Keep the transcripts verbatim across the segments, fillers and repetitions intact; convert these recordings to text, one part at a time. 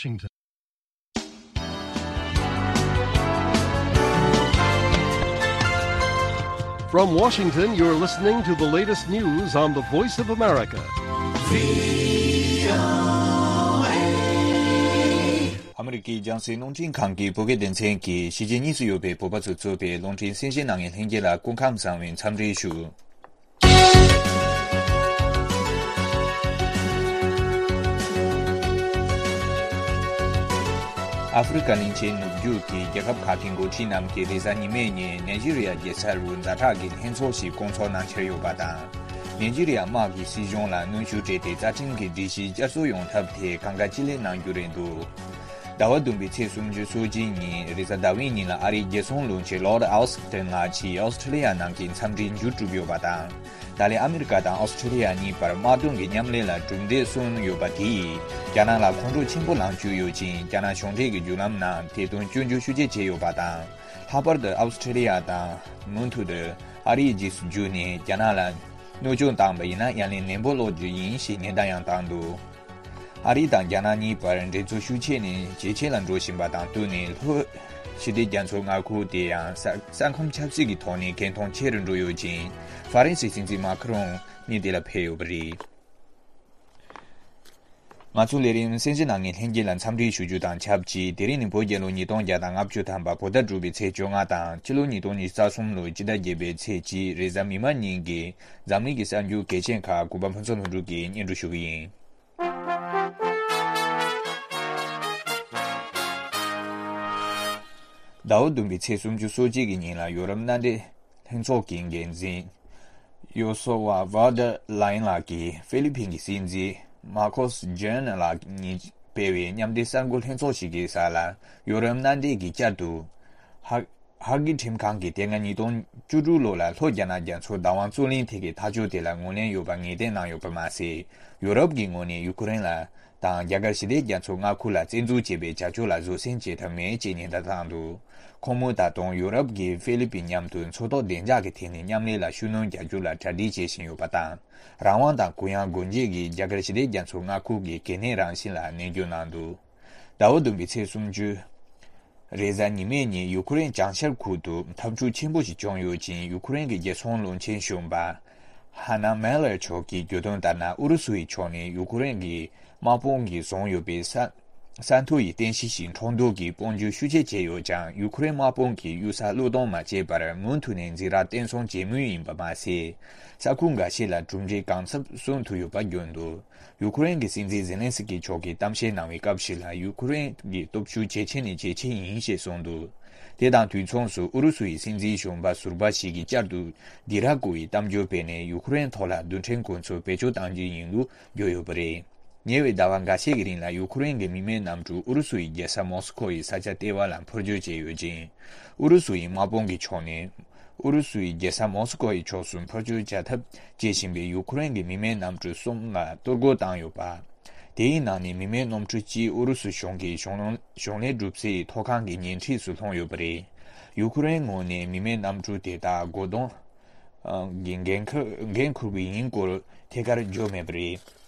Washington. From Washington, you're listening to the latest news on the Voice of America. ཨ་མི་རི་ཀའི་རྒྱང་སྲིང་རླུང་འཕྲིན་ཁང་གི་བོད་སྐད་སྡེ་ཚན་གྱིས་གཞིས་བྱེས་གཉིས་སུ་ཡོད་པའི་བོད་པ་ཚོས་གཙོས་པའི་རླུང་འཕྲིན་གསན་བཞེས་གནང་མཁན་ལྷན་རྒྱས་ལ་སྐུ་ཁམས་བཟང་བའི་འཚམས་འདྲི་ཞུ། ཨ་ཧྥེ་རི་ཁ་གླིང་ཆེན་ནུབ་རྒྱུད་ཀྱི་རྒྱལ་ཁབ་ཁག་གི་འགོ་ཁྲིད་རྣམས་ཀྱིས་རེས་གཟའ་ཉི་མའི་ཉིན་ནེ་ཇི་རི་ཡ་རྒྱལ་ས་རུ་ཛ་དྲག་གི་ལྷན་ཚོགས་ཤིག་བསྐོང་ཚོགས་གནང་འཆར་ཡོད་པ་དང་། ནེ་ཇི་རི་ཡ་དམག་གིས་སྲིད་གཞུང་ལ་གནོན་ཤུགས་སྤྲད་དེ་རྩ་ཁྲིམས་ཀྱི་སྒྲིག་གཞི་བསྐྱར་གསོ་ཡོང་ཐབས་ཐད་གང་དགའ་ཅི་ལེགས་གནང་རྒྱུ་རེད་འདུག་ཟླ་བ་བདུན་པའི་ཚེས་སུམ་ཅུ་སོ་གཅིག་ཉིན་རེས་གཟའ་ཟླ་བའི་ཉིན་ལ་ཨ་རིའི་རྒྱལ་སྲུང་བློན་ཆེན་ལོར་ཨོ་སི་ཊིན་ལགས་ཀྱིས་ཨོ་སི་ཀྲི་ལི་ཡ་ནང་གི་འཚམས་འདྲི་མཇུག་གྲུབ་ཡོད་པ་དང་། ད་ལན་ཨ་མི་རི་ཀ་དང་ཨོ་སི་ཀྲི་ལི་ཡ་གཉིས་བར་དམག་དོན་གྱི་མཉམ་ལས་ལ་གྲུབ་འབྲས་སོན་ཡོད་པ་དེ་ཡིས་རྒྱ་ནག་ལ་ཁོང་ཁྲོ་ཆེན་པོ་ལངས་བཅུག་ཡོད་ཅིང་། རྒྱ་ནག་གཞུང་འབྲེལ་གྱི་བརྒྱུད་ལམ་ནང་དེ་དོན་སྐྱོན་བརྗོད་ཤུགས་ཆེ་བྱས་ཡོད་པ་དང་། ལྷག་པར་དུ་ཨོ་སི་ཀྲི་ལི་ཡ་དང་མུ་མཐུད་དུ་ཨ་རིའི་རྗེས་སུ་འཇུག་ནས་རྒྱ་ནག་ལ་གནོད་སྐྱོན་བཏང་བ་ཡིན་ན་ཡ་ལན་ནན་པོ་སློག་རྒྱུ་ཡིན་ཞེས་ཉེན་བརྡ་ཡང་བཏང་འདུག་ཨ་རི་དང་རྒྱ་ནག་གཉིས་བར་འགྲན་རྩོད་ཤུགས་ཆེ་ནས་ཇེ་ཆེ་ལ་འགྲོ་བཞིན་པ་དང་བསྟུན་ནས། ལྷོ་ཞི་བདེ་རྒྱ་མཚོའི་མངའ་ཁུལ་དེ་ཡང་ས་ས་ཁམས་ཆབ་སྲིད་ཀྱི་ཐོག་ནས་གལ་མཐོང་ཆེ་རུ་འགྲོ་ཡོད་ཅིང་། ཧྥ་རན་སིའི་སྲིད་འཛིན་མཱ་ཁི་རོང་ནི་དེ་ལ་ཕེབས་ཡོད་པ་རེད། ང་ཚོའི་ལས་རིམ་གསན་གཟིགས་གནང་མཁན་ལྷན་རྒྱས་ལ་འཚམས་འདྲི་ཞུ་རྒྱུ་དང་ཆབས་ཅིག་དེ་རིང་ནི་བོད་རྒྱལ་ལོ་ཉིས་སྟོང་བརྒྱ་དང་ལྔ་བཅུ་ཐམ་པ་བོད་ཟླ་དྲུག་པའི་ཚེས་བཅོ་ལྔ་དང་ཕྱི་ལོ་ཉིས་སྟོང་ཉི་ཤུ་རྩ་གསུམ་ལོའི་སྤྱི་ཟླ་བརྒྱད་པའི་ཚེས་གཅིག་རེས་གཟའ་མིག་དམར་ཉིན་གྱི་འཛམ་གླིང་གི་གསར་འགྱུར་གལ་ཆེན་ཁག་གུས་པ་ཕུན་ཚོགས་ལྷུན་གྲུབ་ཀྱིས་སྙན་སྒྲོན་ཞུ་གི་ཡིན། ཟླ་བ་བདུན་པའི་ཚེས་སུམ་ཅུ་སོ་གཅིག་གི་ཉིན་ལ་ཡོ་རོབ་མནའ་འབྲེལ་ལྷན་ཚོགས་ཀྱི་འགན་འཛིན་ཡོ་སོ་ཝ་ཝར་ཌར་ལའེན་ལགས་ཀྱིས་ཧྥི་ལི་ཕིན་གྱི་སྲིད་འཛིན་མར་ཁོ་སི་ཇོན་ལགས་གཉིས་སྤེལ་བའི་མཉམ་འབྲེལ་གསར་འགོད་ལྷན་ཚོགས་ཤིག་གི་ས་ལ་ཡོ་རོབ་མནའ་འབྲེལ་གྱིས་བསྐྱར་དུ་ཧ་ཧ་གི་ཁྲིམས་ཁང་གིས་དེ་སྔ་ཉིས་སྟོང་བཅུ་དྲུག་ལོ་ལ་ལྷོ་རྒྱ་ནག་རྒྱ་མཚོའི་བདག་དབང་རྩོད་གླེང་ཐད་ཀྱི་ཐག་གཅོད་དེ་ལ་ངོས་ལེན་ཡོད་པ་ངེས་གཏན་གནང་ཡོད་པ་མ་ཟད། ཡོ་རོབ་ཀྱི་ངོས་ནས་ཡུ་ཁུ་རེན་ལ་དང་རྒྱ་གར་ཞི་བདེ་རྒྱ་མཚོའི་མངའ་ཁུལ་ལ་བཙན་འཛུལ་བྱས་པའི་བྱ་སྤྱོད་ལ་བཟོད་བསྲན་བྱེད་ཐབས་མེད་ཅེས་ཉེན་བརྡ་བཏང་འདུག་ཁོང་མོས་ད་དུང་ཡོ་རོབ་ཀྱིས་ཧྥི་ལི་པིན་མཉམ་དུ་མཚོ་ཐོག་བདེ་འཇགས་ཀྱི་ཐད་ནས་མཉམ་ལས་ལ་ཤུགས་སྣོན་རྒྱག་རྒྱུ་ལ་གྲ་སྒྲིག་བྱེད་བཞིན་ཡོད་པ་དང་། རང་དབང་དང་གུ་ཡངས་སྒོ་འབྱེད་ཀྱིས་རྒྱ་གར་ཞི་བདེ་རྒྱ་མཚོའི་མངའ་ཁུལ་གྱི་གལ་གནད་རང་བཞིན་ལ་ནན་བརྗོད་གནང་འདུག་ཟླ་བ་བདུན་པའི་ཚེས་སུམ་ཅུ། རེས་གཟའ་ཉི་མའི་ཉིན་ཡུ་ཁུ་རེན་བྱང་ཤར་ཁུལ་དུ་འཐབ་འཁྲུག་ཆེན་པོ་ཞིག་བྱུང་ཡོད་ཅིང་། ཡུ་ཁུ་རེན་གྱི་རྒྱལ་སྲུང་བློན་ཆེན་གཞོན་པ་ཧ་ན་མེ་ལར་མཆོག་གིས་བརྗོད་དོན་ལྟར་ན། ཨུ་རུ་སུ་ཡི་ཕྱོགས་ནས་ཡུ་ཁུ་རེན་གྱི་དམག་དཔུང་གིས་བཟུང་ཡོད་པའི་ས་ས་མཐོ་ཡི་རྟེན་གཞི་ཞིག་འཕྲོག་འདོད་ཀྱིས་དཔུང་འཇུག་ཤུགས་ཆེ་བྱས་ཡོད་ཀྱང་། ཡུ་ཁུ་རེན་དམག་དཔུང་གིས་གཡུལ་ས་བློས་གཏོང་མ་བྱས་པར་མུ་མཐུད་ནས་འཛིང་རགས་བརྟན་སྲུང་བྱེད་མུས་ཡིན་པ་མ་ཟད། ས་ཁུལ་འགའ་ཤས་ལ་གྲུབ་འབྲས་གང་འཚམ་སོན་ཐུབ་ཡོད་པ་བརྗོད་འདུག་ཡུ་ཁུ་རེན་གྱི་སྲིད་འཛིན་ཛེ་ལན་སི་ཀི་མཆོག་གིས་གཏམ་བཤད་གནང་བའི་སྐབས་ཤིག་ལ། ཡུ་ཁུ་རེན་གྱི་སྟོབས་ཤུགས་ཇེ་ཆེ་ནས་ཇེ་ཆེ་ཡིན་ཞེས་གསུངས་འདུག་དེ་དང་དུས་མཚུངས་སུ་ཨུ་རུ་སུ་ཡི་སྲིད་འཛིན་གཞོན་པ་ཟུར་པ་ཞིག་གིས་བསྐྱར་དུ་སྡིགས་ར་བསྐུལ་བའི་གཏམ་བརྗོད་སྤེལ་ནས། ཡུ་ཁུ་རེན་ཐོག་ལ་རྡུལ་ཕྲན་གོ་མཚོན་བེད་སྤྱོད་གཏང་རྒྱུ་ཡིན་ལུགས་བརྗོད་ཡོད་པ་རེད། ཉེ་བའི་ཟླ་བ་འགའ་ཤས་ཀྱི་རིང་ལ་ཡུ་ཁུ་རེན་གྱི་མི་མེད་གནམ་གྲུ་ཨུ་རུ་སུ་ཡི་རྒྱལ་ས་མོ་སི་ཁོ་ཡི་ས་ཆ་ལྟེ་བ་ལ་འཕུར་སྐྱོད་བྱས་ཡོད་ཅིང་། ཨུ་རུ་སུ་ཡི་དམག་དཔུང་གི་ཕྱོགས་ནས་ཨུ་རུ་སུ་ཡི་རྒྱལ་ས་མོ་སི་ཁོ་ཡི་ཕྱོགས་སུ་འཕུར་སྐྱོད་བྱ་ཐབས་བྱེད་བཞིན་པའི་ཡུ་ཁུ་རེན་གྱི་མི་མེད་གནམ་གྲུ་གསུམ་ལ་གཏོར་རྒོལ་བཏང་ཡོད་པ། དེའི་ནང་ནས་མི་མེད་གནམ་གྲུ་གཅིག་ཨུ་རུ་སུ་གཞུང་གི་གཞུང་གཞུང་ལས་སྒྲུབ་སའི་ཐོག་ཁང་གི་ཉེ་འཁྲིས་སུ་ལྷུང་ཡོད་པ་རེད། ཡུ་ཁུ་རེན་ངོས་ནས་མི་མེད་གནམ་གྲུ་དེ་དག་རྒོལ་རྡུང་གི་འགན་འཁུར་འགན་འཁུར་བ་ཡིན་སྐོར་ཐད་ཀར་བརྗོད་མེད་པ་རེད།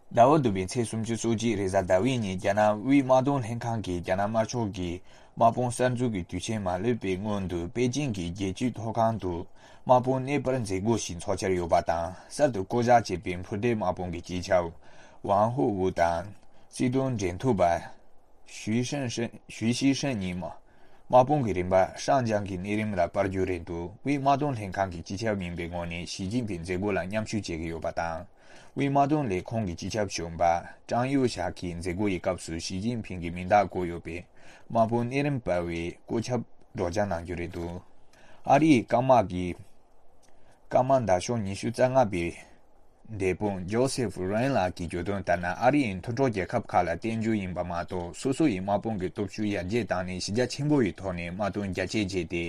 ཟླ་བ་བདུན་པའི་ཚེས་སུམ་ཅུ་སོ་གཅིག་རེས་གཟའ་ཟླ་བའི་ཉིན་རྒྱ་ནག་དབུས་དམག་དོན་ལྷན་ཁང་གིས་རྒྱ་ནག་དམར་ཕྱོགས་ཀྱི་དམག་དཔུང་གསར་འཛུགས་ཀྱི་དུས་ཆེན་མ་སླེབས་པའི་སྔོན་དུ་པེ་ཅིང་གི་རྒྱལ་སྤྱིའི་ཐོག་ཁང་དུ་དམག་དཔུང་གནས་སྤར་མཛད་སྒོ་ཞིག་འཚོགས་འཆར་ཡོད་པ་དང་། གསར་དུ་བསྐོ་གཞག་བྱས་པའི་འཕུར་མདེལ་དམག་དཔུང་གི་སྤྱི་ཁྱབ་ཝང་ཧུ་ཝུ་དང་སྲིད་དོན་འབྲེལ་མཐུད་པ་ཞུས་ཧྲན་ཧྲན་ཞུས་ཤིས་ཧྲན་གཉིས་མ། དམག་དཔུང་གི་རིམ་པ་ཧྲང་ཅང་གི་གནས་རིམ་ལ་སྤར་རྒྱུ་རེད་འདུག་དབུས་དམག་དོན་ལྷན་ཁང་གི་སྤྱི་ཁྱབ་ཡིན་པའི་ངོས་ནས་ཞི་ཅིན་ཕིང་མཛད་སྒོ་ལ་མཉམ་ཞུགས་བྱེད་ཀྱི་ཡོད་པ་དང་། དབུས་དམག་དོན་ལས་ཁུངས་ཀྱི་སྤྱི་ཁྱབ་གཞོན་པ་ཀྲང་ཡུའུ་ཞའོ་གིས་མཛད་སྒོ་ཡི་སྐབས་སུ་ཞི་ཅིན་ཕིང་གི་མིང་རྟགས་བཀོད་ཡོད་པའི་དམག་དཔུང་གནས་རིམ་སྤར་བའི་བཀོད་ཁྱབ་སྒྲོག་སྦྱང་གནང་རྒྱུ་རེད་འདུག་ཨ་རིའི་སྐམ་དམག་གི་སྐམ་དམག་མདའ་ཤོག་ཉི་ཤུ་རྩ་ལྔ་པའི་འདས་དཔོན་ཇོ་སེ་ཧྥུ་རན་ལགས་ཀྱིས་བརྗོད་དོན་ལྟར་ན། ཨ་རི་ཡིས་མཐུན་གྲོགས་རྒྱལ་ཁབ་ཁག་ལ་བརྟེན་རྒྱུ་ཡིན་པ་མ་གཏོགས། སོ་སོ་ཡི་དམག་དཔུང་གི་སྟོབས་ཤུགས་ཡར་རྒྱས་བཏང་ནས་གཞི་རྒྱ་ཆེན་པོ་ཡི་ཐོག་ནས་དམག་དོན་རྒྱ་སྐྱེད་བྱས་ཏེ།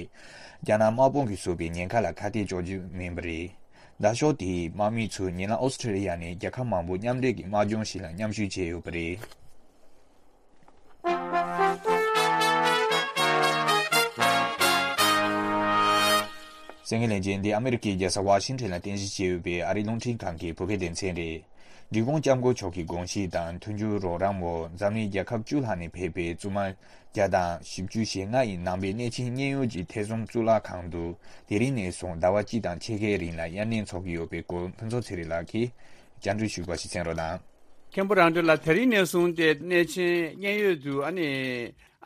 རྒྱ་ནག་དམག་དཔུང་གིས་བཟོས་པའི་ཉེན་ཁ་ལ་ཁ་གཏད་གཅོག་རྒྱུ་མིན་པ་རེད། མདའ་ཤོག་དེའི་དམག་མི་ཚོས་ཉེ་ལམ་ཨོ་སི་ཁྲི་ལི་ཡ་ནས་རྒྱལ་ཁབ་མང་པོ་མཉམ་འབྲེལ་གྱི་དམག་སྦྱོང་ཞིག་ལ་མཉམ་ཞུགས་བྱས་ཡོད་པ་རེད། གསན་མཁན་ལྷན་རྒྱས། འདི་ཨ་མི་རི་ཀའི་རྒྱལ་ས་ཝ་ཤིང་ཊོན་ལ་རྟེན་གཞི་བྱས་ཡོད་པའི་ཨ་རིའི་རླུང་འཕྲིན་ཁང་གི་བོད་སྐད་སྡེ་ཚན་རེད། འབྲི་གུང་སྐྱབས་མགོན་མཆོག་གི་དགོངས་གཞི་དང་མཐུན་འགྱུར་རོགས་རམ་འོག་འཛམ་གླིང་རྒྱལ་ཁབ་བཅུ་ལྷག་ནས་ཕེབས་པའི་བཙུན་མ་བརྒྱ་དང་བཞི་བཅུ་ཞེ་ལྔ་ཡི་ནང་པའི་གནས་ཆེན་མཉན་ཡོད་ཀྱི་ཐེ་ཚོམ་གཙུག་ལག་ཁང་དུ་དེ་རིང་ནས་བཟུང་ཟླ་བ་གཅིག་དང་ཕྱེད་ཀའི་རིང་ལ་དབྱར་གནས་འཚོགས་ཀྱི་ཡོད་པའི་སྐོར་ཕུན་ཚོགས་ཚེ་རིང་ལགས་ཀྱིས་བཅར་འདྲི་ཞུས་པ་ཞིག་གསན་རོགས་གནང་། མཁན་པོ་རང་གྲོལ་ལགས། དེ་རིང་ནས་བཟུང་སྟེ་གནས་ཆེན་མཉན་ཡོད་དུ་ཨ་ནི་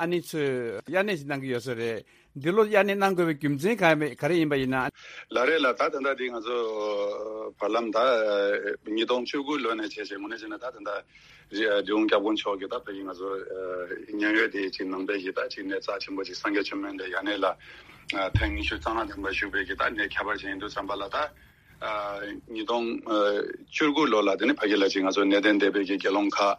ཨ་ནི་ཚོས་དབྱར་གནས་ཤིག་གནང་གི་ཡོད་ས་རེད། འདི་ལོ་དབྱར་གནས་གནང་དགོས་པའི་རྒྱུ་མཚན་ག་ག་རེ་ཡིན་པ་ཡིན་ན། ལགས་རེད་ལགས། ད་ད་ལྟ་འདི་ང་ཚོ་བར་ལམ་ད་ཉིས་སྟོང་བཅུ་དགུ་ལོ་ནས་བྱས་བྱས་དངོས་གནས་བྱས་ན་ད་ད་ལྟ་འབྲི་གུང་སྐྱབས་མགོན་མཆོག་གིས་ད་ཕ་གི་ང་ཚོ་མཉན་ཡོད་དེ་ཅིག་ནང་པའི་གི་ད་ཅིག་གནས་རྩ་ཆེན་པོ་ཅིག་སངས་རྒྱས་བཅོམ་ལྡན་འདས་དབྱར་གནས་ལ་ཐེངས་ཉི་ཤུ་རྩ་ལྔ་ཐམ་པ་བཞུགས་པའི་གི་ད་གནས་ཁྱད་པར་ཅན་ཡིན་དུས་ཙམ་པ་ལ་ད། ཉིས་སྟོང་བཅུ་དགུ་ལོ་ལ་དེ་ནི་ཕ་གི་ལ་ཅིག་ང་ཚོ་གནས་བརྟན་སྡེ་པའི་གི་དགེ་སློང་ཁག་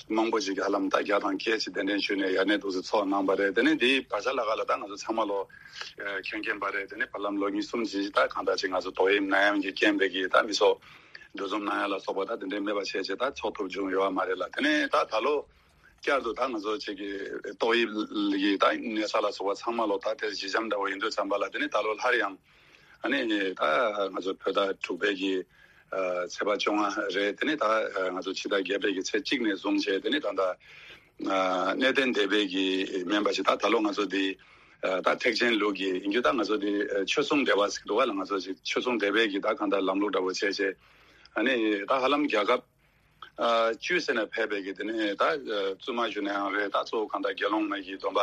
མང་པོ་ཅིག་གི་ཧ་ལམ་ད་བརྒྱ་དང་བརྒྱད་ཅིག་གདན་འདྲེན་ཞུས་ནས་དབྱར་གནས་འདུག་སེ་ཚོགས་གནང་བ་རེད། དེ་ནི་འདིའི་བར་ཆ་ལ་ག་ལ་ད་ང་ཚོ་ཚང་མ་ལོ་མཁྱེན་མཁྱེན་པ་རེད། དེ་ནི་བར་ལམ་ལོ་གཉིས་གསུམ་ཅིག་ད་གང་ལྟར་ཅིག་ང་ཚོ་ཏོག་དབྱིབས་ནད་ཡམས་ཀྱི་རྐྱེན་པས་གི་ད་མི་ཚོགས་འདུ་འཛོམས་གནང་ཡ་ལ་སོགས་པ་ད་དེ་འདྲའི་མེད་པ་བྱས་བྱས་ད་ཚོགས་ཐུབ་བྱུང་ཡོད་པ་མ་རེད་ལ། དེ་ནི་ད་ད་ལོ། བསྐྱར་དུ་ད་ང་ཚོ་ཅིག་གི་ཏོག་དབྱིབས་ཀྱི་ད་གནས་ས་ལ་སོགས་པ་ཚང་མ་ལོ་ད་དེ་ཞི་འཇམ་འདྲ་བོ་ཡིན་དུས་ཙམ་པ་ལ་དེ་ནི་ད་ལོ་སླར་ཡང་ཨ་ནི་ད་ང་ཚོ་བོད་ཟླ་དྲུག་པའི་གི་ཚེས་པ་བཅོ་ལྔ་རེད། དེ་ནི་ད་ང་ཚོ་ཕྱི་ཟླ་བརྒྱད་པའི་གི་ཚེས་གཅིག་ནས་བཟུང་བྱས་དེ་ནི་ད་ད་གནས་བརྟན་སྡེ་པའི་གི་མིན་པ་ཞིག་ད་ད་ལོ་ང་ཚོ་འདི་ད་ཐེག་ཆེན་ལུགས་ཀྱི་ཡིན་རྒྱུ་ད་ང་ཚོ་འདི་ཆོས་སྲུང་སྡེ་པ་ཟེར་འདུག་བ་ལ། ང་ཚོ་ཅིག་ཆོས་སྲུང་སྡེ་པའི་གི་ད་གང་ལྟར་ལམ་ལུགས་འདྲ་བོ་བྱས་བྱས་ཨ་ནི་ད་ཧ་ལམ་རྒྱལ་ཁབ། ཨ་བཅུ་ཟེར་ནས་ཕེབས་པའི་གི་དེ་ནས་ད་བཙུན་མ་ཞུ་ན་ཡང་རེད། ད་གཙོ་བོ་གང་ལྟར་དགེ་སློང་མ་གི་སྡོམ་པ་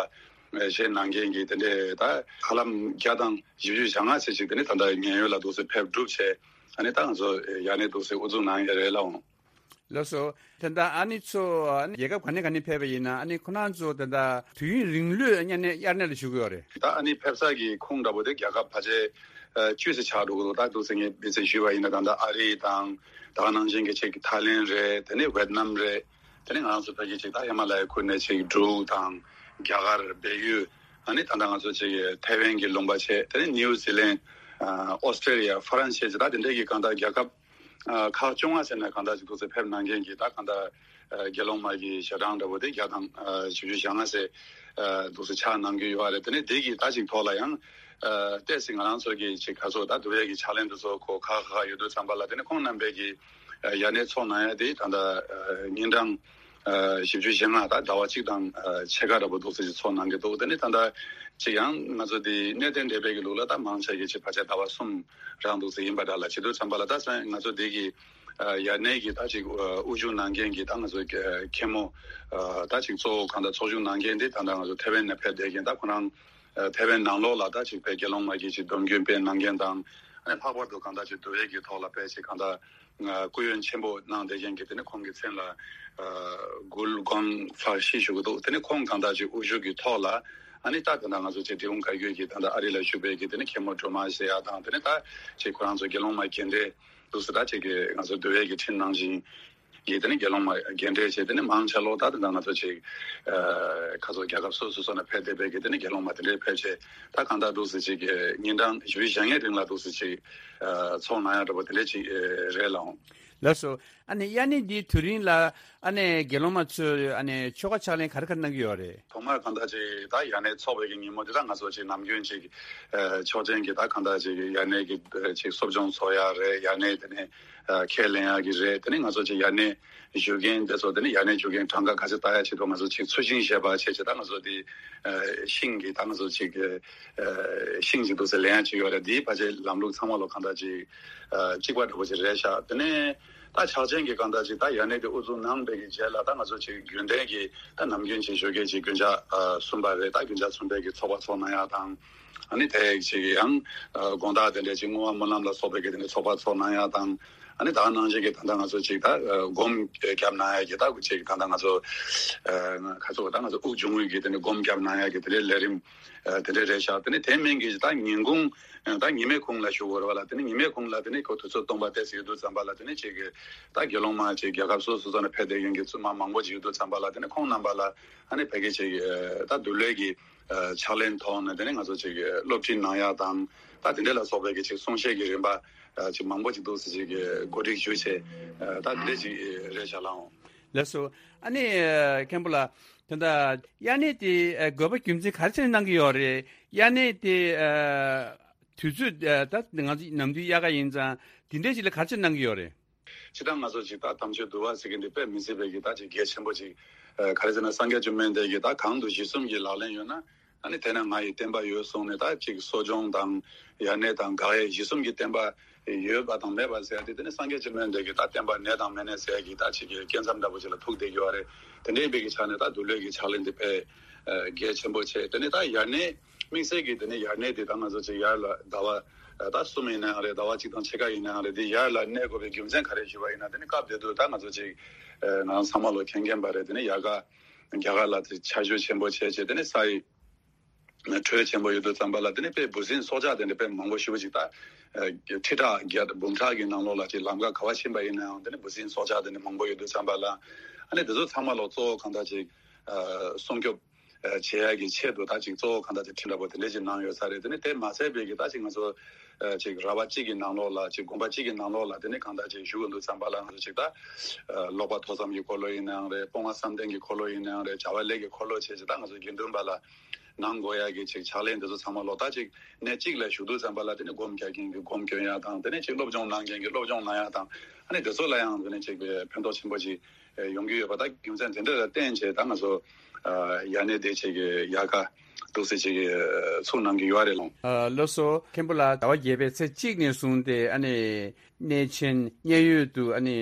བཞེས་གནང་མཁན་གྱི་དེ་འདྲས་ད་ཧ་ལམ་བརྒྱ་དང་བཞི་བཅུ་ཞེ་ལྔ་ཙམ་ཞིག་དེ་ནས་ད་ལྟ་མཉན་ཡོད་ལ་འདུག་སེ་ཕེབས་གྲུབ་བྱས་ཨ་ནི་ད་ང་ཚོ་ཡར་གནས་འདུག་སེ་དབུ་འཛུགས་གནང་ཡ་རེད་ལགས་འོང་། ལགས་སོ། ད་ལྟ་ཨ་ནི་ཚོ་ཨ་ནི་རྒྱལ་ཁབ་ག་ནས་ག་ནས་ཕེབས་པ་ཡིན་ན་ཨ་ནི་ཁོ་རང་ཚོ་ད་ལྟ་དུས་ཡུན་རིང་ལོས་དབྱར་གནས་དབྱར་གནས་ལ་བཞུགས་ཀྱི་ཡོད་རེད། ད་ཨ་ནི་ཕེབས་ས་གི་ཁོངས་འདྲ་པོ་དེ་རྒྱལ་ཁབ་ཕལ་ཆེར་བཅུ་ཙམ་ཆགས་འགྲོ་གི་འདུག་ད་འདུག་སེ་ངས་དཔེ་ཆ་ཞུས་པ་ཡིན་ན་ད་ལྟ་ཨ་རི་དང་། ད་ག་ནང་བཞིན་གྱི་ཅིག་ཐའི་ལེན་རེད། དེ་ནས་ཝེད་ནམ་རེད། དེ་ནས་ང་རང་ཚོ་ཕ་གི་ཅིག་ད་ཧི་མ་ལ་ཡའི་ཁུལ་ནས་ཅིག་འབྲུག་དང་རྒྱ་གར་བལ་ཡུལ། ཨ་ནི་ད་ལྟ་ང་ཚོ་ཅིག་ཐའེ་ཝན་གྱི་ལུང་པ་བྱས། དེ་ནས་ནིའུ་ཛི་ལན། ཨོ་སི་ཀྲེ་ལི་ཡ། ཧྥ་རན་སི་བྱས་ད་དེ་འདྲའི་གི་གང་ལྟར་རྒྱལ་ཁབ་ཁག་བཅོ་ལྔ་ཟེར་ནས་གང་ལྟར་ཅིག་འདུག་སེ་ཕེབས་གནང་མཁན་གྱི་ད་གང་ལྟར་དགེ་སློང་མ་གི་ཞལ་གྲངས་འདྲ་པོ་དེ་བརྒྱ་དང་བཞི་བཅུ་ཞེ་ལྔ་ཟེར་འདུག་སེ་ཆགས་གནང་གི་ཡོད་རེད། དེ་ནས་དེ་གི་ད་ཅིག་ཐོག་ལ་ཡང་ཏོག་ཙམ་ང་རང་ཚོ་གི་ཅིག་ག་ཚོད་ད་འདུག་ཡ་གི་ཕྱག་ལེན་དུ་ཚོ་གོ་ཁག་ཁག་ཡོད་དུས་ཙམ་པ་ལ་དེ་ནས་ཁོང་རྣམ་པས་གི་ཡར་གནས་ཚོགས་གནང་ཡ་དེ་ད་ལྟ་ཉིན་གྲངས་བཞི་བཅུ་ཞེ་ལྔ་ད་ཟླ་བ་གཅིག་དང་ཕྱེད་ཀ་འདྲ་པོ་འདུག་སེ་ཅིག་ཚོགས་གནང་གི་འདུག་དེ་ནས་ད་ལྟ་ཅིག་ཡང་ང་ཚོ་དེ་གནས་བརྟན་སྡེ་པའི་གི་ལུགས་ལ་ད་མང་ཆེ་གི་ཅིག་ཕལ་ཆེར་ཟླ་བ་གསུམ་རང་འདུག་སེ་ཡིན་པ་འདྲ་ལ་བྱེད་དུས་ཙམ་པ་ལ་ད་ས་ང་ཚོ་དེ་གི་ཡར་གནས་ཀྱི་ད་ཅིག་དབུ་བཞུགས་གནང་མཁན་གྱི་ད་ང་ཚོ་མཁན་མོ་ད་ཅིག་གཙོ་བོ་གང་ལྟར་ཚོགས་བཞུགས་གནང་མཁན་དེ་ད་ལྟ་ང་ཚོ་ཐའེ་ཝན་ནས་ཕེབས་བསྡད་མཁན་ད་ཁོ་རང་ཐའེ་ཝན་ནང་ལོགས་ལ་ད་ཅིག་དཔེ་དགེ་སློང་མ་གིས་ཅིག་སྡོམ་རྒྱུན་སྤེལ་གནང་མཁན་དང་ཨ་ནི་ལྷག་པར་དུ་གང་ལྟར་ཅིག་འདུལ་བའི་གི་ཐོག་ལ་དཔེ་ཅིག་གང་ལྟར་སྐུ་ཡོན་ཆེན་པོ་གནང་བསྡད་མཁན་གྱི་དེ་ནི་ཁོང་གི་མཚན་ལ་གུལ་གོང་ཧྥ་ཤི་ཞུ་གི་འདུག་དེ་ནི་ཁོང་གང་ལྟར་ཅིག་དབུ་བཞུགས་ཀྱི་ཐོག་ལ་ཨ་ནི་ད་གང་ལྟར་ང་ཚོ་ཅིག་འབྲི་གུང་བཀའ་བརྒྱུད་ཀྱི་ད་ལྟ་ཨ་རི་ལ་བཞུགས་པའི་གི་དེ་ནི་མཁན་མོ་སྒྲོལ་མ་ཟེར་ཡ་དང་དེ་ནི་ད་ཅིག་ཁོ་རང་ཚོ་དགེ་སློང་མ་རྒན་གྲས་འདུག་སེ་ད་ཅིག་གི་ང་ཚོ་འདུལ་བའི་གི་ཁྲིམས་ནང་བཞིན། གི་དེ་ནི་དགེ་སློང་མ་རྒན་གྲས་བྱས་དེ་ནི་མང་ཆེ་ལོ་ད་དེ་འདྲ་ང་ཚོ་ཅིག་ཁ་སོ་རྒྱལ་ཁབ་སོ་སོ་སོ་ནས་ཕེབས་བསྡད་པའི་གི་དེ་ནི་དགེ་སློང་མ་དེ་འདྲས་ཕེབས་བྱས་ད་གང་ལྟར་འདུག་སེ་ཅིག་ཉིན་གྲངས་བཞི་བཅུ་ཞེ་ལྔའི་རིང་ལ་འདུག་སེ་ཅིག་ཚོགས་གནང་ཡ་འདྲ་པོ་དེ་འདྲས་ཅིག་རེད་ལགས་འོང་། ལགས་སོ། ཨ་ནི་དབྱར་གནས་འདིའི་དུས་རིང་ལ་ཨ་ནི་དགེ་སློང་མ་ཚོས་ཨ་ནི་ཆོ་ག་ཕྱག་ལེན་ག་རེ་ག་རེ་གནང་གི་ཡོད་རེད། ཐོག་མར་གང་ལྟར་ཅིག་ད་དབྱར་གནས་ཚོགས་པའི་གི་ཉིན་མོ་འདི་ད་ང་ཚོ་ཅིག་ནམ་རྒྱུན་ཅིག་ཆོག་མཆན་གྱི་ད་གང་ལྟར་ཅིག་དབྱར་གནས་ཀྱི་ཅིག་གསོ་སྦྱོང་ཚོགས་ཡ་རེད། དབྱར་གནས་དེ་ནས་ཁས་ལེན་ཡག་གི་རེད། དེ་ནས་ང་ཚོ་ཅིག་དབྱར་གནས་བཞུགས་མཁན་དེ་ཚོ་དེ་ནས་དབྱར་གནས་བཞུགས་མཁན་གྲངས་ཀ་ག་ཚོད་བལྟ་ཡག་ཆེད་དུ་ང་ཚོ་ཅིག་ཚུལ་ཤིང་བཞེས་པ་བྱས་བྱས་ད་ང་ཚོ་དེ་ཤིང་གི་ད་ང་ཚོ་ཅིག་ཤིང་ཅིག་འདུག་ཟེར་ལེན་ཡག་ཅིག་ཡོད་རེད། དེའི་ཕལ་ཆེར་ལམ་ལུགས་ཚང་མ་ལོ་གང་ལྟར་ཅིག་གཅིག་པ་འདྲ་པོ་ཅིག་རེད་ཤག་དེ་ནས་ད་ཕྱག་ཆེན་གྱི་གང་ལྟར་ཅིག་ད་དབྱར་གནས་དེ་དབུ་འཛུགས་གནང་བའི་གི་རྗེས་ལ་ད་ང་ཚོ་ཅིག་རྒྱུན་ལྡན་གྱི་ད་ནམ་རྒྱུན་ཅིག་ཞོགས་ཀས་ཅིག་རྒྱུན་ཆགས་གསུམ་པ་རེད། ད་རྒྱུན་ཆགས་གསུམ་པའི་གི་ཚོགས་པ་ཚོགས་གནང་ཡག་དང་། ཨ་ནི་དེ་ཅིག་ཡང་དགོང་དག་དེ་འདྲའི་ཅིག་བསྔོ་བ་སྨོན་ལམ་ལ་སོགས་པའི་གི་དེ་འདྲའི་ཚོགས་པ་ཚོགས་གནང་ཡག་དང་། ཨ་ནི་ད་ག་ནང་བཞིན་གི་ད་ལྟ་ང་ཚོ་ཅིག་ད་སྒོམ་རྒྱབ་གནང་ཡག་གི་ད་ཅིག་ད་ལྟ་ང་ཚོ་ཁ་ཚོ་ད་ང་ཚོ་དབུགས་འབྱུང་བའི་གི་དེ་འདྲའི་སྒོམ་རྒྱབ་གནང་ཡག་གི་དེ་འདྲའི་ལས་རིམ་དེ་འདྲའི་རེད་ཤག་དེ་ནི་དེ་མིན་གི་ད་ཉིན་གུང་ད་ཉི་མའི་གུང་ལ་ཞུ་དགོས་རེད་བ་ལ། དེ་ནི་ཉི་མའི་གུང་ལ་དེ་ནི་ཁོ་དུས་ཚོད་སྟོང་པ་ཏོག་ཙམ་ཡོད་དུས་ཙམ་པ་ལ་དེ་ནི་ཅིག་གི་ད་དགེ་སློང་མ་ཅིག་རྒྱལ་ཁབ་སོ་སོ་ས་ནས་ཕེབས་བསྡད་མཁན་གྱི་བཙུན་མ་མང་པོ་ཅིག་ཡོད་དུས་ཙམ་པ་ལ་དེ་ནི་ཁོང་རྣམ་པ་ལ་ཨ་ནི་ཕ་གི་ཅིག་ད་འདུལ་བའི་གི་ཕྱག་ལེན་ཐོག་ནས་དེ་ནས་ང་ཚོ་ཅིག་སློབ་ཁྲིད་གནང་ཡག་དང་ད་དེ་འདྲ་ལ་སོགས་པའི་གི་ཅིག་གསུང་བཤད་ཀྱི་རིམ་པ་ཅིག་མང་པོ་ཅིག་འདུག་སེ་ཅིག་གི་གོ་སྒྲིག་ཞུས་བྱས་ད་དེ་འདྲ་ཅིག་རེད་ཤག་ལགས་འོང་། ལགས་སོ། ཨ་ནི་མཁན་པོ་ལགས་ད་ལྟ་དབྱར་གནས་དེ་དགོས་པ་རྒྱུ་མཚན་ག་རེ་བྱས་ནས་གནང་གི་ཡོད་རེད། དབྱར་གནས་དེ་དུས་ཚོད་ད་ང་ཚོ་ནམ་དུས་དབྱར་ཁ་ཡིན་ཙང་དེ་འདྲའི་ཅིག་ལ་ག་རེ་བྱས་ནས་གནང་གི་ཡོད་རེད། སྤྱིར་བཏང་ང་ཚོ་ཅིག་ད་དམ་ཆོས་འདུལ་བ་ཟེར་གྱི་འདི་དཔེ་མི་སྲིད་པའི་གི་ད་ཅིག་གལ་ཆེན་པོ་ཅིག་ཨ་ག་རེ་ཟེར་ན་སངས་རྒྱས་བཅོམ་ལྡན་འདས་ཀྱིས་ད་གང་དུ་གཞི་གསུམ་གྱི་ལག་ལེན་ཡོད་ན། ཨ་ནི་དེ་ན་ང་ཡི་བསྟན་པ་ཡོད་གསུངས་ནས་ད་ཅིག་གསོ་སྦྱོང་དང་ཡར་གནས་དང་དགག་དབྱེ་གཞི་གསུམ་གྱི་བསྟན་པ་ཡོད་པ་དང་མེད་པ་ཟེར་ཡ་དེ་དེ་ནི་སངས་རྒྱས་བཅོམ་ལྡན་འདས་ཀྱི་ད་བསྟན་པ་གནས་དང་མི་གནས་ཟེར་ཡ་གི་ད་ཅིག་གི་སྐྱེ་མཚམས་འདྲ་པོ་ཅིག་ལ་ཐུག་བསྡད་ཡོད་རེད། དེ་འདྲའི་བའི་གི་ཆ་ནས་ད་འདུལ་བའི་གི་ཕྱག་ལེན་དེ་དཔེ་གལ་ཆེན་པོ་ཆེ། དེ་ནི་ད་ཡར་གནས་དམིགས་བསལ་གྱི་དེ་ནི་ཡར་གནས་དེ་ད་ང་ཚོ་ཅིག་ཡར་ལ་ཟླ་བ་ད་གསུམ་ཡིན་ནའང་རེད། ཟླ་བ་གཅིག་དང་ཕྱེད་ཀ་ཡིན་ནའང་རེད། དེ་ཡར་ལ་གནས་དགོས་པའི་རྒྱུ་མཚན་ག་རེ་ཞུས་པ་ཡིན་ན། དེ་ནི་སྐབས་དེ་དུས་ད་ང་ཚོ་ཅིག་ང་རང་ཚང་མ་ལོ་མཁྱེན་མཁྱེན་པ་རེད། དེ་ནི་ཡར་ག་རྒྱ་གར་ལ་དེ་ཆར་ཞོད་ཆེན་པོ་བྱས་བྱས་དེ་ནི་ས་ཡི་དྲོད་ཆེན་པོ་ཡོད་དུས་ཙམ་པ་ལ་དེ་ནི་དཔེ་འབུ་སྲིན་སྲོག་ཆགས་དེ་འདྲ་དཔེ་མང་པོ་ཞེ་པོ་ཅིག་ད་ཁྲི་ཕྲག་བརྒྱ་འབུམ་ཕྲག་གི་ནང་ལོགས་ལ་ཅིག་ལམ་ཁ་ག་བ་ཕྱིན་པ་ཡིན་ནའང་དེ་ནི་འབུ་སྲིན་སྲོག་ཆགས་དེ་འདྲ་མང་པོ་ཡོད་དུས་ཙམ་པ་ལ། ཨ་ནི་དེ་ཚོ་ཚང་མ་ལོ་གཙོ་བོ་གང་ལྟར་ཅིག་སྲུང་སྐྱོབ་བྱེད་ཡ་གི་ཆེད་དུ་ད་ཅིག་གཙོ་བོ་གང་ལྟར་ཅིག་ཁྲི་འདྲ་པོ་དེ་འདྲ་ཅིག་གནང་ཡོད་ས་རེད། དེ་ནི་དེ་མ་ཚད་པའི་གི་ད་ཅིག་ང་ཚོ་ཅིག་ར་བ་གཅིག་གི་ནང་ལོགས་ལ་ཅིག་དགོན་པ་གཅིག་གི་ནང་ལོགས་ལ་དེ་ནི་གང་ལྟར་ཅིག་བཞུགས་ཡོང་དུས་ཙམ་པ་ལ་ང་ཚོ་ཅིག་ད་ཀློག་པ་ཐོས་བསམ་གྱི་འཁོར་ལོ་ཡིན་ནའང་རེད། སྤོང་བ་བསམ་གཏན་གྱི་འཁོར་ལོ་ཡིན་ནའང་རེད། བྱ་བ་ལས་ཀྱི་འཁོར་ལོ་བྱས་ཅིག་ད་ང་ཚོ་དགེ་འདུན་པ་ལ་གནང་དགོས་ཡ་གི་ཅིག་ཕྱག་ལེན་དེ་ཚོ་ཚང་མ་ལོ་ད་ཅིག་གནས་གཅིག་ལ་བཞུགས་དུས་ཙམ་པ་ལ་དེ་ནི་སྒོམ་རྒྱག་མཁན་གྱི་སྒོམ་སྐྱོན་ཡ་དང་དེ་ནས་ཅིག་སློབ་སྦྱོང་གནང་མཁན་གྱི་སློབ་སྦྱོང་གནང་ཡ་དང་། ཨ་ནི་དེ་ཚོ་ལ་ཡང་དེ་ནས་ཅིག་ཕན་ཐོགས་ཆེན་པོ་ཅིག་ཡོང་གི་ཡོད་པ་ད་རྒྱུ་མཚན་དེ་འདྲ་ལ་བརྟེན་བྱས་ད་ང་ཚོ་ཡར་གནས་དེ་ཅིག་ཡར་ཁ་འདུག་སེ་ཅིག་ཚུགས་གནང་གི་ཡོད་རེད་ལགས། ལགས་སོ། མཁན་པོ་ལགས། ཟླ་བ་བརྒྱད་པའི་ཚེས་གཅིག་ནས་བཟུང་སྟེ་ཨ་ནི་གནས་ཆེན་མཉན་ཡོད་དུ་ཨ་ནི་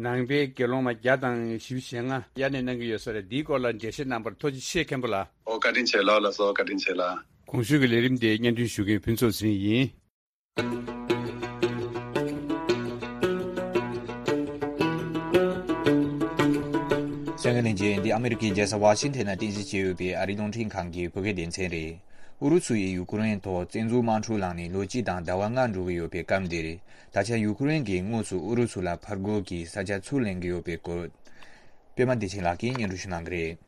ནང་པའི་དགེ་སློང་མ་བརྒྱ་དང་བཞི་བཅུ་ཞེ་ལྔ་དབྱར་གནས་གནང་གི་ཡོད་ས་རེད། འདིའི་སྐོར་ལ་འགྲེལ་བཤད་གནང་བར་ཐུགས་རྗེ་ཆེ་མཁན་པོ་ལགས། ཨོ་བཀའ་དྲིན་ཆེ་ལགས། ལགས་སོ་བཀའ་དྲིན་ཆེ་ལགས། གོང་ཞུས་ཀྱི་ལས་རིམ་དེ་སྙན་སྒྲོན་ཞུ་མཁན་ཕུན་ཚོགས་ཟིན་ཡིན། གསན་མཁན་ལྷན་རྒྱས། འདི་ཨ་མི་རི་ཀའི་རྒྱལ་ས་ཝ་ཤིང་ཐན་ན་རྟེན་གཞི་བྱས་ཡོད་པའི་ཨ་རིའི་རླུང་འཕྲིན་ཁང་གི་བོད་སྐད་སྡེ་ཚན་རེད། ཨུ་རུ་སུ་ཡིས་ཡུ་ཀེ་རེན་ཐོག་བཙན་འཛུལ་དམག་འཁྲུག་བསླངས་ནས་ལོ་གཅིག་དང་ཟླ་བ་ལྔ་འགྲོ་གི་ཡོད་པའི་སྐབས་འདིར། ད་ཆ་ཡུ་ཀེ་རེན་གྱིས་དངོས་སུ་ཨུ་རུ་སུ་ལ་ཕར་རྒོལ་གྱི་ས་ཆ་ཚུར་ལེན་གྱི་ཡོད་པའི་སྐོར། པད་མ་བདེ་ཆེན་ལགས་ཀྱིས་སྙན་སྒྲོན་ཞུ་གནང་གི་རེད།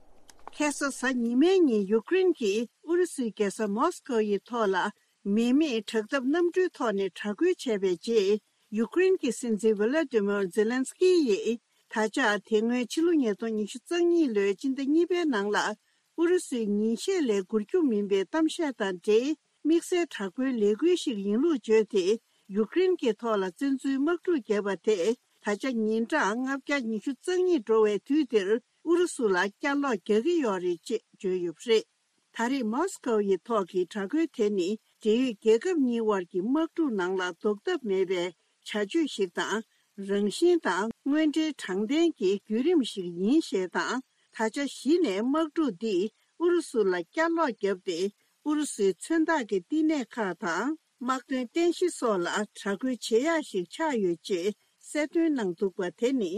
ཁ་སང་གཟའ་ཉི་མའི་ཉིན་ཡུ་ཀེ་རེན་གྱིས་ཨུ་རུ་སུའི་རྒྱལ་ས་མོ་སི་ཀོ་ཡི་ཐོག་ལ་མི་མེད་དྲག་འཐབ་གནམ་གྲུའི་ཐོག་ནས་དྲག་རྒོལ་བྱས་པའི་རྗེས། ཡུ་ཀེ་རེན་གྱི་སྲིད་འཛིན་ཝི་ལ་ཏི་མོར་ཛེ་ལན་སི་ཀི་ཡིས་ད་ཆ་དེ་སྔོན་ཕྱི་ལོ་ཉིས་སྟོང་ཉི་ཤུ་རྩ་གཉིས་ལོའི་སྤྱི་ཟླ་གཉིས་པའི་ནང་ལ་ཨུ་རུ་སུའི་ཉིན་ཤས་ལས་འགོར་རྒྱུ་མིན་པའི་གཏམ་བཤད་དང་འབྲེལ། དམིགས་བསལ་དྲག་པོའི་ལས་འགུལ་ཞིག་ཡིན་ལུགས་བརྗོད་དེ། ཡུཀ་རེན་གྱི་ཐོག་ལ་བཙན་འཛུལ་དམག་འཁྲུག་བརྒྱབ་པ་དེ། ད་ཆ་ཉིན་གྲངས་ལྔ་བརྒྱ་ཉི་ཤུ་རྩ་གཉིས་འགྲོ་བའི་དུས་འདིར་ཨུ་རུ་སུ་ལ་བསྐྱར་ལོག་རྒྱག་གི་ཡོད་རེད་ཅེས་བརྗོད་ཡོད་པ་རེད། ད་རེས་མོ་སི་ཀོ་ཡི་ཐོག་གི་དྲག་རྒོལ་དེ་ནི་འབྲེལ་ཡོད་རྒྱལ་ཁབ་གཉིས་དབར་གྱི་དམག་འཁྲུག་ནང་ལ་ཟློག་ཐབས་མེད་པའི་བྱ་སྤྱོད་ཞིག་དང་། རང་བཞིན་དང་དངོས་འབྲེལ་དྲང་བདེན་གྱི་བརྒྱུད་རིམ་ཞིག་ཡིན་ཞེས་དང་། ད་ཆ་གཞི་ནས་དམག་འཁྲུག་འདིས་ཨུ་རུ་སུ་ལ་བསྐྱར་ལོག་བརྒྱབ་སྟེ། ཨུ་རུ་སུའི་མཚོན་རྟགས་ཀྱི་བསྟི་གནས་ཁག་དང་། དམག་དོན་རྟེན་གཞི་སོགས་ལ་དྲག་རྒོལ་བྱེད་ཡག་ཞིག་ཆགས་ཡོད་ཅེས་གསལ་སྟོན་གནང་འདུག་པ་དེ་ནི།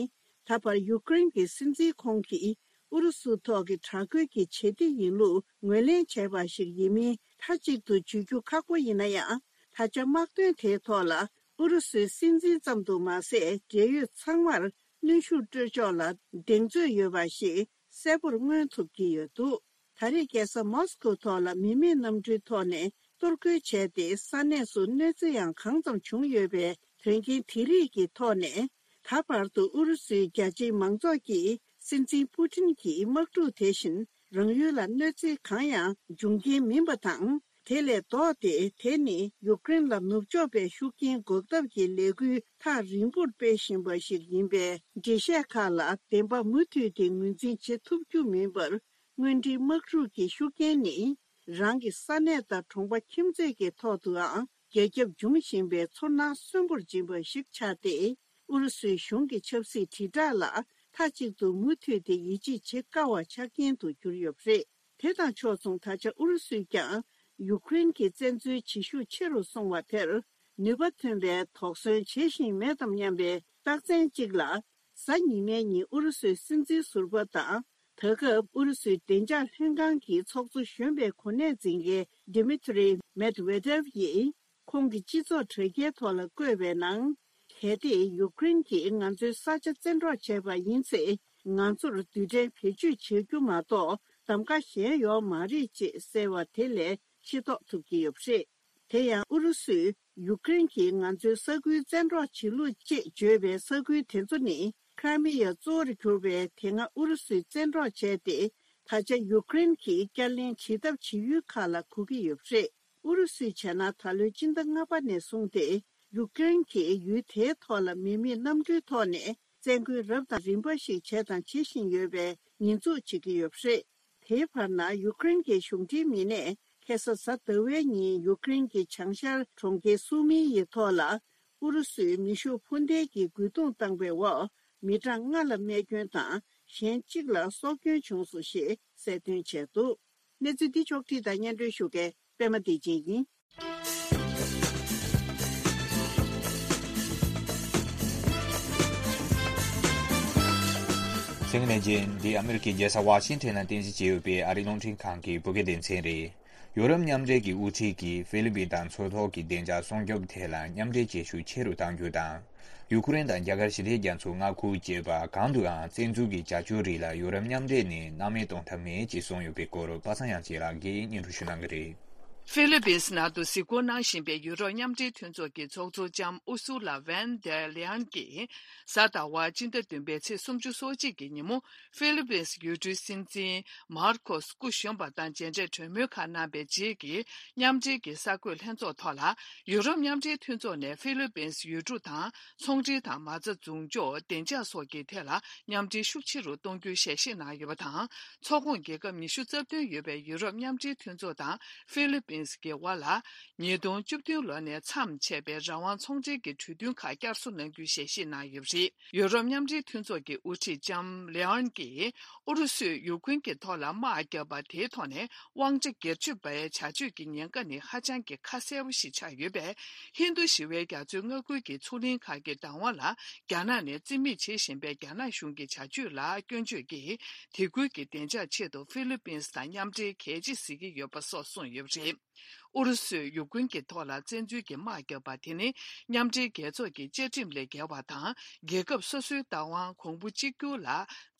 ད་བར་ཡུཀ་རེན་གྱི་སྲིད་འཛིན་ཁོང་གིས་ཨུ་རུ་སུ་ཐོག་གི་དྲག་རྒོལ་གྱི་བྱེད་གཏེ་ཡིན་ལུགས་ངོས་ལེན་བྱས་པ་ཞིག་ཡིན་མིན་མཐའ་གཅིག་ཏུ་བརྗོད་རྒྱུ་ཁག་པོ་ཡིན་ན་ཡང་། ད་ཆ་དམག་དོན་དེའི་ཐོག་ལ་ཨུ་རུ་སུའི་སྲིད་འཛིན་ཙམ་དུ་མ་ཟད། འབྲེལ་ཡོད་ཚང་མར་གནོན་ཤུགས་སྤྲོད་ཕྱོགས་ལ་གདེང་ཚོད་ཡོད་པ་ཞིག་གསལ་པོར་མངོན་ཐུབ་ཀྱི་ཡོད་འདུག་ད་རེས་རྒྱལ་ས་མོ་སི་ཀོའི་ཐོག་ལ་མི་མེད་གནམ་གྲུའི་ཐོག་ནས་གཏོར་རྒོལ་བྱས་ཏེ། ས་གནས་སུ་གནོད་འཚེ་ཡང་གང་ཙམ་བྱུང་ཡོད་པའི་དོན་རྐྱེན་དེ་རིགས་ཀྱི་ཐོག་ནས། ད་བར་དུ་ཨུ་རུ་སུའི་རྒྱ་ཆེའི་མང་ཚོགས་ཀྱིས་སྲིད་འཛིན་པུ་ཏིན་གྱི་དམག་འཁྲུག་དེ་བཞིན་རང་ཡུལ་ལ་གནོད་འཚེ་གང་ཡང་འབྱུང་རྐྱེན་མིན་པ་དང་། དེ་ལས་ལྡོག་སྟེ། དེ་ནི་ཡུཀ་རེན་ལ་ནུབ་ཕྱོགས་པའི་ཤུགས་རྐྱེན་འགོག་ཐབས་ཀྱི་ལས་འགུལ་ཐག་རིང་པོར་སྤེལ་བཞིན་པ་ཞིག་ཡིན་པའི་འགྲེལ་བཤད་ཁག་ལ་བདེན་པ་མུ་མཐུད་དེ་ངོས་འཛིན་བྱེད་ཐུབ་རྒྱུ་མིན་པར། དངོས་འབྲེལ་དམག་འཁྲུག་གི་ཤུགས་རྐྱེན་ནི། རང་གི་ས་གནས་དང་གྲོང་པ་ཁྱིམ་མཚེས་ཀྱི་ཐོག་ཏུའང་རྒྱ་ཁྱབ་འབྱུང་བཞིན་པའི་ཚོར་སྣང་གསོན་པོར་སྦྱིན་པ་ཞིག་ཆགས་ཏེ། ཨུ་རུ་སུའི་གཞུང་གི་ཆབ་སྲིད་དྲིལ་བསྒྲགས་ལ་མཐའ་གཅིག་ཏུ་མུ་མཐུད་དེ་ཡིད་ཆེས་བྱེད་དཀའ་བ་ཆགས་རྐྱེན་དུ་གྱུར་ཡོད་པ་རེད། དེ་དང་ཕྱོགས་མཚུངས། ད་ཆ་ཨུ་རུ་སུས་ཀྱང་ཡུཀ་རེན་གྱི་བཙན་འཛུལ་བྱེད་ཤུགས་ཆེ་རུ་སོང་བ་དེར་ནུས་པ་ཐོན་པའི་དོགས་ཟོན་བྱེད་བཞིན་མེད་དམ་སྙམ་པའི་རྟགས་མཚན་གཅིག་ལ། གཟའ་ཉི་མའི་ཉིན་ཨུ་རུ་སུའི་སྲིད་འཛིན་ཟུར་པ་དང་། ད་སྐབས་ཨུ་རུ་སུའི་བདེ་འཇགས་ལྷན་ཁང་གི་ཚོགས་གཙོ་གཞོན་པའི་གོ་གནས་འཛིན་མཁན་Dmitry Medvedev ཡིས་ཁོང་གི་སྤྱི་ཚོགས་དྲ་རྒྱའི་ཐོག་ལ་བཀོད་པའི་ནང་། གལ་ཏེ་ཡུཀ་རེན་གྱིས་ང་ཚོའི་ས་ཆ་བཙན་འཕྲོག་བྱས་པ་ཡིན་ཚེ། ང་ཚོར་རྡུལ་ཕྲན་བེད་སྤྱོད་བྱེད་རྒྱུ་མ་གཏོགས་གདམ་ག་གཞན་ཡོད་མ་རེད་ཅེས་གསལ་བ་དེ་ལས་ཤེས་རྟོགས་ཐུབ་ཀྱི་ཡོད་པ་རེད། དེ་ཡང་ཨུ་རུ་སུས་ཡུཀ་རེན་གྱིས་ང་ཚོའི་ས་ཁུལ་བཙན་འཕྲོག་བྱེད་ལུགས་ཅེས་བརྗོད་པའི་ས་ཁུལ་དེ་ཚོ་ནི། ཁྲ་མི་ཡ་གཙོ་བོར་གྱུར་པའི་དེ་སྔ་ཨུ་རུ་སུས་བཙན་འཕྲོག་བྱས་ཏེ། ད་ཆ་ཡུཀ་རེན་གྱིས་བསྐྱར་ལེན་བྱེད་ཐབས་བྱེད་ཡུལ་ཁག་ལ་གོ་གི་ཡོད་པ་རེད། ཨུ་རུ་སུས་བྱས་ན། ད་ལོའི་སྤྱི་ཟླ་ལྔ་པ་ནས་བཟུང་སྟེ། ཡུ་ཀེ་རེན་གྱིས་ཡུལ་དེའི་ཐོག་ལ་མི་མེད་གནམ་གྲུའི་ཐོག་ནས་བཙན་རྒོལ་རབ་དང་རིམ་པ་ཞིག་བྱས་དང་བྱེད་བཞིན་ཡོད་པའི་ཉེས་འཛུགས་བྱེད་ཀྱི་ཡོད་པ་རེད། དེའི་བར་ན་ཡུ་ཀེ་རེན་གྱི་གཞུང་འབྲེལ་མི་སྣས་ཁ་སང་གཟའ་ཟླ་བའི་ཉིན་ཡུ་ཀེ་རེན་གྱི་བྱང་ཤར་གྲོང་ཁྱེར་སུ་མི་ཡི་ཐོག་ལ་ཨུ་རུ་སུས་མེ་ཤུགས་འཕུར་མདེལ་གྱི་རྒོལ་རྡུང་བཏང་པའི་འོག་མི་གྲངས་ལྔ་ལ་རྨས་སྐྱོན་དང་གཞན་གཅིག་ལ་སྲོག་སྐྱོན་བྱུང་སོང་ཞེས་གསལ་སྟོན་བྱས་འདུག་གནས་ཚུལ་འདི་ཕྱོགས་བསྒྲིགས་དང་སྙན་སྒྲོན་ཞུ་མཁན་པད་མ་བདེ་ཆེན་ཡིན། གསན་མཁན་ལྷན་རྒྱས། འདི་ཨ་མི་རི་ཀའི་རྒྱལ་ས་ཝ་ཤིང་ཊོན་ནང་རྟེན་གཞི་བྱས་ཡོད་པའི་ཨ་རིའི་རླུང་འཕྲིན་ཁང་གི་བོད་སྐད་སྡེ་ཚན་རེད། ཡོ་རོབ་མཉམ་འབྲེལ་གྱི་དབུ་ཁྲིད་ཀྱིས་ཧྥི་ལི་པིན་དང་མཚོ་ཐོག་གི་བདེ་འཇགས་སྲུང་སྐྱོབ་ཐད་ལ་མཉམ་འབྲེལ་བྱེད་ཤུགས་ཆེ་རུ་གཏང་རྒྱུ་དང་། ཡུ་ཁུ་རེན་དང་རྒྱ་གར་ཞི་བདེ་རྒྱ་མཚོའི་མངའ་ཁུལ་བཅས་པ་གང་དུའང་བཙན་འཛུལ་གྱི་བྱ་སྤྱོད་རིགས་ལ་ཡོ་རོབ་མཉམ་འབྲེལ་ནས་སྣང་མེད་གཏོང་ཐབས་མེད་ཅེས་གསུངས་ཡོད་པའི་སྐོར་པ་སངས་དབྱངས་སྐྱིད་ལགས་ཀྱིས་སྙན་སྒྲོན་ཞུ་གནང་གི་རེད། ཧྥི་ལི་པིན་ནང་དུ་གཟིགས་སྐོར་གནང་བཞིན་པའི་ཡུ་རོབ་མཉམ་འབྲེལ་མཐུན་ཚོགས་ཀྱི་ཚོགས་གཙོ་ལྕམ་ཨུ་སུ་ལ་ཝན་དེར་ལེ་ཡན་གྱིས་གཟའ་ཟླ་བ་སྤྱི་ཟླ་བདུན་པའི་ཚེས་སུམ་ཅུ་སོ་གཅིག་གི་ཉིན་མོ་ཧྥི་ལི་པིན་ཡུལ་གྲུའི་སྲིད་འཛིན་མར་ཁོ་སི་སྐུ་གཞོན་པ་དང་མཇལ་འཕྲད་གྲོས་མོལ་ཁག་གནང་པའི་རྗེས་ཀྱི་མཉམ་འབྲེལ་གྱི་གསར་འགོད་ལྷན་ཚོགས་ཐོག་ལ། ཡུ་རོབ་མཉམ་འབྲེལ་མཐུན་ཚོགས་ནས་ཧྥི་ལི་པིན་ཡུལ་གྲུ་དང་ཚོང་འབྲེལ་དང་མ་རྩ་འཛུགས་འཇོག་བདེ་འཇགས་སོགས་ཀྱི་ཐད་ལ་མཉམ་འབྲེལ་ཤུགས་ཆེ་རུ་གཏོང་རྒྱུའི་ཞལ་བཞེས་གནང་ཡོད་པ་དང་། ཚོགས་ཁོངས་རྒྱལ་ཁབ་ཉི་ཤུ་རྩ་བདུན་ཡོད་པའི་ཡུ་རོབ་མཉམ་འབྲེལ་མཐུན་ཚོགས་དང་ཧྥི་ལི་པིན་གྱི་དབར་ལ། ཉིས་སྟོང་བཅུ་བདུན་ལོ་ནས་མཚམས་ཆད་པའི་རང་དབང་ཚོང་འབྲེལ་གྱི་གྲོས་མཐུན་ཁག་བསྐྱར་གསོ་གནང་རྒྱུའི་ཞལ་བཞེས་གནང་ཡོད་པ་རེད། ཡུ་རོབ་མཉམ་འབྲེལ་མཐུན་ཚོགས་ཀྱི་དབུ་ཁྲིད་ལྕམ་ལེ་ཨན་གྱིས་ཨུ་རུ་སུས་ཡུ་ཁུན་གྱི་ཐོག་ལ་དམག་བརྒྱབ་པ་དེའི་ཐོག་ནས་དབང་ཆ་སྒེར་གཅོད་པའི་བྱ་སྤྱོད་ཀྱི་ཉེན་ཁ་ནི་ཧ་ཅང་གི་ཁ་གསལ་པོ་ཞིག་ཆགས་ཡོད་པས། ཧིན་རྡུ་ཞི་བའི་རྒྱ་མཚོའི་མངའ་ཁུལ་གྱི་མཚོ་གླིང་ཁག་གི་བདག་དབང་ལ་རྒྱ་ནག་ནས་རྩིས་མེད་བྱེད་བཞིན་པའི་རྒྱ་ནག་གཞུང་གི་བྱ་སྤྱོད་ལ་སྐྱོན་བརྗོད་ཀྱིས། དེ་ཁུལ་གྱི་བདེ་འཇགས་ཆེད་དུ་ཧྥི་ལི་པིན་དང་མཉམ་འབྲེལ་གལ་ཆེ་གཟིགས་ཀྱི་ཡོད་པ་སོགས་གསུངས་ཡོད་པ་རེད། ཨུ་རུ་སུས་ཡུ་ཀུན་གྱི་ཐོག་ལ་བཙན་འཛུལ་གྱི་དམག་བརྒྱབ་པ་དེ་ནི་མཉམ་འབྲེལ་རྒྱལ་ཚོགས་ཀྱི་བཅའ་ཁྲིམས་ལས་འགལ་བ་དང་། རྒྱལ་ཁབ་སོ་སོའི་བདག་དབང་གོང་བུ་གཅིག་གྱུར་ལ་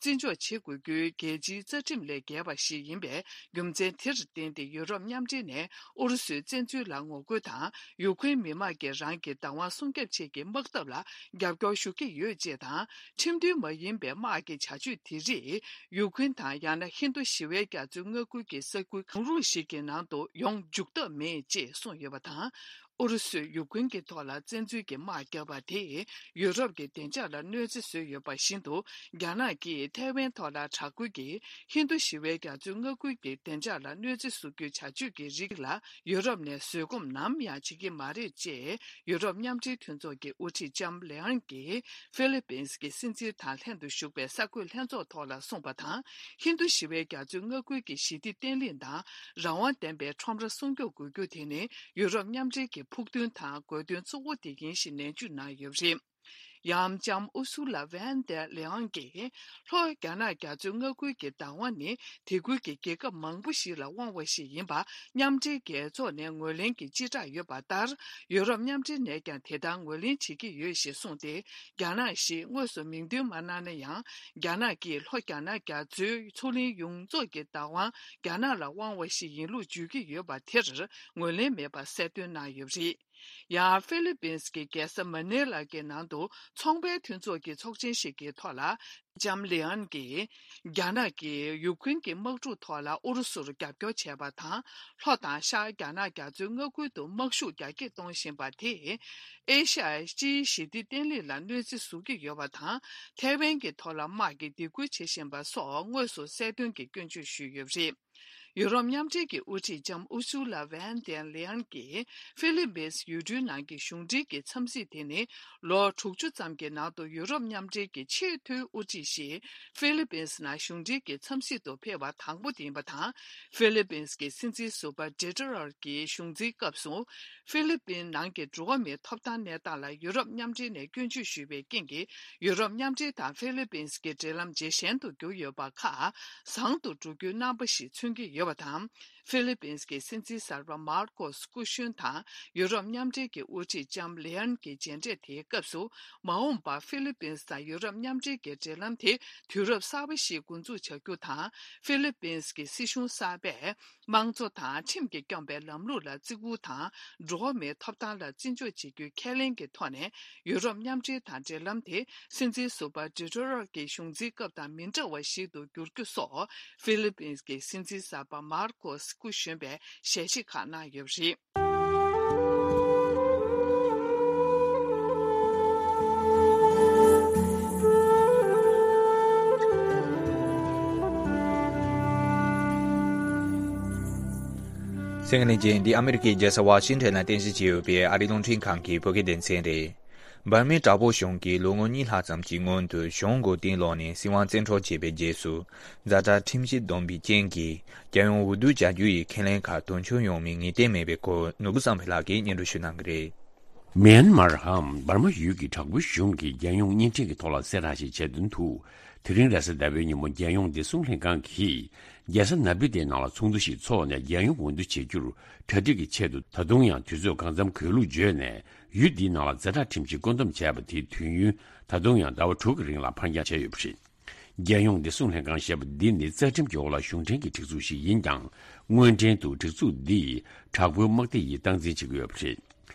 བརྩི་འཇོག་བྱེད་དགོས་རྒྱུའི་རྒྱལ་སྤྱིའི་རྩ་ཁྲིམས་ལས་འགལ་བ་ཞིག་ཡིན་པས། རྒྱུ་མཚན་དེར་བརྟེན་ཏེ་ཡུ་རོབ་མཉམ་འབྲེལ་ནས་ཨུ་རུ་སུའི་བཙན་འཛུལ་ལ་ངོ་རྒོལ་དང་། ཡུ་ཀེ་རེན་མི་དམངས་ཀྱིས་རང་གི་བདག་དབང་སྲུང་སྐྱོབ་ཆེད་ཀྱི་དམག་འཐབ་ལ་རྒྱབ་སྐྱོར་ཞུ་གི་ཡོད་ཅེས་དང་། ཁྲིམས་མཐུན་མ་ཡིན་པའི་དམག་གི་བྱ་སྤྱོད་དེ་རིགས་ཡུ་ཀེ་རེན་དང་ཡང་ན་ཧིན་རྡུ་ཞི་བའི་རྒྱ་མཚོའི་མངའ་ཁུལ་གྱི་ས་ཁུལ་གང་རུང་ཞིག་གི་ནང་དུ་ཡོང་འཇུག་ཐབས་མེད་ཅེས་གསུངས་ཡོད་པ་དང་། ཨུ་རུ་སུས་ཡུ་ཀེ་རེན་གྱི་ཐོག་ལ་བཙན་འཛུལ་གྱི་དམག་བརྒྱབ་པ་དེས་ཡུ་རོབ་ཀྱི་བདེ་འཇགས་ལ་གནོད་འཚེ་བཟོས་ཡོད་པ་བཞིན་དུ། རྒྱ་ནག་གིས་ཐའེ་ཝན་ཐོག་ལ་དྲག་རྒོལ་གྱིས་ཧིན་རྡུ་ཞི་བའི་རྒྱ་མཚོའི་མངའ་ཁུལ་གྱི་བདེ་འཇགས་ལ་གནོད་འཚེ་བཟོ་རྒྱུའི་བྱ་སྤྱོད་ཀྱི་རིགས་ལ་ཡུ་རོབ་ནས་བཟོད་སྒོམ་ནམ་ཡང་བྱེད་ཀྱི་མ་རེད་ཅེས། ཡུ་རོབ་མཉམ་འབྲེལ་མཐུན་ཚོགས་ཀྱི་དབུ་ཁྲིད་ལྕམ་ལེ་ཨན་གྱིས་ཧྥི་ལི་པིན་གྱི་སྲིད་འཛིན་དང་ལྷན་དུ་བཞུགས་པའི་གསར་འགོད་ལྷན་ཚོགས་ཐོག་ལ་གསུངས་པ་དང་། ཧིན་རྡུ་ཞི་བའི་རྒྱ་མཚོའི་མངའ་ཁུལ་གྱི་ཞི་བདེ་བརྟན་ལྷིང་དང་རང་དབང་ལྡན་པའི་ཁྲོམ་ར་སྲུང་སྐྱོབ་དགོས་རྒྱུ་དེ་ནི་ཡུ་རོབ་མཉམ་འབྲེལ་གྱི་ཕུགས་འདུན་དང་དགོས་འདུན་གཙོ་བོ་དེ་ཡིན་ཞེས་ནན་བརྗོད་གནང་ཡོད་པ་རེད། ཡང་ལྕམ་ཨུ་སུ་ལ་ཝན་དེ་ལེ་ཨང་གིས། ལྷོ་རྒྱ་ནག་རྒྱ་མཚོའི་མངའ་ཁུལ་གྱི་བདག་དབང་ནི་དེ་ཁུལ་གྱི་རྒྱལ་ཁབ་མང་པོ་ཞིག་ལ་དབང་བ་ཞིག་ཡིན་པ་མཉམ་འབྲེལ་རྒྱལ་ཚོགས་ནས་ངོས་ལེན་གྱི་སྤྱི་བསྒྲགས་ཡོད་པ་ལྟར། ཡུ་རོབ་མཉམ་འབྲེལ་ནས་ཀྱང་དེ་ལྟར་ངོས་ལེན་བྱེད་ཀྱི་ཡོད་ཞེས་གསུངས་ཏེ། རྒྱ་ནག་ཞེས་དངོས་སུ་མིང་འདོན་མ་གནང་ན་ཡང་། རྒྱ་ནག་གིས་ལྷོ་རྒྱ་ནག་རྒྱ་མཚོའི་མཚོ་གླིང་ཡོངས་རྫོགས་ཀྱི་བདག་དབང་རྒྱ་ནག་ལ་དབང་བ་ཞིག་ཡིན་ལུགས་བརྗོད་ཀྱི་ཡོད་པ་དེར་ངོས་ལེན་མེད་པ་གསལ་སྟོན་གནང་ཡོད་པ་རེད། ཡང་ཧྥི་ལི་པིན་གྱི་རྒྱལ་ས་མ་ནི་ལ་གི་ནང་དུ་ཚོང་པའི་མཐུན་ཚོགས་ཀྱི་ཚོགས་ཆེན་ཞིག་གི་ཐོག་ལ། ལྕམ་ལི་ཨན་གྱིས། རྒྱ་ནག་གིས་ཡུ་ཁུན་གྱི་དམག་འཁྲུག་ཐོག་ལ་ཨུ་རུ་སུར་རྒྱབ་སྐྱོར་བྱས་པ་དང་། ལྷོ་དང་ཤར་རྒྱ་ནག་རྒྱ་མཚོའི་མངའ་ཁུལ་དུ་དམག་ཤུགས་རྒྱ་སྐྱེད་གཏོང་བཞིན་པ་དེས། ཨེ་ཤ་ཡའི་སྤྱིའི་ཞི་བདེ་བརྟན་ལྷིང་ལ་གནོད་འཚེ་བཟོ་གི་ཡོད་པ་དང་། ཐའེ་ཝན་གྱི་ཐོག་ལ་དམག་གི་སྡིགས་སྐུལ་བྱེད་བཞིན་པ་སོགས་དངོས་སུ་གསལ་སྟོན་གྱིས་སྐྱོན་བརྗོད་ཞུས་ཡོད་པ་རེད། ཡུ་རོབ་མཉམ་འབྲེལ་གྱི་དབུ་ཁྲིད་ལྕམ་ཨུ་སུ་ལ་ཝན་དེན་ལེ་ཨན་གྱིས་ཧྥི་ལི་པིན་ཡུལ་གྲུའི་ནང་གི་གཞུང་འབྲེལ་གྱི་འཚམས་གཟིགས་དེ་ནི་ལོ་དྲུག་ཅུ་ཙམ་གྱི་ནང་དུ་ཡུ་རོབ་མཉམ་འབྲེལ་གྱི་ཆེས་མཐོའི་དབུ་ཁྲིད་ཞིག་ཧྥི་ལི་པིན་ནང་གཞུང་འབྲེལ་གྱི་འཚམས་གཟིགས་སུ་ཕེབས་པ་དང་པོ་དེ་ཡིན་པ་དང་། ཧྥི་ལི་པིན་གྱི་སྲིད་འཛིན་ཟུར་པ་ཌི་ཏུ་ཏེར་གྱི་གཞུང་འཛིན་སྐབས་སུ། ཧྥི་ལི་པིན་ནང་གི་འགྲོ་བ་མིའི་ཐོབ་ཐང་གནས་སྟངས་ལ་ཡུ་རོབ་མཉམ་འབྲེལ་ནས་སྐྱོན་བརྗོད་ཞུས་པའི་རྐྱེན་གྱིས། ཡུ་རོབ་མཉམ་འབྲེལ་དང་ཧྥི་ལི་པིན་གྱི་འབྲེལ་ལམ་ཇེ་ཞན་དུ་གྱུར་ཡོད་པ་ཁག་བཟང་དུ་འགྲོ་རྒྱུའི་རྣམ་པ་ཞིག་མཚོན་གྱི་ཡོད་པ་དང་། ཧྥི་ལི་པིན་གྱི་སྲིད་འཛིན་གསར་པ་མར་ཀོ་སི་སྐུ་གཞོན་དང་ཡུ་རོབ་མཉམ་འབྲེལ་གྱི་དབུ་ཁྲིད་ལྕམ་ལེ་ཨན་གྱི་མཇལ་འཕྲད་དེའི་སྐབས་སུ། མ་འོངས་པར་ཧྥི་ལི་པིན་དང་ཡུ་རོབ་མཉམ་འབྲེལ་གྱི་འབྲེལ་ལམ་དེ་དུས་རབས་གསར་པ་ཞིག་འགོ་འཛུགས་བྱ་རྒྱུ་དང་། ཧྥི་ལི་པིན་གྱི་སྲིད་གཞུང་གསར་པས། དམངས་གཙོ་དང་ཁྲིམས་ཀྱིས་སྐྱོང་པའི་ལམ་ལུགས་ལ་བརྩི་བཀུར་དང་། འགྲོ་བ་མིའི་ཐོབ་ཐང་ལ་བརྩི་འཇོག་བྱེད་རྒྱུའི་ཁས་ལེན་གྱི་ཐོག་ནས། ཡུ་རོབ་མཉམ་འབྲེལ་དང་འབྲེལ་ལམ་དེ་སྲིད་འཛིན་ཟུར་པ་ཌི་ཏུ་ཏེར་གྱི་གཞུང་འཛིན་སྐབས་དང་མི་འདྲ་བ་ཞིག་ཏུ་འགྱུར་རྒྱུ་སོགས། ཧྥི་ལི་པིན་གྱི་སྲིད་འཛིན་གསར་པ་མར་ཀོ་སི་སྐུ་གཞོན་པས་ཞལ་བཞེས་ཁག་གནང་ཡོད་པ་རེད། གསན་མཁན་ལྷན་རྒྱས། འདི་ཨ་མི་རི་ཀའི་རྒྱལ་ས་ཝ་ཤིང་ཊོན་ལ་རྟེན་གཞི་བྱས་ཡོད་པའི་ཨ་རིའི་རླུང་འཕྲིན་ཁང་གི་བོད་སྐད་སྡེ་ཚན་རེད། འབར་མའི་དྲག་པོ་གཞུང་གིས་ལོ་ངོ་གཉིས་ལྷག་ཙམ་གྱི་སྔོན་དུ་གཞུང་མགོ་རྟིང་སློག་ནས་སྲིད་དབང་བཙན་འཕྲོག་བྱས་པའི་རྗེས་སུ། ཛ་དྲག་ཁྲིམས་གཞི་བསྡོམས་པའི་རྐྱེན་གྱིས་རྒྱལ་ཡོངས་འོས་བསྡུ་བྱ་རྒྱུ་ཡི་ཁས་ལེན་ཁག་དོན་འཁྱོལ་ཡོང་མིན་ངེས་གཏན་མེད་པའི་སྐོར། ནོར་བུ་བསམ་འཕེལ་ལགས་ཀྱིས་སྙན་སྒྲོན་ཞུ་གནང་གི་རེད། མེན་མར་འམ་འབར་མ་ཡུལ་གྱི་དྲག་པོའི་གཞུང་གིས་རྒྱལ་ཡོངས་བརྙན་འཕྲིན་གྱི་ཐོག་ལ་གསལ་བསྒྲགས་ཤིག་བྱས་དོན་དུ། དེ་རིང་རེས་གཟའ་ཟླ་བའི་ཉིན་མོ་རྒྱལ་ཡོངས་བདེ་སྲུང་ལྷན་ཁང་གིས་རྒྱལ་ས་ནཱ་པི་ཏའི་ནང་ལ་ཚོགས་འདུ་ཞིག་འཚོགས་ནས། རྒྱལ་ཡོངས་འོས་བསྡུ་བྱེད་རྒྱུར་གྲ་སྒྲིག་གི་ཆེད་དུ། ད་དུང་ཡང་དུས་ཚོད་གང་འཚམ་འགོར་ལུགས་བརྗོད་ནས། ཡུལ་འདིའི་ནང་ལ་ཛ་དྲག་ཁྲིམས་ཀྱིས་བཀོད་འདོམས་བྱས་པ་དེའི་དུས་ཡུན་ད་དུང་ཡང་ཟླ་བ་དྲུག་གི་རིང་ལ་ཕར་འགྱངས་བྱས་ཡོད་པ་རེད། རྒྱལ་ཡོངས་བདེ་སྲུང་ལྷན་ཁང་ཞེས་པ་འདི་ནི་རྩ་ཁྲིམས་ཀྱི་འོག་ལ་གཞུང་འབྲེལ་གྱི་སྒྲིག་འཛུགས་ཤིག་ཡིན་ཀྱང་། དངོས་འབྲེལ་དུ་སྒྲིག་འཛུགས་འདིས་དྲག་པོའི་དམག་སྡེ་ཡིས་སྟངས་འཛིན་བྱེད་ཀྱི་ཡོད་པ་རེད།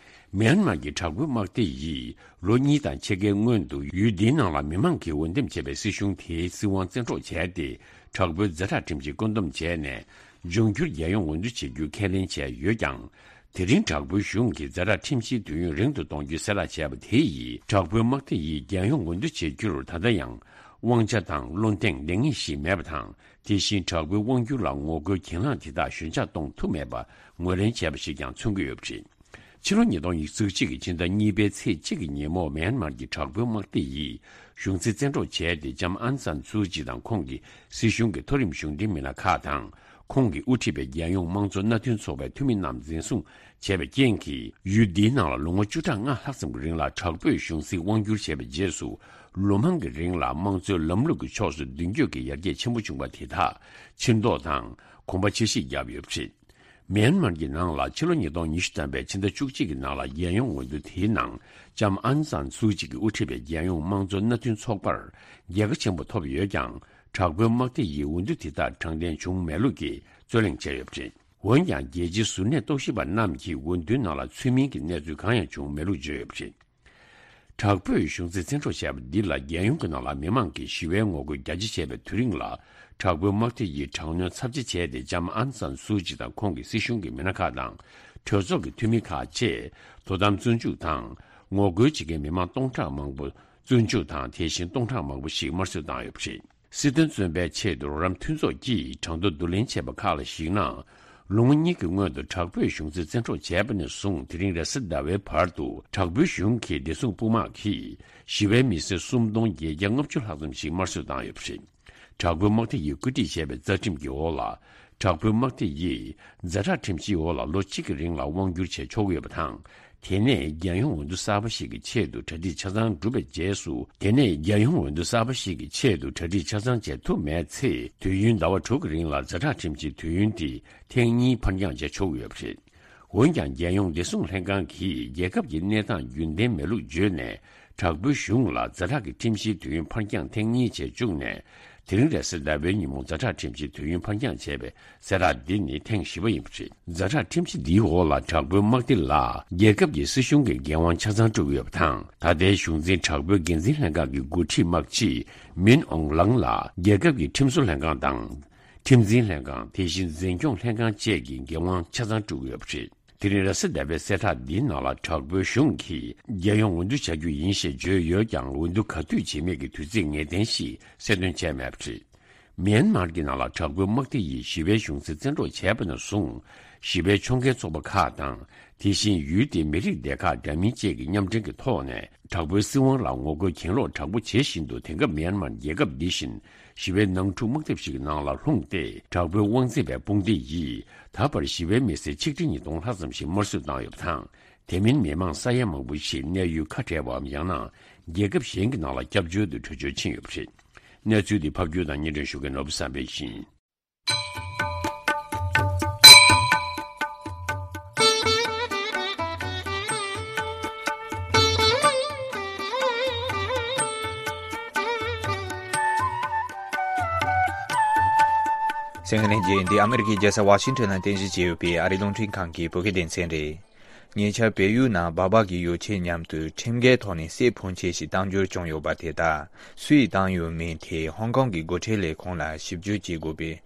མེན་མར་གྱི་དྲག་པོའི་དམག་སྡེ་ཡིས་ལོ་གཉིས་དང་ཕྱེད་ཀའི་སྔོན་དུ་ཡུལ་འདིའི་ནང་ལ་མི་མང་གིས་འོས་འདེམས་བྱས་པའི་སྲིད་གཞུང་དེའི་སྲིད་དབང་བཙན་འཕྲོག་བྱས་ཏེ། དྲག་པོའི་ཛ་དྲག་ཁྲིམས་ཀྱིས་བཀོད་འདོམས་བྱས་ནས། འབྱུང་འགྱུར་རྒྱལ་ཡོངས་འོས་བསྡུ་བྱེད་རྒྱུའི་ཁས་ལེན་བྱས་ཡོད་ཀྱང་། དེ་རིང་དྲག་པོའི་གཞུང་གིས་ཛ་དྲག་ཁྲིམས་གཞིའི་དུས་ཡུན་རིང་དུ་གཏོང་རྒྱུའི་གསལ་བསྒྲགས་བྱས་པ་དེ་ཡིས། དྲག་པོའི་དམག་སྡེ་ཡིས་རྒྱལ་ཡོངས་འོས་བསྡུ་བྱེད་རྒྱུར་ད་ལྟ་ཡང་དབང་ཆ་དང་བློ་གདེང་ལེགས་ཉེས་ཤིག་མེད་པ་དང་། དེ་བཞིན་དྲག་པོའི་དབང་སྒྱུར་ལ་ངོ་རྒོལ་གྱེན་ལངས་དེ་དག་ཞོད་འཇགས་གཏོང་ཐུབ་མེད་པ་ངོས་ལེན་བྱས་པ་ཞིག་ཀྱང་མཚོན་གྱི་ཡོད་པ་རེད། ཕྱི་ལོ་ཉིས་སྟོང་ཉི་ཤུ་རྩ་གཅིག་གི་ཕྱི་ཟླ་གཉིས་པའི་ཚེས་གཅིག་གི་ཉིན་མོ། མེན་མར་གྱི་དྲག་པོའི་དམག་སྡེ་ཡིས་གཞུང་སྲིད་བཙན་འཕྲོག་བྱས་ཏེ། ལྕམ་ཨང་སན་སུའུ་ཅི་དང་ཁོང་གི་སྲིད་གཞུང་གི་མཐོ་རིམ་གཞུང་འབྲེལ་མི་སྣ་ཁག་དང་། ཁོང་གིས་དབུ་ཁྲིད་པའི་རྒྱལ་ཡོངས་དམངས་གཙོ་མནའ་མཐུན་ཚོགས་པའི་འཐུས་མི་རྣམས་འཛིན་བཟུང་བྱས་པའི་རྐྱེན་གྱིས། ཡུལ་འདིའི་ནང་ལ་ལོ་ངོ་བཅུ་ཕྲག་ལྔ་ལྷག་ཙམ་གྱི་རིང་ལ་དྲག་པོས་གཞུང་སྲིད་དབང་བསྒྱུར་བྱས་པའི་རྗེས་སུ། ལོ་མང་གི་རིང་ལ་དམངས་གཙོའི་ལམ་ལུགས་ཀྱི་ཕྱོགས་སུ་མདུན་སྐྱོད་ཀྱི་ཡར་རྒྱས་ཆེན་པོ་བྱུང་བ་དེ་དག་ཕྱིར་ལྡོག་དང་། གོམ་པ་ཕྱིར་བཤིག་བརྒྱབ་ཡོད་པ་རེད། མེན་མར་གྱི་ནང་ལ་ཕྱི་ལོ་ཉིས་སྟོང་ཉི་ཤུ་ཐམ་པའི་ཕྱི་ཟླ་བཅུ་གཅིག་གི་ནང་ལ་རྒྱལ་ཡོངས་འོས་བསྡུ་དེའི་ནང་ལྕམ་ཨང་སན་སུའུ་ཅི་གིས་དབུ་ཁྲིད་པའི་རྒྱལ་ཡོངས་དམངས་གཙོ་མནའ་མཐུན་ཚོགས་པར་རྒྱལ་ཁ་ཆེན་པོ་ཐོབ་ཡོད་ཀྱང་། དྲག་པོའི་དམག་སྡེ་ཡིས་འོས་བསྡུ་དེ་དག་དྲང་བདེན་བྱུང་མེད་ལུགས་ཀྱི་རྩོད་གླེང་བྱས་ཡོད་པ་རེད། འོན་ཀྱང་། རྒྱལ་སྤྱིའི་གཟུར་གནས་རྟོག་ཞིབ་པ་རྣམས་ཀྱིས་འོས་བསྡུའི་ནང་ལ་ཚུལ་མིན་གྱི་གནས་ཚུལ་གང་ཡང་བྱུང་མེད་ལུགས་བརྗོད་ཡོད་པ་རེད། དྲག་པོས་གཞུང་སྲིད་བཙན་འཕྲོག་བྱས་པ་འདི་ལ་རྒྱལ་ཡོངས་ཀྱི་ནང་ལ་མི་མང་གིས་ཞི་བའི་ངོ་རྒོལ་རྒྱ་ཆེ་བྱས་པའི་དུས་རིང་ལ། དྲག་པོའི་དམག་སྡེ་ཡིས་དྲག་གནོན་ཚབས་ཆེ་བྱས་ཏེ། ལྕམ་ཨང་སན་སུའུ་ཅི་དང་ཁོང་གི་སྲིད་གཞུང་གི་མི་སྣ་ཁག་དང་། གྲོས་ཚོགས་ཀྱི་འཐུས་མི་ཁག་བཅས་དོ་དམ་བཙོན་འཇུག་དང་། ངོ་རྒོལ་བྱེད་མཁན་མི་མང་སྟོང་ཕྲག་མང་པོ་བཙོན་འཇུག་དང་། དེ་བཞིན་སྟོང་ཕྲག་མང་པོ་ཞིག་དམར་གསོད་བཏང་ཡོད་པ་རེད། སྲིད་དོན་བཙོན་པའི་ཆེད་དུ་རོགས་རམ་མཐུན་ཚོགས་ཀྱིས་གྲངས་ཐོ་བསྡུ་ལེན་བྱས་པ་ཁག་ལ་གཞིགས་ན། ལོ་ངོ་གཉིས་ཀྱི་སྔོན་དུ་དྲག་པོས་གཞུང་སྲིད་བཙན་འཕྲོག་བྱས་པ་ནས་བཟུང་། དེ་རིང་རེས་གཟའ་ཟླ་བའི་བར་དུ་དྲག་པོའི་གཞུང་གི་བདེ་སྲུང་དཔུང་དམག་གིས་ཞི་བའི་མི་སེར་སུམ་སྟོང་བརྒྱད་བརྒྱ་ལྔ་བཅུ་ལྷག་ཙམ་ཞིག་དམར་གསོད་བཏང་ཡོད་པ་རེད། དྲག་པོའི་དམག་སྡེ་ཡིས་བཀོད་སྒྲིག་བྱས་པའི་རྩ་ཁྲིམས་ཀྱི་འོག་ལ། དྲག་པོའི་དམག་སྡེ་ཡིས་ཛ་དྲག་ཁྲིམས་གཞིའི་འོག་ལ་ལོ་གཅིག་གི་རིང་ལ་དབང་བསྒྱུར་བྱས་ཆོག་གི་ཡོད་པ་དང་། དེ་ནས་རྒྱལ་ཡོངས་འོས་བསྡུ་གསར་པ་ཞིག་གི་ཆེད་དུ་གྲ་སྒྲིག་ཆ་ཚང་གྲུབ་པའི་རྗེས་སུ། དེ་ནས་རྒྱལ་ཡོངས་འོས་བསྡུ་གསར་པ་ཞིག་གི་ཆེད་དུ་གྲ་སྒྲིག་ཆ་ཚང་བྱེད་ཐུབ་མེད་ཚེ། དུས་ཡུན་ཟླ་བ་དྲུག་གི་རིང་ལ་ཛ་དྲག་ཁྲིམས་གཞིའི་དུས་ཡུན་དེ་ཐེངས་གཉིས་ཕར་འགྱངས་བྱས་ཆོག་གི་ཡོད་པ་རེད། འོན་ཀྱང་། རྒྱལ་ཡོངས་བདེ་སྲུང་ལྷན་ཁང་གིས་རྒྱལ་ཁབ་ཀྱི་གནས་སྟངས་རྒྱུན་ལྡན་མེད་ལུགས་བརྗོད་ནས། དྲག་པོའི་གཞུང་ལ་ཛ་དྲག་གི་ཁྲིམས་གཞིའི་དུས་ཡུན་ཕར་འགྱངས་ཐེངས་གཉིས་བྱས་བཅུག་ནས། དེ་རིང་རེས་གཟའ་ཟླ་བའི་ཉིན་མོ་ཛ་དྲག་ཁྲིམས་གཞིའི་དུས་ཡུན་ཕར་འགྱངས་བྱས་པའི་གསལ་བསྒྲགས་འདི་ནི་ཐེངས་བཞི་པ་ཡིན་པ་རེད། ཛ་དྲག་ཁྲིམས་གཞི་འདིའི་འོག་ལ་དྲག་པོའི་དམག་སྡེ་ལ་རྒྱལ་ཁབ་ཀྱི་སྲིད་གཞུང་གི་འགན་དབང་ཆ་ཚང་སྤྲོད་ཀྱི་ཡོད་པ་དང་། ད་ལྟའི་གཞུང་འཛིན་དྲག་པོའི་འགན་འཛིན་ལྷན་ཁང་གི་འགོ་ཁྲིད་དམག་སྤྱི་མིན་ཨོང་ལང་ལ་རྒྱལ་ཁབ་ཀྱི་ཁྲིམས་བཟོ་ལྷན་ཁང་དང་། ཁྲིམས་འཛིན་ལྷན་ཁང་། དེ་བཞིན་འཛིན་སྐྱོང་ལྷན་ཁང་བཅས་ཀྱི་འགན་དབང་ཆ་ཚང་སྤྲོད་ཀྱི་ཡོད་པ་རེད། དེ་རིང་རེས་གཟའ་ཟླ་བའི་གསལ་བསྒྲགས་འདིའི་ནང་ལ། དྲག་པོའི་གཞུང་གིས་རྒྱལ་ཡོངས་འོས་བསྡུ་བྱ་རྒྱུ་ཡིན་ཞེས་བརྗོད་ཡོད་ཀྱང་། འོས་བསྡུ་ག་དུས་བྱེད་མིན་གྱི་དུས་ཚིགས་ངེས་གཏན་ཞིག་གསལ་སྟོན་བྱས་མེད་པ་རེད། མེན་མར་གྱི་ནང་ལ་དྲག་པོའི་དམག་སྡེ་ཡིས་ཞི་བའི་གཞུང་སྲིད་བཙན་འཕྲོག་བྱས་པ་ནས་བཟུང་། ཞི་བའི་ཕྱོགས་འགལ་ཚོགས་པ་ཁག་དང་། དེ་བཞིན་ཡུལ་དེའི་མི་རིགས་སྡེ་ཁག་འདྲ་མིན་བཅས་ཀྱི་མཉམ་འབྲེལ་གྱི་ཐོག་ནས། དྲག་པོའི་སྲིད་དབང་ལ་ངོ་རྒོལ་གྱེན་ལོག་དྲག་པོ་བྱེད་བཞིན་འདུག་དེང་སྐབས་མེན་མར་རྒྱལ་ཁབ་འདི་བཞིན་ཞི་བའི་ནང་འཁྲུག་དམག་འཐབ་ཞིག་གི་ནང་ལ་ལྷུང་སྟེ། དྲག་པོའི་དབང་འཛིན་པའི་དཔུང་སྡེ་ཡིས་ད་བར་ཞི་བའི་མི་སེར་ཆིག་ཁྲི་ཉིས་སྟོང་ལྷག་ཙམ་ཞིག་དམར་གསོད་བཏང་ཡོད་པ་དང་། དེ་མིན་མི་མང་ས་ཡ་མང་པོ་ཞིག་གནས་ཡུལ་ཁ་བྲལ་བའམ་ཡང་ན་རྒྱལ་ཁབ་གཞན་གྱི་ནང་ལ་སྐྱབས་བཅོལ་དུ་བྲོས་བྱོལ་ཕྱིན་ཡོད་པ་རེད། གནས་ཚུལ་འདི་ཕབ་སྒྱུར་དང་སྙན་སྒྲོན་ཞུ་མཁན་ནོར་བུ་བསམ་འཕེལ་ཡིན། གསན་མཁན་ལྷན་རྒྱས། འདི་ཨ་མི་རི་ཀའི་རྒྱལ་ས་ཝ་ཤིང་ཊོན་ནང་རྟེན་གཞི་བྱས་ཡོད་པའི་ཨ་རིའི་རླུང་འཕྲིན་ཁང་གི་བོད་སྐད་སྡེ་ཚན་རེད། ཉེ་ཆར་བལ་ཡུལ་ནང་སྦག་སྦག་གི་ཡོ་བྱད་མཉམ་དུ་ཁྲིམས་འགལ་ཐོག་ནས་གསེར་ཕོན་ཆེ་ཞིག་གཏང་འབྱོར་བྱུང་ཡོད་པ་དེ་དག་སུས་བཏང་ཡོད་མེད་ཐད་ཧོང་ཀོང་གི་སྒོ་ཁྲལ་ལས་ཁུངས་ལ་ཞིབ་འཇུག་བྱེད་དགོས་པའི།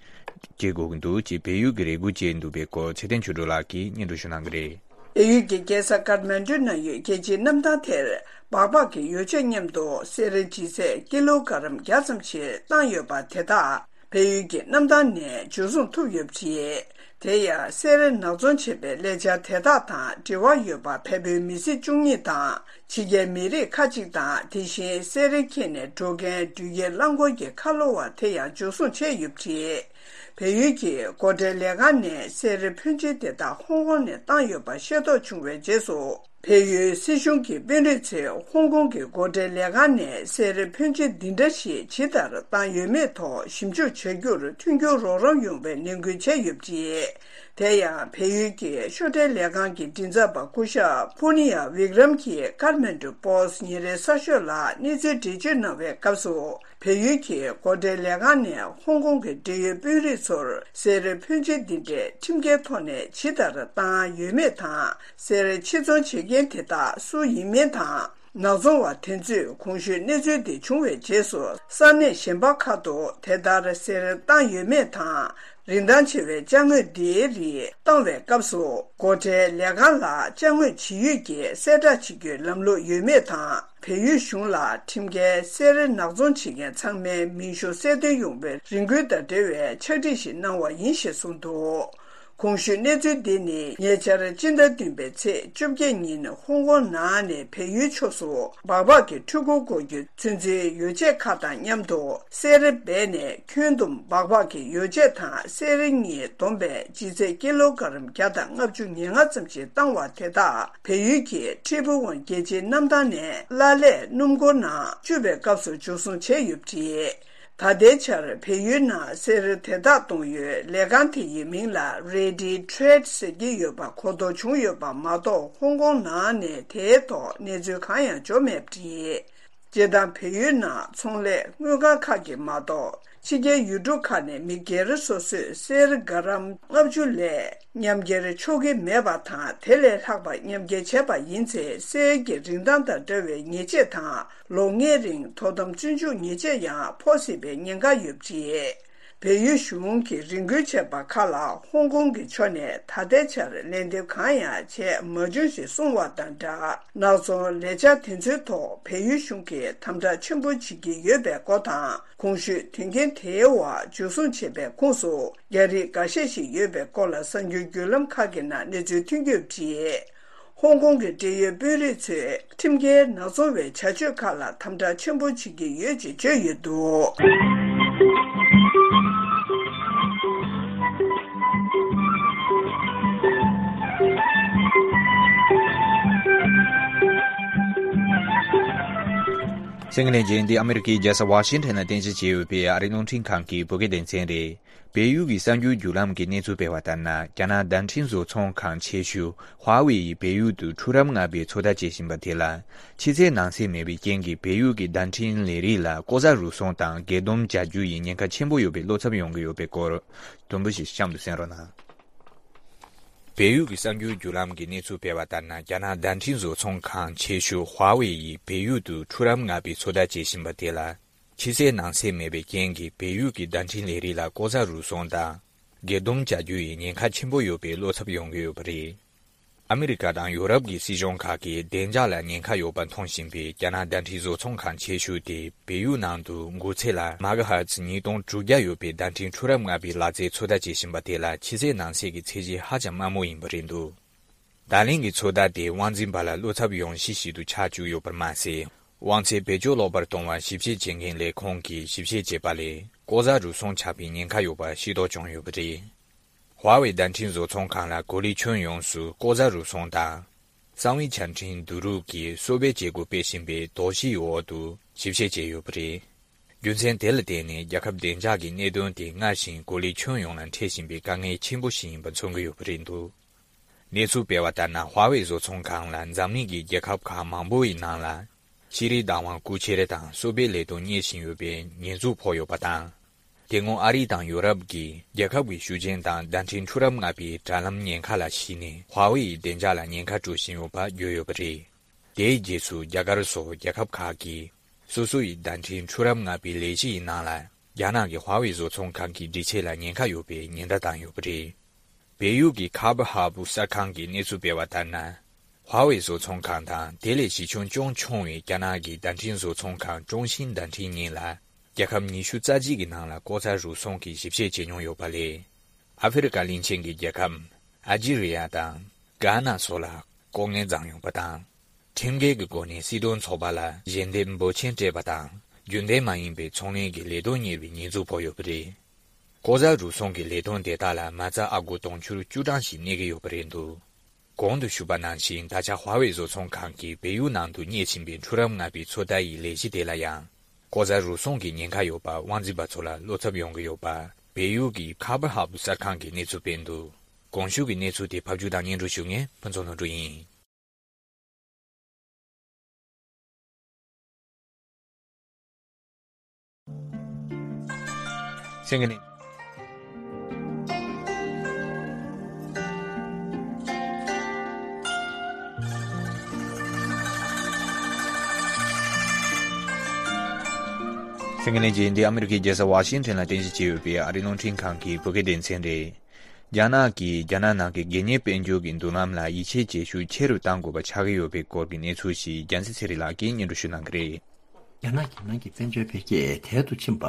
བྱེད་དགོས་ཀྱི་འདུག་ཅེས་བལ་ཡུལ་གྱི་རེ་སྐུལ་བྱས་འདུག་པའི་སྐོར་ཚེ་བརྟན་ཆོས་སྒྲོན་ལགས་ཀྱིས་སྙན་སྒྲོན་ཞུ་གནང་གི་རེད། བལ་ཡུལ་གྱི་རྒྱལ་ས་ཀཏ་མན་ཌུ་ནང་ཡོད་རྒྱལ་སྤྱིའི་གནམ་ཐང་དེར། སྦག་སྦག་གི་ཡོ་བྱད་མཉམ་དུ་གསེར་ལྗིད་ཚད་ཀི་ལོ་ག་རམ་བརྒྱ་ཙམ་ཞིག་བཏང་ཡོད་པ་དེ་དག་བལ་ཡུལ་གྱི་གནམ་ཐང་ནས་འཇུ་བཟུང་ཐུབ་ཡོད་པ་རེད། དེ་ཡང་གསེར་ནག་ཚོང་བྱེད་པའི་ལས་འཆར་དེ་དག་དང་འབྲེལ་བ་ཡོད་པ་བལ་པོའི་མི་སེར་བཅུ་གཉིས་དང་ཕྱི་རྒྱལ་མི་རིགས་ཁག་ཅིག་དང་དེ་བཞིན་གསེར་འཁྱེར་ནས་འགྲོ་མཁན་འགྲུལ་སྐྱེལ་རླངས་འཁོར་གྱི་ཁ་ལོ་བ་དེ་ཡང་འཇུ་བཟུང་བྱས་ཡོད་པ་རེད། བལ་ཡུལ་གྱི་སྒོ་ཁྲལ་ལས་ཁང་ནས་གསེར་ཕོན་ཆེན་དེ་དག་ཧོང་ཀོང་ནས་བཏང་ཡོད་པ་ཤེས་རྟོགས་བྱུང་བའི་རྗེས་སུ། བལ་ཡུལ་སྲིད་གཞུང་གི་དཔོན་རིགས་ཚོས་ཧོང་ཀོང་གི་སྒོ་ཁྲལ་ལས་ཁང་ནས་གསེར་ཕོན་ཆེ་འདི་འདྲ་ཞིག་ཇི་ལྟར་བཏང་ཡོད་མེད་ཐོག་ཞིབ་འཇུག་བྱ་རྒྱུར་མཐུན་འགྱུར་རོགས་རམ་ཡོང་བའི་ནན་སྐུལ་བྱས་ཡོད་པ་རེད། དེ་ཡང་བལ་ཡུལ་གྱི་ཤོག་ཁྲའི་ལས་ཁང་གི་མགྲིན་ཚབ་པ་སྐུ་ཞབས་ཕུ་ནི་ཡ་བིག་རམ་གྱིས་ཀར་མན་ཌུ་པོ་སི་ཉིན་རེའི་གསར་ཤོག་ལ་གནས་ཚུལ་འགྲེལ་བརྗོད་གནང་བའི་སྐབས་སུ། བལ་ཡུལ་གྱི་སྒོ་ཁྲལ་ལས་ཁང་ནས་ཧོང་ཀོང་གི་འབྲེལ་ཡོད་དཔོན་རིགས་ཚོར་གསེར་ཕོན་ཆེ་འདི་འདྲའི་ཁྲིམས་འགལ་ཐོག་ནས་ཇི་ལྟར་བཏང་ཡོད་མེད་དང་། གསེར་ཕྱིར་ཚོང་བྱེད་མཁན་དེ་དག་སུ་ཡིན་མིན་དང་། ནག་ཚོང་བ་དེ་ཚོས་གོང་ཞུས་གནས་ཚུལ་འདི་བྱུང་བའི་རྗེས་སུ་ས་གནས་གཞན་པ་ཁག་ཏུ་དེ་ལྟར་གསེར་བཏང་ཡོད་མེད་དང་། རིན་ཐང་ཆེ་བའི་ཅ་དངོས་འདིའི་རིགས་བཏང་བའི་སྐབས་སུ། སྒོ་ཁྲལ་ལས་ཁང་ལ་ཅ་དངོས་ཇི་ཡོད་ཀྱི་གསལ་བསྒྲགས་བྱེད་རྒྱུའི་ལམ་ལུགས་ཡོད་མེད་དང་། བལ་ཡུལ་གཞུང་ལ་ཁྲིམས་འགལ་གསེར་ནག་ཚོང་བྱེད་མཁན་ཚང་མའི་མིང་གཞུང་གསལ་སྟོན་ཡོང་བའི་རེ་སྐུལ་དང་འབྲེལ་བའི་ཕྱག་བྲིས་ཤིག་གནང་བ་ཡིན་ཞེས་གསུངས་འདུག་གོང་ཞུས་གནས་ཚུལ་འདི་ནི་ཉེ་ཆར་སྤྱི་ཟླ་བདུན་པའི་ཚེས་བཅོ་བརྒྱད་ཉིན་ཧོང་ཀོང་ནང་ནས་བལ་ཡུལ་ཕྱོགས་སུ་སྦག་སྦག་གི་འཕྲུལ་འཁོར་འགོག་རྒྱུ་ཚོད་འཛིན་ཡོ་བྱད་ཁག་དང་མཉམ་དུ་གསེར་སྦས་ནས་ཁྱོན་བསྡོམས་སྦག་སྦག་གི་ཡོ་བྱད་དང་གསེར་གཉིས་བསྡོམས་པས་ལྗིད་ཚད་ཀི་ལོ་ག་རམ་བརྒྱ་དང་ལྔ་བཅུ་ང་ལྔ་ཙམ་ཞིག་བཏང་བ་དེ་དག་བལ་ཡུལ་གྱི་ཁྲི་ཕུ་ཝང་རྒྱལ་སྤྱིའི་གནམ་ཐང་ནས་གླ་ལས་སྣུམ་འཁོར་ནང་བཅུག་པའི་སྐབས་སུ་འཇུ་བཟུང་བྱས་ཡོད་པ་རེད། ད་ལྟའི་ཆར་བལ་ཡུལ་ནང་གསེར་དེ་དག་གཏོང་ཡུལ་ལས་ཁང་དེ་ཡི་མིང་ལ་Ready Trade ཟེར་གྱི་ཡོད་པ་གོ་ལྡོག་བྱུང་ཡོད་པ་མ་གཏོགས་ཧོང་ཀོང་ནང་ནས་དེའི་ཐོག་གནས་ཚུལ་གང་ཡང་འབྱོར་མེད་པ་རེད། སྤྱིར་བཏང་བལ་ཡུལ་ནང་ཚོང་ལས་དངུལ་ཁང་ཁག་གིས་མ་གཏོགས་ཕྱི་རྒྱལ་ཡུལ་གྲུ་ཁག་ནས་མི་སྒེར་སོ་སོས་གསེར་ག་རམ་ལྔ་བཅུ་ལས་མཉམ་འཁྱེར་ཆོག་གི་མེད་པ་དང་། དེ་ལས་ལྷག་པ་མཉམ་འཁྱེར་བྱས་པ་ཡིན་ཚེ་གསེར་གྱི་རིན་ཐང་དང་འདྲ་བའི་ཉེས་ཆད་དང་། ལོ་ལྔའི་རིང་དོ་དམ་བཙོན་འཇུག་ཉེས་ཆད་ཡང་ཕོག་སྲིད་པའི་ཉེན་ཁ་ཡོད་པ་རེད། བལ་ཡུལ་གཞུང་གིས་རེ་སྐུལ་བྱས་པ་ཁག་ལ་ཧོང་ཀོང་གི་ཕྱོགས་ནས་ད་ལྟའི་ཆར་ལན་འདེབས་གང་ཡང་བྱས་མ་བྱུང་ཞེས་གསུངས་བ་དང་སྦྲགས། ནག་ཚོང་ལས་འཆར་དེ་ཚོའི་ཐོག་བལ་ཡུལ་གཞུང་གིས་དམ་དྲག་ཆེན་པོ་བྱེད་ཀྱི་ཡོད་པའི་སྐོར་དང་། གོང་ཞུས་དོན་རྐྱེན་དེའི་འོག་འཇུ་བཟུང་བྱས་པའི་ཁོངས་སུ་རྒྱ་རིགས་འགའ་ཤས་ཤིག་ཡོད་པའི་སྐོར་ལ་གསར་འགྱུར་བརྒྱུད་ལམ་ཁག་གི་ནང་གནས་ཚུལ་ཐོན་གྱི་ཡོད་པ་རེད། ཧོང་ཀོང་གི་འབྲེལ་ཡོད་དཔོན་རིགས་ཚོས་ཁྲིམས་འགལ་ནག་ཚོང་བའི་བྱ་སྤྱོད་ཁག་ལ་དམ་དྲག་ཆེན་པོ་བྱེད་ཀྱི་ཡོད་ཅེས་བརྗོད་ཡོད་འདུག་གསན་མཁན་ལྷན་རྒྱས། འདི་ཨ་མི་རི་ཀའི་རྒྱལ་ས་ཝ་ཤིང་ཊོན་ལ་རྟེན་གཞི་བྱས་ཡོད་པའི་ཨ་རིའི་རླུང་འཕྲིན་ཁང་གི་བོད་སྐད་སྡེ་ཚན་རེད། བལ་ཡུལ་གྱི་གསར་འགྱུར་བརྒྱུད་ལམ་གྱི་གནས་ཚུལ་སྤེལ་བ་ལྟར་ན། རྒྱ་ནག་བརྡ་འཕྲིན་བཟོ་ཚོང་ཁང་ཆེ་ཤོས་ཧྭ་ཝེ་ཡིས་བལ་ཡུལ་དུ་འཕྲུལ་རབ་མངགས་པའི་ཚོད་ལྟ་བྱེད་བཞིན་པ་དེ་ལ། ཕྱི་གསལ་ནང་གསལ་མེད་པའི་རྐྱེན་གྱིས་བལ་ཡུལ་གྱི་བརྡ་འཕྲིན་ལས་རིགས་ལ་ལྐོག་ཟ་རུལ་སུངས་དང་སྒེར་སྡོམ་བྱ་རྒྱུ་ཡི་ཉེན་ཁ་ཆེན་པོ་ཡོད་པའི་བློ་འཚབ་ཡོང་གི་ཡོད་པའི་སྐོར། དུམ་བུ་ཞིག་གཤམ་དུ་གསན་རོགས་གནང་། བལ་ཡུལ་གྱི་གསར་འགྱུར་བརྒྱུད་ལམ་གྱི་གནས་ཚུལ་སྤེལ་བ་ལྟར་ན། རྒྱ་ནག་བརྡ་འཕྲིན་བཟོ་ཚོང་ཁང་ཆེ་ཤོས་ཧྭ་ཝེ་ཡིས་བལ་ཡུལ་དུ་འཕྲུལ་རབ་མངགས་པའི་ཚོད་ལྟ་བྱེད་བཞིན་པ་དེ་ལ། ཕྱི་གསལ་ནང་གསལ་མེད་པའི་རྐྱེན་གྱིས་བལ་ཡུལ་གྱི་བརྡ་འཕྲིན་ལས་རིགས་ལ་ལྐོག་ཟ་རུལ་སུངས་དང་། སྒེར་སྡོམ་བྱ་རྒྱུ་ཡི་ཉེན་ཁ་ཆེན་པོ་ཡོད་པའི་བློ་འཚབ་ཡོང་གི་ཡོད་པ་རེད། ཨ་མི་རི་ཀ་དང་ཡོ་རོབ་ཀྱི་སྲིད་གཞུང་ཁག་གིས་བདེ་འཇགས་ལ་ཉེན་ཁ་ཡོད་པ་མཐོང་བཞིན་པའི་རྒྱ་ནག་བརྡ་འཕྲིན་བཟོ་ཚོང་ཁང་ཆེ་ཤོས་དེ་བལ་ཡུལ་ནང་དུ་འགོ་ཚད་ལ་མ་ག་ཧར་ཚི་ཉིས་སྟོང་དྲུག་བརྒྱ་ཡོད་པའི་བརྡ་འཕྲིན་འཕྲུལ་རབ་མངགས་པའི་ལག་རྩལ་ཚོད་ལྟ་བྱེད་བཞིན་པ་དེ་ལ་ཕྱི་གསལ་ནང་གསལ་གྱི་ཚད་གཞི་ཧ་ཅང་དམའ་མོ་ཡིན་པ་རེད་འདུག་བརྡ་ལན་གྱི་ཚོད་ལྟ་དེས་དབང་འཛིན་པ་ལ་བློ་འཚབ་ཡོང་གཞི་ཞིག་ཏུ་ཆགས་བཅུག་ཡོད་པར་མ་ཟད། དབང་ཚད་བེད་སྤྱོད་ལོག་པར་གཏོང་བར་ཞིབ་བཤེར་བྱེད་མཁན་ལས་ཁུངས་ཀྱིས་ཞིབ་བཤེར་བྱས་པ་ལས། ལྐོག་ཟ་རུལ་སུངས་ཆགས་པའི་ཉེན་ཁ་ཡོད་པ་ཤེས་རྟོགས་བྱུང་ཡོད་པ་རེད། ཧྭ་ཝེ་བརྡ་འཕྲིན་བཟོ་ཚོང་ཁང་ལ་གོ་ལའི་ཁྱོན་ཡོངས་སུ་ལྐོག་ཟ་རུལ་སུངས་དང་། གསང་བའི་ཆ་འཕྲིན་བསྡུ་རུབ་ཀྱིས་གསོ་སྤེལ་བྱེད་སྒོ་སྤེལ་བཞིན་པའི་དོགས་གཞིའི་འོག་ཏུ་ཞིབ་བཤེར་བྱས་ཡོད་པ་རེད། རྒྱུ་མཚན་དེ་ལ་བརྟེན་ནས་རྒྱལ་ཁབ་བདེ་འཇགས་ཀྱི་གནད་དོན་དེ་སྔར་བཞིན་གོ་ལའི་ཁྱོན་ཡོངས་ལ་འཕྲད་བཞིན་པའི་དཀའ་ངལ་ཆེན་པོ་ཞིག་ཡིན་པ་མཚོན་གྱི་ཡོད་པ་རེད་འདུག་གནས་ཚུལ་སྤེལ་བ་ལྟར་ན། ཧྭ་ཝེ་བཟོ་ཚོང་ཁང་ལ་འཛམ་གླིང་གི་རྒྱལ་ཁབ་ཁག་མང་པོ་ཡི་ནང་ལ། ཤེས་རིག་བདག་དབང་རྐུ་འཁྱེར་དང་གསོ་སྤེལ་ལས་དོན་གཉེར་བཞིན་ཡོད་པའི་ཉེས་འཛུགས་ཕོག་ཡོད་པ་དང་། དེ་སྔོན་ཨ་རི་དང་ཡོ་རོབ་ཀྱིས་རྒྱལ་ཁབ་ཀྱི་ཤུགས་རྐྱེན་དང་བརྡ་འཕྲིན་འཕྲུལ་རབ་མངགས་པའི་དྲ་ལམ་ཉེན་ཁ་ལ་གཞིགས་ནས། ཧྭ་ཝེ་ཡི་བདེ་འཇགས་ལ་ཉེན་ཁ་སྤྲོད་བཞིན་ཡོད་པ་བརྗོད་ཡོད་པ་རེད། དེའི་རྗེས་སུ་རྒྱ་གར་སོགས་རྒྱལ་ཁབ་ཁག་གིས་སོ་སོ་ཡི་བརྡ་འཕྲིན་འཕྲུལ་རབ་མངགས་པའི་ལས་གཞི་ཡི་ནང་ལ། རྒྱ་ནག་གི་ཧྭ་ཝེ་བཟོ་ཚོང་ཁང་གི་སྒྲིག་ཆས་ལ་ཉེན་ཁ་ཡོད་པའི་ཉེན་བརྡ་བཏང་ཡོད་པ་རེད། བལ་ཡུལ་གྱི་ཁ་བ་ཧ་པུ་གསར་ཁང་གིས་གནས་ཚུལ་སྤེལ་བ་ལྟར་ན། ཧྭ་ཝེ་བཟོ་ཚོང་ཁང་དང་དེ་ལས་གཞི་ཁྱོན་ཅུང་ཆུང་བའི་རྒྱ་ནག་གི་བརྡ་འཕྲིན་བཟོ་ཚོང་ཁང་ཀྲུང་ཤིན་བརྡ་འཕྲིན་གཉིས་ལ། རྒྱལ་ཁབ་ཉི་ཤུ་རྩ་གཅིག་གི་ནང་ལ་ལྐོག་ཟ་རུལ་སུངས་ཀྱི་ཞིབ་བཤེར་བྱེད་མྱོང་ཡོད་པ་ལས། ཨ་ཧྥེ་རི་ཀ་གླིང་ཆེན་གྱི་རྒྱལ་ཁབ་ཨལ་ཇི་རི་ཡ་དང་གྷ་ན་སོགས་ལ་ལྐོག་རྔན་བརྫངས་ཡོང་པ་དང་། ཁྲིམས་འགལ་གྱི་སྒོ་ནས་སྲིད་དོན་ཚོགས་པ་ལ་ཞལ་འདེབས་འབོར་ཆེན་སྤྲད་པ་དང་། རྒྱུན་ལྡན་མ་ཡིན་པའི་ཚོང་ལས་ཀྱི་ལས་དོན་གཉེར་བའི་ཉེས་འཛུགས་ཕོག་ཡོད་པ་རེད། ལྐོག་ཟ་རུལ་སུངས་ཀྱི་ལས་དོན་དེ་དག་ལ་མ་རྩ་ཨ་སྒོར་དུང་ཕྱུར་བཅུ་གྲངས་ཤིག་གནས་ཀྱི་ཡོད་པ་རེད་འདུག་གོང་དུ་ཞུས་པ་ནང་བཞིན། ད་ཆ་ཧྭ་ཝེ་བཟོ་ཚོང་ཁང་གིས་བལ་ཡུལ་ནང་དུ་གཉེར་བཞིན་པའི་འཕྲུལ་རབ་མངགས་པའི་ཚོད་ལྟ་ཡི་ལས་གཞི་དེ་ལ་ཡང་། ལྐོག་ཟ་རུལ་སུངས་ཀྱི་ཉེན་ཁ་ཡོད་པ་དབང་འཛིན་པ་ཚོ་ལ་བློ་འཚབ་ཡོང་གི་ཡོད་པ། བལ་ཡུལ་གྱི་ཁ་པར་ཧབ་གསར་ཁང་གིས་གནས་ཚུལ་སྤེལ་འདུག་གོང་ཞུས་ཀྱི་གནས་ཚུལ་དེ་ཕབ་སྒྱུར་དང་སྙན་སྒྲོན་ཞུ་མཁན་ཕུན་ཚོགས་ལྷུན་གྲུབ་ཡིན། སེང་གེ་ནི། སེང་གེ་ནི་རྗེས་འདི་ཨ་མི་རི་ཀའི་རྒྱལ་ས་ཝ་ཤིང་ཊོན་ལ་རྟེན་གཞི་བྱས་ཡོད་པའི་ཨ་རིའི་རླུང་འཕྲིན་ཁང་གི་བོད་སྐད་སྡེ་ཚན་རེད། རྒྱ་ནག་གིས་རྒྱ་ནག་ནང་གི་སྒེར་གཉེར་དཔལ་འབྱོར་གྱི་མདུན་ལམ་ལ་ཡིད་ཆེས་བྱེད་ཤུགས་ཆེ་རུ་གཏང་དགོས་པ་ཆགས་ཀྱི་ཡོད་པའི་སྐོར་གྱི་གནས་ཚུལ་ཞིག་རྒྱལ་མཚན་ཚེ་རིང་ལགས་ཀྱིས་སྙན་སྒྲོན་ཞུ་གནང་གི་རེད། རྒྱ་ནག་གི་ནང་གི་དཔལ་འབྱོར་འཕེལ་རྒྱས་དལ་དུ་ཕྱིན་པ་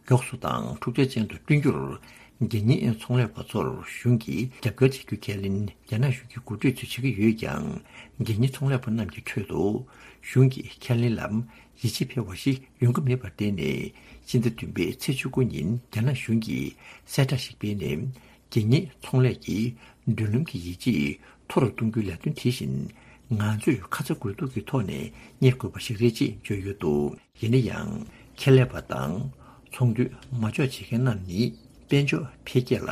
མགྱོགས་སུ་དང་འཁྲུག་ཆ་ཅན་དུ་བསྐྲུན་རྒྱུར། སྒེར་གཉེར་ཚོང་ལས་པ་ཚོར་གཞུང་གིས་རྒྱབ་སྐྱོར་བྱ་རྒྱུ་ཁས་ལེན་རྒྱ་ནག་གཞུང་གི་འགོ་ཁྲིད་ཚོས་བྱེད་ཀྱི་ཡོད་ཀྱང་། སྒེར་གཉེར་ཚོང་ལས་པ་རྣམས་ཀྱི་ཁྲོད་དུ་གཞུང་གི་ཁས་ལེན་ལ་ཡིད་ཆེས་འཕེར་བ་ཞིག་ཡོང་གི་མེད་པར་བརྟེན་ནས། སྤྱི་ཟླ་བདུན་པའི་ཚེས་བཅུ་དགུ་ཉིན་རྒྱ་ནག་གཞུང་གིས་གསལ་བསྒྲགས་ཤིག་སྤེལ་ནས། སྒེར་གཉེར་ཚོང་ལས་ཀྱི་མདུན་ལམ་གྱི་ཡིད་ཆེས་མཐོ་རུ་གཏོང་རྒྱུའི་ལས་དོན་དེ་བཞིན་ང་ཚོས་ཁ་ཚ་དགོས་གཏུག་གི་ཐོག་ནས་གཉེར་དགོས་པ་ཞིག་རེད་ཅེས་བརྗོད་ཡོད་འདུག་ཡིན་ན་ཡང་། ཁེ་ལས་པ་དང་ཚོང་དོན་མ་འཇོག་བྱེད་མཁན་རྣམས་ནི་དཔལ་འབྱོར་འཕེལ་རྒྱས་ལ་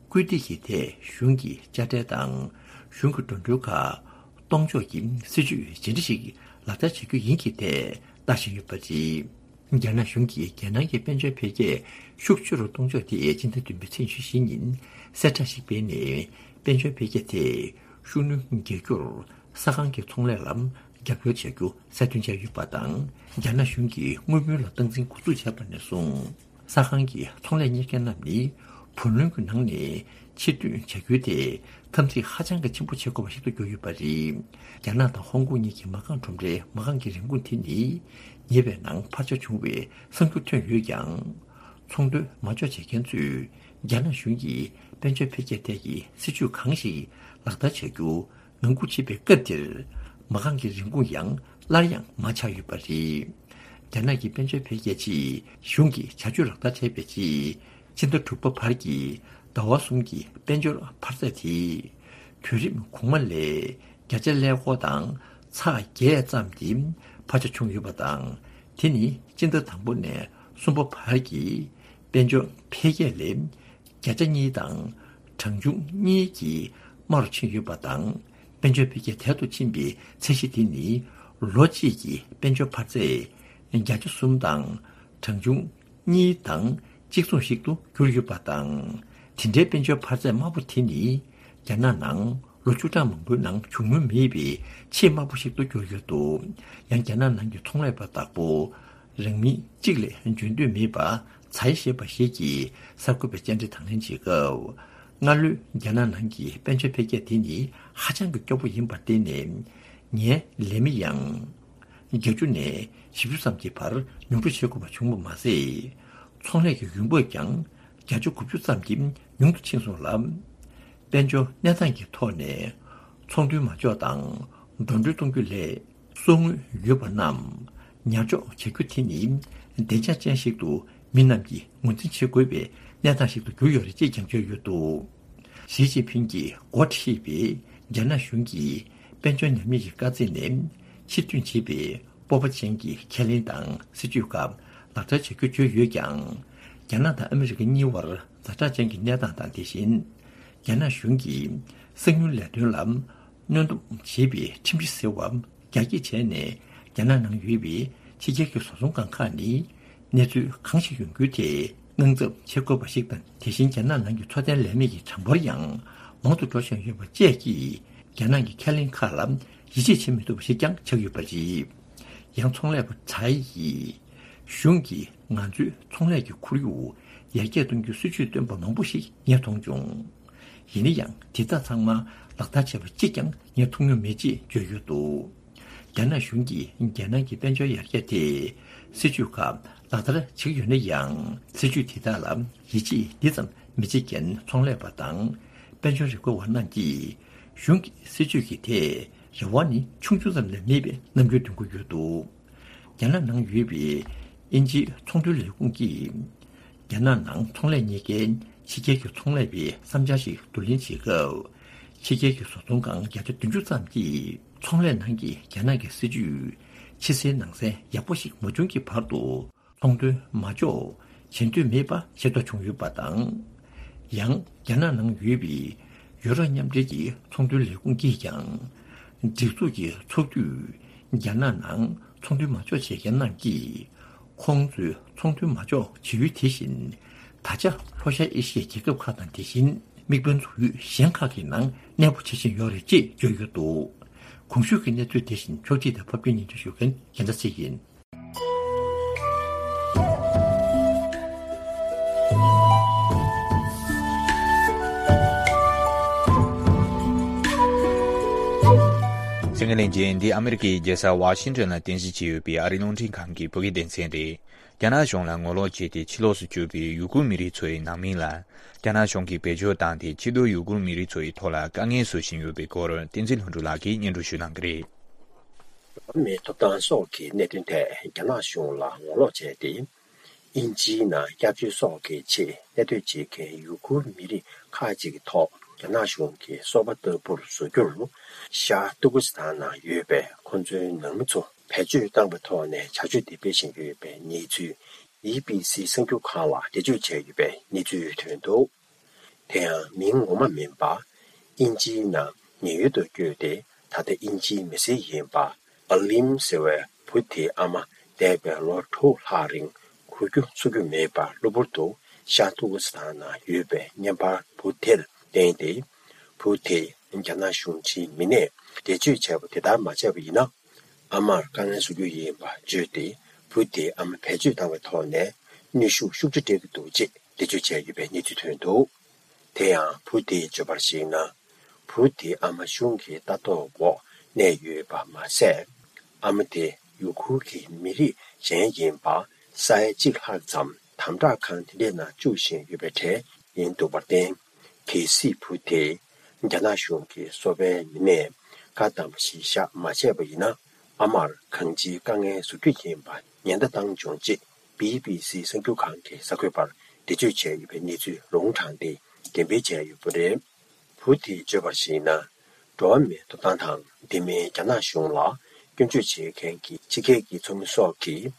སྐུལ་འདེད་ཀྱི་ཐད་གཞུང་གི་དཔྱ་ཁྲལ་དང་གཞུང་གི་འགྲོ་གྲོན་ཁག་གཏོང་ཕྱོགས་ཀྱི་སྲིད་ཇུས་ཇི་འདྲ་ཞིག་ལག་བསྟར་བྱེད་རྒྱུ་ཡིན་གྱི་ཐད་ལྟ་བཞིན་ཡོད་པ་རེད། རྒྱ་ནག་གཞུང་གིས་རྒྱལ་ནང་གི་དཔལ་འབྱོར་འཕེལ་རྒྱས་ཤུགས་ཆེ་རུ་གཏོང་ཕྱོགས་དེ་སྤྱི་ཟླ་བདུན་པའི་ཚེས་ཉི་ཤུ་བཞི་ཉིན་གསལ་བསྒྲགས་ཤིག་སྤེལ་ནས། དཔལ་འབྱོར་འཕེལ་རྒྱས་དེ་ཤུགས་སྣོན་རྒྱག་རྒྱུར་ས་ཁང་གི་ཚོང་ལས་ལ་རྒྱབ་སྐྱོར་བྱ་རྒྱུ་གསལ་སྟོན་བྱས་ཡོད་པ་དང་། རྒྱ་ནག་གཞུང་གིས་དངུལ་བུན་ལ་སྟངས་འཛིན་འགོ་འཛུགས་བྱས་པ་ནས་བཟུང་། ས་ཁང་གི་ཚོང་ལས་གཉེར་མཁན་རྣམས་ནི་བུ་ལོན་གྱི་ནང་ནས་ཕྱིར་བསྡུ་བྱ་རྒྱུ་དེ་འཐབ་འཛིང་ཧ་ཅང་གི་ཆེན་པོ་བྱེད་དགོས་པ་ཞིག་ཏུ་གྱུར་ཡོད་པ་རེད། རྒྱ་ནག་དང་ཧོང་ཀོང་གཉིས་ཀྱི་མ་རྐང་ཁྲོམ་རའི་མ་རྐང་གི་རིན་གོང་དེ་ནི་ཉེ་བའི་ནང་འཕར་ཆ་བྱུང་བའི་གསར་འགྱུར་ཐོན་ཡོད་ཀྱང་། ཚོང་དོན་མ་འཇོག་བྱེད་མཁན་ཚོས་རྒྱ་ནག་གཞུང་གིས་དཔལ་འབྱོར་འཕེལ་རྒྱས་ཐད་ཀྱི་སྲིད་ཇུས་གང་ཞིག་ལག་བསྟར་བྱ་རྒྱུ་ངང་སྒུག་བྱེད་པའི་སྐབས་འདིར། མ་རྐང་གི་རིན་གོང་ཡང་སླར་ཡང་མར་ཆག་ཡོད་པ་རེད། རྒྱ་ནག་གི་དཔལ་འབྱོར་འཕེལ་རྒྱས་ཆེད་གཞུང་གིས་བྱ་སྤྱོད་ལག་བསྟར་བྱས་པའི་རྗེས། ཕྱི་ཟླ་དྲུག་པ་བར་གྱི་ཟླ་བ་གསུམ་གྱི་དཔལ་འབྱོར་འཕར་ཚད་དེ། དུས་རིམ་གོང་མ་ལས་བརྒྱ་ཆ་ཀླད་ཀོར་དང་ཚེག་བརྒྱད་ཙམ་གྱི་འཕར་ཆ་བྱུང་ཡོད་པ་དང་། དེ་ནི་སྤྱི་ཟླ་དང་པོ་ནས་གསུམ་པ་བར་གྱི་དཔལ་འབྱོར་འཕེལ་རྒྱས་ལས་བརྒྱ་ཆ་གཉིས་དང་གྲངས་ཆུང་གཉིས་ཀྱིས་དམའ་རུ་ཕྱིན་ཡོད་པ་དང་། དཔལ་འབྱོར་འཕེལ་རྒྱས་དལ་དུ་ཕྱིན་པའི་ཚད་གཞི་དེ་ནི་ལོ་གཅིག་གི་དཔལ་འབྱོར་འཕར་ཚད་བརྒྱ་ཆ་གསུམ་དང་གྲངས་ཆུང་གཉིས་དང་གཅིག་མཚུངས་ཤིག་ཏུ་གྱུར་ཡོད་པ་དང་། དེ་འདྲའི་དཔལ་འབྱོར་འཕར་ཚད་དམའ་པོ་དེ་ནི་རྒྱ་ནག་ནང་ལོ་བཅུ་གྲངས་མང་པོའི་ནང་བྱུང་མྱོང་མེད་པའི་ཆེས་དམའ་པོ་ཞིག་ཏུ་གྱུར་ཡོད་འདུག་ཡང་རྒྱ་ནག་ནང་གི་ཚོང་ལས་པ་བདག་པོ་རང་མི་གཅིག་ལས་འཇོན་འདོད་མེད་པ་ཚའེ་ཞེས་པ་ཞིག་གིས་གསར་འགོད་པའི་བཅར་འདྲི་དང་ལེན་བྱེད་སྐབས། སྔ་ལོའི་རྒྱ་ནག་ནང་གི་དཔལ་འབྱོར་འཕེལ་རྒྱས་དེ་ནི་ཧ་ཅང་གི་སྐྱོ་པོ་ཡིན་པར་བརྟེན་ནས། ངའི་ལས་མི་ཡང་བརྒྱད་ཅུ་ནས་བཞི་བཅུ་ཙམ་གྱི་བར་ཉུང་འཕྲི་བྱེད་དགོས་པ་བྱུང་བ་མ་ཟད། ཚོང་ལས་ཀྱི་ཡོང་འབབ་ཀྱང་བརྒྱ་ཆ་དགུ་བཅུ་ཙམ་གྱིས་ཉུང་དུ་ཕྱིན་སོང་ལ། དཔལ་འབྱོར་གནས་སྟངས་ཀྱི་ཐོག་ནས་ཚོང་དོན་མ་འཇོག་དང་འགྲོ་གྲོན་གཏོང་རྒྱུ་ལས། གསོག་དངུལ་ཡོད་པ་རྣམས་ཉར་འཇོག་བྱ་རྒྱུ་དེ་ནི་བདེ་འཇགས་ཅན་ཞིག་ཏུ་མི་རྣམས་ཀྱིས་ངོས་འཛིན་བྱེད་དགོས་པའི་གནས་སྟངས་ཤིག་ཏུ་གྱུར་ཡོད་རེད་ཅེས་ཀྱང་བརྗོད་ཡོད་འདུག་ཞི་ཅིན་ཕིང་གིས་འགོ་ཁྲིད་པའི་རྒྱ་ནག་གཞུང་གིས་དཔལ་འབྱོར་ཉམས་ཉེས་ཀྱི་དཀའ་ཚེགས་ནས་ཕྱིར་ཐོན་བྱེད་པའི་སྤོབས་པ་ཅན་གྱི་ཁས་ལེན་དང་སྲིད་ཇུས་ཁག་ལག་བསྟར་བྱ་རྒྱུ་བརྗོད་ཡོད་ཀྱང་། རྒྱ་ནག་དང་ཨ་མི་རི་ཀ་གཉིས་བར་ཛ་དྲག་ཅན་གྱི་གནས་སྟངས་དང་། དེ་བཞིན་རྒྱ་ནག་གཞུང་གིས་གསང་མྱུལ་ལས་དོན་ལ་གནོན་སྡོམ་བྱེད་པའི་ཁྲིམས་གཞི་ཟེར་བ་རྒྱ་སྐྱེད་བྱས་ནས། རྒྱ་ནག་ནང་ཡོད་པའི་ཕྱི་རྒྱལ་གྱི་བཟོ་ཚོང་ཁང་ཁག་ནི་གནས་ཚུལ་གང་ཞིག་ཡོང་རྒྱུའི་ཐད་དངངས་འཚབ་བྱེད་དགོས་པ་ཞིག་དང་། དེ་བཞིན་རྒྱ་ནག་ནང་གི་འཚོ་རྟེན་ལས་མེད་ཀྱི་གྲངས་འབོར་ཡང་མང་དུ་འགྲོ་བཞིན་ཡོད་པ་བཅས་ཀྱིས་རྒྱ་ནག་གི་ཁས་ལེན་ཁག་ལ་ཡིད་ཆེས་བྱེད་མི་ཐུབ་པ་ཞིག་ཀྱང་ཆགས་ཡོད་པ་རེད། ཡང་ཚོང་ལས་པ་ཚའེ་ཡིས་གཞུང་གིས་ང་ཚོའི་ཚོང་ལས་ཀྱི་ཁོར་ཡུག་ཡར་རྒྱས་གཏོང་རྒྱུའི་སྲིད་ཇུས་བཏོན་པ་མང་པོ་ཞིག་ངས་མཐོང་བྱུང་། ཡིན་ན་ཡང་དེ་དག་ཚང་མ་ལག་བསྟར་བྱས་པ་གཅིག་ཀྱང་ངས་མཐོང་མྱོང་མེད་ཅེས་བརྗོད་ཡོད་འདུག་རྒྱ་ནག་གཞུང་གིས་རྒྱལ་ནང་གི་དཔལ་འབྱོར་ཡར་རྒྱས་དེ་སྲིད་ཇུས་ཁག་ ལག་བསྟར་བྱེད་ཀྱི་ཡོད་ན་ཡང་། སྲིད་ཇུས་དེ་དག་ལ་ཡིད་ཆེས་འདི་ཙམ་མི་བྱེད་མཁན་ཚོང་ལས་པ་དང་དཔལ་འབྱོར་རིག་པ་བ་རྣམས་ཀྱིས་གཞུང་གི་སྲིད་ཇུས་ཀྱི་ཐད་རེ་བ་ནི་ཆུང་ཆུང་ཙམ་ལས་མེད་པའི་རྣམ་འགྱུར་སྟོན་གྱི་ཡོད་འདུག་རྒྱ་ནག་ནང་ཡོད་པའི་དབྱིན་ཇིའི་ཚོང་དོན་ལས་ཁུངས་ཀྱིས། རྒྱ་ནག་ནང་ཚོང་ལས་གཉེར་མཁན་ཕྱི་རྒྱལ་གྱི་ཚོང་ལས་པའི་བསམ་འཆར་ཞིག་བསྡུ་ལེན་བྱེད་སྐབས། ཕྱི་རྒྱལ་གྱི་བཟོ་ཚོང་ཁང་བརྒྱ་ཆ་བདུན་ཅུ་ཙམ་གྱིས་ཚོང་ལས་ནང་གི་རྒྱ་ནག་གི་སྲིད་ཇུས་ཕྱི་གསལ་ནང་གསལ་ཡག་པོ་ཞིག་མ་བྱུང་གི་བར་དུ། ཚོང་དོན་མ་འཇོག་བྱེད་འདོད་མེད་པ་ཤེས་རྟོགས་བྱུང་ཡོད་པ་དང་། ཡང་རྒྱ་ནག་ནང་ཡོད་པའི་ཡུ་རོབ་མཉམ་འབྲེལ་གྱི་ཚོང་དོན་ལས་ཁུངས་ཀྱིས་ཀྱང་། སྒྲིག་འཛུགས་ཀྱི་ཚོགས་དུས་རྒྱ་ནག་ནང་ཚོང་དོན་མ་འཇོག་བྱེད་མཁན་རྣམས་ཀྱིས། ཁོང་ཚོས་ཚོང་དོན་མ་འཇོག་བྱེད་ཡུལ་དེ་བཞིན། ད་ཆ་ལྷོ་ཤར་ཨེ་ཤི་ཡའི་རྒྱལ་ཁབ་ཁག་དང་དེ་བཞིན་དམིགས་འབེན་འཛུགས་ཡུལ་གཞན་ཁག་གི་ནང་གནས་སྤོ་བྱེད་བཞིན་ཡོད་རེད་ཅེས་བརྗོད་ཡོད་འདུག་གོང་ཞུས་ཀྱི་གནས་ཚུལ་དེ་བཞིན་ཕྱོགས་སྒྲིག་དང་ཕབ་སྒྱུར་སྙན་སྒྲོན་ཞུ་མཁན་རྒྱལ་མཚན་ཚེ་ཡིན། གསན་མཁན་ལྷན་རྒྱས། འདི་ཨ་མི་རི་ཀའི་རྒྱལ་ས་ཝ་ཤིང་ཏོན་ལ་རྟེན་གཞི་བྱས་ཡོད་པའི་ཨ་རིའི་རླུང་འཕྲིན་ཁང་གི་བོད་སྐད་སྡེ་ཚན་རེད། རྒྱ་ནག་གཞུང་ལ་ངོ་ལོག་བྱས་ཏེ་ཕྱི་ལོགས་སུ་བསྐྱོད་པའི་ཡུ་གུར་མི་རིགས་ཚོའི་ནང་མི་ལ། རྒྱ་ནག་གཞུང་གིས་བེད་སྤྱོད་བཏང་སྟེ་ཕྱིར་སྡོད་ཡུ་གུར་མི་རིགས་ཚོའི་ཐོག་ལ་དཀའ་ངལ་བཟོ་བཞིན་ཡོད་པའི་སྐོར་བསྟན་འཛིན་ལྷུན་གྲུབ་ལགས་ཀྱིས་སྙན་སྒྲོན་ཞུ་གནང་གི་རེད། འགྲོ་བ་མིའི་ཐོབ་ཐང་སོགས་ཀྱི་གནད་དོན་ཐད་རྒྱ་ནག་གཞུང་ལ་ངོ་ལོག་བྱས་ཏེ། དབྱིན་ཇིའི་ནང་སྐྱབས་བཅོལ་སོགས་ཀྱི་ཆེད་གནས་སྡོད་བྱེད་མཁན་ཡུ་གུར་མི་རིགས་ཁག་ཅིག་གི་ཐོག་རྒྱ་ནག་གཞུང་གིས་སོ་པ་ལྟ་བུར་བཟོ་རྒྱུར། ཤར་ཏུར་ཀི་སི་ཐན་ནང་ཡོད་པའི་ཁོ་ཚོའི་ནང་མི་ཚོ་བེད་སྤྱོད་བཏང་བའི་ཐོག་ནས་བྱ་སྤྱོད་དེ་སྤེལ་བཞིན་ཡོད་པའི་གནས་ཚུལ། བྷི་བྷི་སི་གསར་འགྱུར་ཁང་ལ་འགྲེལ་བརྗོད་བྱས་ཡོད་པའི་གནས་ཚུལ་ཐོན་འདུག་དེ་ཡང་མིང་ངོ་མ་མིན་པ། དབྱིན་ཇིའི་ནང་ཉེན་གཡོལ་དུ་བསྐྱོད་དེ། ད་ལྟ་དབྱིན་ཇིའི་མི་སེར་ཡིན་པ། ཨ་ལིམ་ཟེར་བའི་བུ་དེའི་ཨ་མ། འདས་པའི་ལོ་དྲུག་ལྷག་རིང་འགུལ་སྐྱོད་བྱེད་རྒྱུ་མེད་པར་གློ་བུར་དུ་ཤར་ཏུར་ཀི་སི་ཐན་ནང་ཡོད་པའི་བརྙན་པར་བུ་དེར་བསྟན་ཏེ། བུ་དེས་རྒྱ་ནག་གཞུང་ཕྱིའི་མི་སྣས་འགྲེལ་བརྗོད་བྱས་པ་དེ་ལྟར་མ་བྱས་པ་ཡིན་ན། ཨ་མར་དཀའ་ངལ་བཟོ་རྒྱུ་ཡིན་པ་བརྗོད་དེ། བུ་དེའི་ཨ་མ་བེད་སྤྱོད་བཏང་བའི་ཐོག་ནས་གནོན་ཤུགས་ཤུགས་ཆེ་སྤྲད་ཀྱི་འདུག་ཅེས་འགྲེལ་བརྗོད་བྱས་ཡོད་པའི་གནས་ཚུལ་ཐོན་འདུག་དེ་ཡང་བུ་དེས་བརྗོད་པར་གཞིགས་ན། བུ་དེའི་ཨ་མ་གཞུང་གི་ལྟ་རྟོག་འོག་གནས་ཡོད་པ་མ་ཟད། ཨ་མ་དེ་ཡུ་གུར་གྱི་མི་རིགས་གཞན་ཡིན་པ་ས་ཡ་གཅིག་ལྷག་ཙམ་དམ་དྲག་ཁང་དེ་འདྲའི་ནང་བཅུག་བཞིན་ཡོད་པའི་གྲས་ཡིན་འདུག་པར་བརྟེན། གལ་སྲིད་བུ་དེས་རྒྱ་ནག་གཞུང་གི་སོ་པའི་མི་སྣས་བཀའ་དང་གཞིར་བཞག་མ་བྱས་པ་ཡིན་ན། ཨ་མར་གང་ཅིའི་དཀའ་ངལ་བཟོ་རྒྱུ་ཡིན་པ་ཉེན་བརྡ་བཏང་བྱུང་ཅེས་བྷི་བྷི་སི་གསར་འགྱུར་ཁང་གི་གསར་འགོད་པར་འགྲེལ་བརྗོད་བྱས་ཡོད་པའི་གནས་ཚུལ་ལུང་དྲངས་ཏེ་འགྲེམས་སྤེལ་བྱས་ཡོད་པ་རེད། བུ་དེས་བརྗོད་པར་གཞིགས་ན། འགྲོ་བ་མིའི་ཐོབ་ཐང་དང་དེ་མིན་རྒྱ་ནག་གཞུང་ལ་སྐྱོན་བརྗོད་བྱེད་མཁན་གྱི་ཕྱི་རྒྱལ་གྱི་ཚོགས་མི་སོགས་ཀྱིས་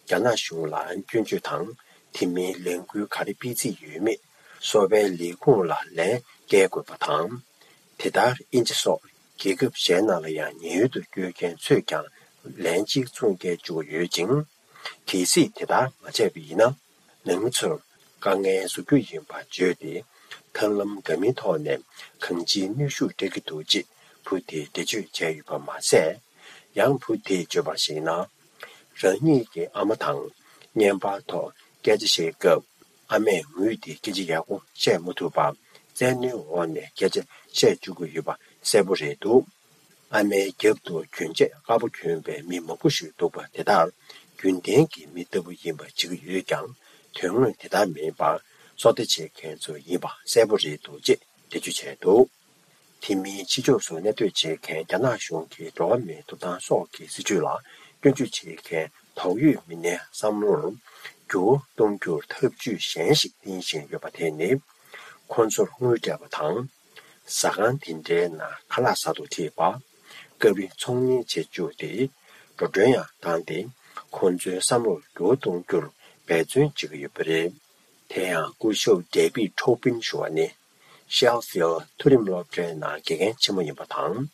རྒྱ་ནག་གཞུང་ལ་སྐྱོན་བརྗོད་དང་། དེ་མིན་ལས་འགུལ་ག་རེ་སྤེལ་རྩིས་ཡོད་མེད་སོ་པའི་ལས་ཁུངས་ལ་ལན་བསྐྱལ་དགོས་པ་དང་། དེ་ལྟར་དབྱིན་ཇི་སོགས་རྒྱལ་ཁབ་གཞན་ནང་ལ་ཡང་ཉེན་གཡོལ་དུ་བསྐྱོད་མཁན་ཚོས་ཀྱང་ལན་གཅིག་མཚུངས་བསྐྱལ་བཅུག་ཡོད་ཅིང་། གལ་སྲིད་དེ་ལྟར་མ་བྱས་པ་ཡིན་ན། ནང་མི་ཚོར་དཀའ་ངལ་བཟོ་རྒྱུ་ཡིན་པ་བརྗོད་དེ། ཐབས་ལམ་འདྲ་མིན་ཐོག་ནས་གང་ཅིའི་གནོན་ཤུགས་སྤྲད་ཀྱི་འདུག་ཅེས་བུ་དེས་འགྲེལ་བརྗོད་བྱས་ཡོད་པ་མ་ཟད། ཡང་བུ་དེས་བརྗོད་པར་གཞིགས་ན། རང་ཉིད་ཀྱི་ཨ་མ་དང་བརྙན་པར་ཐོག་སྐད་ཆ་བཤད་སྐབས། ཨ་མས་ངུས་ཏེ་སྐད་ཆ་ཡག་པོ་བཤད་མ་ཐུབ་པར། བཙན་གནོན་འོག་ནས་སྐད་ཆ་བཤད་བཅུག་གི་ཡོད་པ་གསལ་པོ་རེད་འདུག་ཨ་མའི་རྒྱབ་ཏུ་གྱོན་ཆས་དཀར་པོ་གྱོན་པའི་མི་མང་པོ་ཞིག་འདུག་པ་དེ་དག་རྒྱུན་ལྡན་གྱི་མི་ལྟ་བུ་ཡིན་པ་བྱེད་ཀྱི་ཡོད་ཀྱང་། དོན་དངོས་དེ་ལྟར་མིན་པར་སོ་ལྟ་བྱེད་མཁན་ཚོ་ཡིན་པ་གསལ་པོ་རེད་འདུག་ཅེས་འགྲེལ་བརྗོད་བྱས་འདུག་དེ་མིན་ཕྱི་ཕྱོགས་སུ་གནས་སྡོད་བྱེད་མཁན་རྒྱ་ནག་གཞུང་གི་འགྲོ་བ་མིའི་ཐོབ་ཐང་སོགས་ཀྱི་སྲིད་བྱུས་ལ་སྐྱོན་བརྗོད་བྱེད་མཁན་དོགས་ཡོད་མི་སྣའི་བསམ་བློར་འགྱུར་བ་གཏོང་རྒྱུར་ཐབས་ཇུས་གཞན་ཞིག་བསྟེན་བཞིན་ཡོད་པ་དེ་ནི། ཁོ་ཚོར་དངུལ་སྤྲད་པ་དང་། ཟ་ཁང་དེ་འདྲའི་ནང་ཁ་ལག་ཟ་དུ་ཁྲིད་པ། སྐབས་རེ་ཚོང་གཉེར་བྱེད་བཅུག་སྟེ། འགྲོ་གྲོན་ཡང་བཏང་སྟེ། ཁོ་ཚོའི་བསམ་བློར་འགྱུར་བ་གཏོང་རྒྱུར་འབད་བརྩོན་བྱེད་ཀྱི་ཡོད་པ་རེད། དེ་ཡང་སྐུ་ཞབས་ཌེ་བིད་ཁྲོ་པིན་ཞུ་བ་ནི། ཤེལ་ཕིལ་མཐོ་རིམ་སློབ་གྲྭའི་ནང་དགེ་རྒན་ཆེན་མོ་ཡིན་པ་དང་།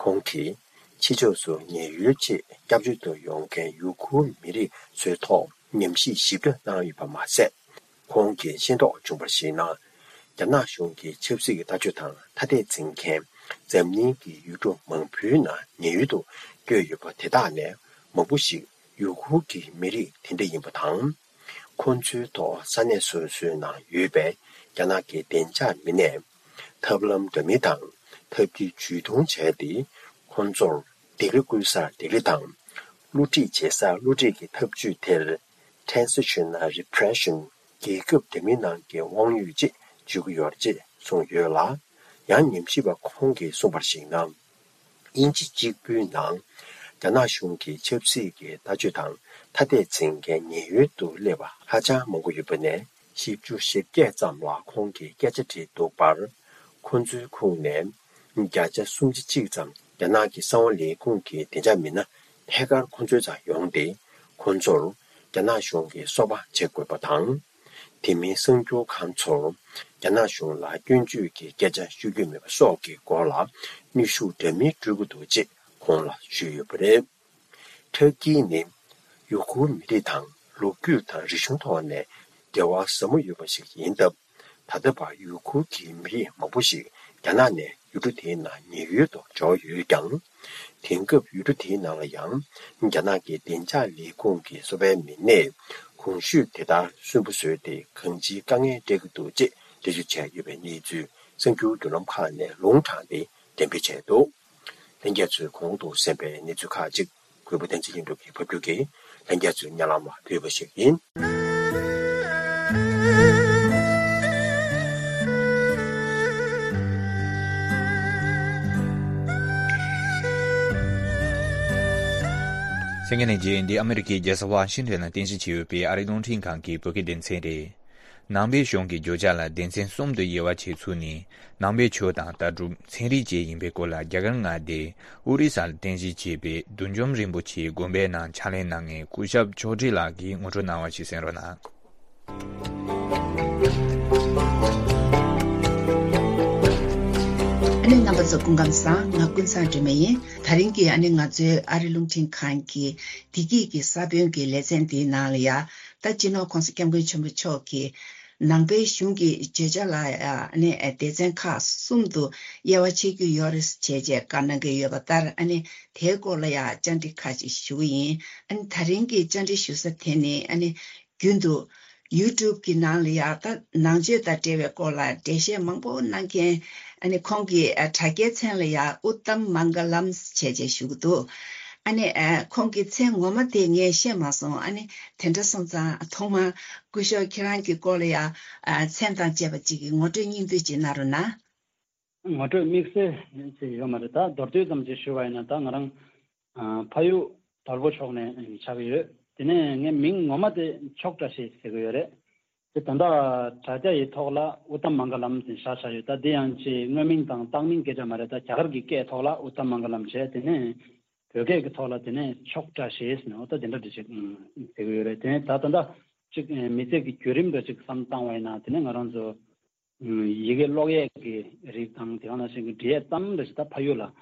ཁོང་གིས་ཕྱི་ཕྱོགས་སུ་ཉེན་གཡོལ་ཆེད་སྐྱབས་བཅོལ་དུ་ཡོང་མཁན་ཡུ་གུར་མི་རིགས་ཚོའི་ཐོག་ཉམས་ཞིབ་ཞིབ་ཕྲ་གནང་ཡོད་པ་མ་ཟད། ཁོང་གིས་ཤེས་རྟོགས་བྱུང་བར་གཞིགས་ན། རྒྱ་ནག་གཞུང་གི་ཆབ་སྲིད་ཀྱི་ལྟ་སྤྱོད་དང་ཐ་དད་འཛིན་མཁན་འཛམ་གླིང་གི་ཡུལ་གྲུ་མང་པོའི་ནང་ཉེན་གཡོལ་དུ་བསྐྱོད་ཡོད་པ་དེ་དག་ནས་མང་པོ་ཞིག་ཡུ་གུར་གྱི་མི་རིགས་དེ་འདྲ་ཡིན་པ་དང་། ཁོ་ཚོའི་ཐོག་ས་གནས་སོ་སོའི་ནང་ཡོད་པའི་རྒྱ་ནག་གི་བདེ་འཇགས་མི་སྣས་ཐབས་ལམ་འདྲ་མིན་དང་ཐབས་ཀྱིས་ཇུས་གཏོང་བྱས་ཏེ། ཁོ་ཚོར་ལྡི་ལི་བསྐུར་སར་ལྡི་ལི་དང་། བསླུ་བྲིད་བྱེད་སར་བསླུ་བྲིད་ཀྱི་ཐབས་ཇུས་དེར། Transitional Repression། རྒྱལ་ཁབ་འདྲ་མིན་ནང་གི་དབང་ཡོད་ཅེས་བརྗོད་ཀྱི་ཡོད་རེད་ཅེས་གསུངས་ཡོད་ལ། ཡང་ཉམས་ཞིབ་པ་ཁོང་གིས་གསུངས་པར་གཞིགས་ན། དབྱིན་ཇི་གཅིག་པུའི་ནང་རྒྱ་ནག་གཞུང་གི་ཆབ་སྲིད་ཀྱི་ལྟ་སྤྱོད་དང་ཐ་དད་འཛིན་མཁན་ཉེན་གཡོལ་དུ་སླེབས་པ་ཧ་ཅང་མང་པོ་ཡོད་པ་ནས། བཞི་བཅུ་ཞེ་བརྒྱད་ཙམ་ལ་ཁོང་གིས་སྐད་ཆ་དྲིས་འདུག་པར། ཁོ་ཚོའི་ཁོངས་ནས་བརྒྱ་ཆ་སུམ་ཅུ་གཅིག་ཙམ་རྒྱ་ནག་གི་གསང་བ་ལས་ཁུངས་ཀྱི་བདེ་འཇགས་མི་སྣ་ཐད་ཀར་ཁོ་ཚོའི་རྩར་ཡོང་སྟེ། ཁོ་ཚོར་རྒྱ་ནག་གཞུང་གི་སོ་པ་བྱེད་དགོས་པ་དང་། དེ་མིན་གསར་འགྱུར་ཁང་ཚོར་རྒྱ་ནག་གཞུང་ལ་སྐྱོན་བརྗོད་ཀྱི་སྐད་ཆ་ཤོད་རྒྱུ་མེད་པ་སོགས་ཀྱི་སྐོར་ལ་གནོན་ཤུགས་འདྲ་མིན་སྤྲོད་ཀྱི་འདུག་ཅེས་ཁོང་ལ་ཞུས་ཡོད་པ་རེད། ཊར་ཀི་ནི་ཡུ་གུར་མི་རིགས་དང་ལོ་རྒྱུས་དང་རིག་གཞུང་ཐོག་ནས་འབྲེལ་བ་ཟབ་མོ་ཡོད་པ་ཞིག་ཡིན་སྟབས། ད་ལྟ་བར་ཡུ་གུར་གྱི་མི་རིགས་མང་པོ་ཞིག་རྒྱ་ནག་ནས་ཡུལ་གྲུ་དེའི་ནང་ཉེན་གཡོལ་དུ་འབྱོར་ཡོད་ཀྱང་། དེང་སྐབས་ཡུལ་གྲུ་དེའི་ནང་ལ་ཡང་རྒྱ་ནག་གི་བདེ་འཇགས་ལས་ཁུངས་ཀྱི་སོ་པའི་མི་སྣས་གོང་ཞུས་དེ་ལྟར་སུན་པོ་བཟོས་ཏེ་གང་ཅིའི་དཀའ་ངལ་འཕྲད་ཀྱི་འདུག་ཅེས་འགྲེལ་བརྗོད་བྱས་ཡོད་པའི་གནས་ཚུལ་གསར་འགྱུར་བརྒྱུད་ལམ་ཁག་ནས་ལུང་དྲངས་ཏེ་འགྲེམས་སྤེལ་བྱས་འདུག། ལྷན་རྒྱས་ཚོས་གོང་དུ་གསན་པའི་གནས་ཚུལ་ཁག་ཅིག་གུས་པ་བསྟན་འཛིན་ལྷུན་གྲུབ་ཀྱིས་ཕབ་སྒྱུར་གྱིས་ལྷན་རྒྱས་ཚོའི་སྙན་ལམ་ལ་ཕུལ་བ་ཞིག་ཡིན། གསན་མཁན་ལྷན་རྒྱས། འདི་ཨ་མི་རི་ཀའི་རྒྱལ་ས་ཝ་ཤིང་ཊོན་ལ་རྟེན་གཞི་བྱས་ཡོད་པའི་ཨ་རིའི་རླུང་འཕྲིན་ཁང་གི་བོད་སྐད་སྡེ་ཚན་རེད། ནང་པའི་གཞུང་གི་བརྗོད་བྱ་ལ་སྡེ་ཚན་གསུམ་དུ་དབྱེ་བ་ཕྱེ་ཚུལ་ནི། ནང་པའི་ཆོས་དང་ལྟ་གྲུབ། ཚན་རིག་བཅས་ཡིན་པའི་སྐོར་ལ་རྒྱ་གར་མངའ་སྡེ་ཨོ་རི་ས་ལ་རྟེན་གཞི་བྱས་པའི་བདུད་འཇོམས་རིན་པོ་ཆེའི་དགོན་པའི་ནང་ཕྱག་ལས་གནང་མཁན་སྐུ་ཞབས་ཕྱོགས་སྒྲིག་ལགས་ཀྱིས་ངོ་སྤྲོད་གནང་བ་ཞིག་གསན་རོགས་གནང་། ཨ་ནི་རྣམ་པ་ཚོ་སྐུ་ཁམས་བཟང་། ང་ཀུན་བཟང་སྒྲོལ་མ་ཡིན། དེ་རིང་གི་ཨ་ནི་ང་ཚོའི་ཨ་རི་རླུང་འཕྲིན་ཁང་གི་བདེ་སྐྱིད་ཀྱི་ས་བོན་གྱི་ལེ་ཚན་འདིའི་ནང་ལ་ཡ། ད་སྤྱི་ནོར་༸གོང་ས་༸སྐྱབས་མགོན་ཆེན་པོ་མཆོག་གིས་ནང་པའི་གཞུང་གི་བརྗོད་བྱ་ལ་ཡ་ཨ་ནི་སྡེ་ཚན་ཁག་གསུམ་དུ་དབྱེ་བ་ཕྱེ་རྒྱུ་ཡོད་རེད་བྱས་རྗེས་བཀའ་གནང་གི་ཡོད་པ་ལྟར། ཨ་ནི་དེའི་སྐོར་ལ་ཡ་བཅར་འདྲི་ཁག་ཅིག་ཞུ་གི་ཡིན། ཨ་ནི་དེ་རིང་གི་བཅར་འདྲི་ཞུ་ས་དེ་ནི་ཨ་ནི་རྒྱུན་དུ་ཡུ་ཊུབ་གི་ནང་ལ་ཡ་ད་ནང་ཆོས་དང་འབྲེལ་བའི་སྐོར་ལ་འགྲེལ་བཤད་མང་པོ་གནང་མཁན། ཨ་ནི་ཁོང་གི་ཨ་དྲ་རྒྱའི་མཚན་ལ་ཡ་ཨུ་ཏམ་མང་ག་ལམ་བྱས་རྗེས་ཞུ་གི་འདུག། ཨ་ནི་ཨ་ཁོང་གི་མཚན་ངོ་མ་དེ་ངས་ཤེས་མ་སོང་། ཨ་ནི་དེ་འདྲ་སོང་ཙང་ཐོག་མར་སྐུ་ཞབས་ཁྱེད་རང་གི་སྐོར་ལ་ཡ་ཨ་མཚན་དང་བཅས་པ་ཅིག་གི་ངོ་སྤྲོད་སྙིང་བསྡུས་ཅིག་གནང་རོགས་གནང་། ངོ་སྤྲོད་དམིགས་བསལ་ཅིག་ཡོད་མ་རེད། ད་མདོར་བསྡུས་ཙམ་ཅིག་ཞུ་བ་ཡིན་ན། ད་ང་རང་ཨ་ཕ་ཡུལ་དོལ་པོ་ཕྱོགས་ནས་ཆགས་ཀྱི་ཡོད། དེ་ནས་ངའི་མིང་ངོ་མ་དེ་མཆོག་བཀྲ་ཤིས་ཟེར་གྱི་ཡོད་རེད། དེ་ད་ལྟ་དྲ་རྒྱ་ཡི་ཐོག་ལ་ཨུ་ཏམ་མང་ག་ལམ་ཟེར་བཞག་བཞག་ཡོད། ད་འདི་ཡང་ཅིག་དངོས་མིང་དང་བཏགས་མིང་སྐད་ཆ་མ་རེད། ད་རྒྱ་གར་གྱི་སྐད་ཐོག་ལ་ཨུ་ཏམ་མང་ག་ལམ་བྱས། དེ་ནས་བོད་སྐད་ཀྱི་ཐོག་ལ་དེ་ནས་མཆོག་བཀྲ་ཤིས་ཟེར་ནས་འོ་ད་དེ་འདྲ་འདྲ་ཅིག་ཟེར་གྱི་ཡོད་རེད། དེ་ནས་ད་ད་ལྟ་ཅིག་མི་ཚེ་གི་བརྒྱུད་རིམ་འདྲ་ཅིག་བསམ་བཏང་བ་ཡིན་ན། དེ་ནས་ང་རང་ཚོ་ཡི་གེ་ཀློག་ཡས་ཀྱི་རིགས་དང་། དེ་ག་ནང་བཞིན་གྱི་འབྲི་ཡས་ཙམ་རེ་ཞིག་ད་ཕ་ཡུལ་ལ་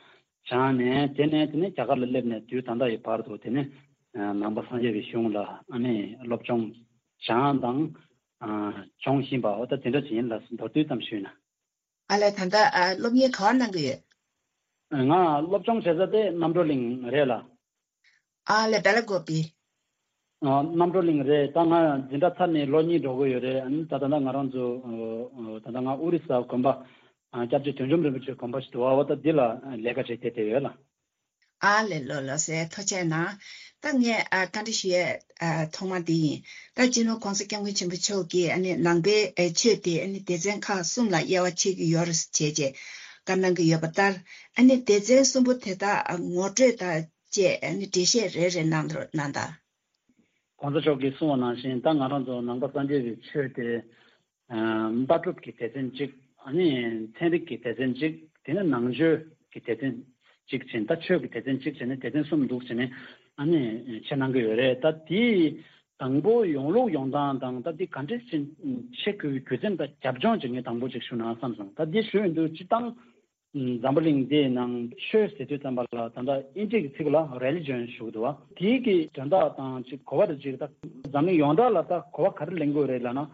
སྦྱངས་ནས། དེ་ནས་དེ་ནས་རྒྱ་གར་ལ་སླེབས་ནས་དུས་ད་ལྟ་ཡི་བར་དུ་དེ་ནས་ནང་པ་སངས་རྒྱས་པའི་གཞུང་ལ་ཨ་ནི་སློབ་སྦྱོང་སྦྱངས་དང་སྦྱོང་བཞིན་པ། འོ་ད་དེ་འདྲ་ཅིག་ཡིན་ལགས། མདོར་བསྡུས་ཙམ་ཞུས་ན། ཨ་ལས། ད་ལྟ་ཨ་སློབ་གཉེར་ག་བ་གནང་གི་ཡོད། ང་སློབ་སྦྱོང་བྱེད་ས་དེ་རྣམ་གྲོལ་གླིང་རེད་ལགས། ཨ་ལས། སྦེ་ལ་གོ་པི། ཨ་རྣམ་གྲོལ་གླིང་རེད། ད་ང་འཛིན་གྲྭ་ཚར་ནས་ལོ་གཉིས་འགྲོ་གི་ཡོད་རེད། ཨ་ནི་ད་ད་ལྟ་ང་རང་ཚོ་ཨ་ད་ལྟ་ང་ཨོ་རི་ས་དགོན་པ་ཨ་སྐྱབས་རྗེ་བདུད་འཇོམས་རིན་པོ་ཆེའི་དགོན་པ་ཞིག་འདུག་པ། འོ་ད་འདི་ལ་ལས་ཀ་བྱེད་བསྡད་བསྡད་ཡོད་ལགས། ཨ་ལས། ལགས་ལགས་སེ། ཐུགས་རྗེ་གནང་། ད་ངས་ཨ་བཀའ་འདྲི་ཞུ་ཡས་ཨ་ཐོག་མ་འདི་ཡིན། ད་སྤྱི་ནོར་༸གོང་ས་༸སྐྱབས་མགོན་ཆེན་པོ་མཆོག་གིས་ཨ་ནི་ནང་པའི་ཨ་ཆོས་དེ་ཨ་ནི་སྡེ་ཚན་ཁག་གསུམ་ལ་དབྱེ་བ་ཕྱེ་གི་ཡོད་རེད་བྱས་རྗེས་བཀའ་གནང་གི་ཡོད་པ་ལྟར། ཨ་ནི་སྡེ་ཚན་གསུམ་པོ་དེ་དག་ཨ་ངོ་སྤྲོད་དང་བཅས་ཨ་ནི་འགྲེལ་བཤད་རེ་རེ་གནང་རོགས་གནང་དང་། ༸གོང་ས་མཆོག་གིས་གསུངས་པ་ནང་བཞིན། ད་ང་རང་ཚོ་ནང་པ་སངས་རྒྱས་པའི་ཆོས་དེ་ལྟ་གྲུབ་ཀྱི་སྡེ་ཚན་གཅིག། ཨ་ནི་ཚན་རིག་གི་སྡེ་ཚན་གཅིག། དེ་ནས་ནང་ཆོས་ཀྱི་སྡེ་ཚན་གཅིག་བྱས། ད་ཆོས་ཀྱི་སྡེ་ཚན་གཅིག་བྱས་ནས་སྡེ་ཚན་གསུམ་འདུག་བྱས་ནས་ཨ་ནི་ཕྱེ་གནང་གི་ཡོད་རེད། ད་དེའི་དང་པོ་ཡོང་ལུགས་ཡོང་སྟངས་དང་། ད་འདི་ག་འདྲས་ཕྱེ་དགོས་རྒྱུ་མཚན་དང་རྒྱབ་ལྗོངས་ཅིག་ངས་དང་པོ་ཅིག་ཞུ་ན་བསམ་སོང་། ད་འདི་ཞུ་ཡོང་དུས་སྤྱིར་བཏང་འཛམ་བུ་གླིང་འདིའི་ནང་ཆོས་ཟེར་དུས་ཙམ་པ་ལ་ད་ལྟ་དབྱིན་ཇི་གི་ཚིག་ལ་རེ་ལི་ཇོན་ཞུ་གི་འདུག་བ། དེའི་གི་དོན་དག་དང་ཅིག་གོ་བ་དེ་ཅིག་ད་འཛམ་གླིང་ཡོངས་གྲགས་ལ་ད་གོ་བ་ག་རེ་ལེན་དགོས་རེད་ལབ་ན།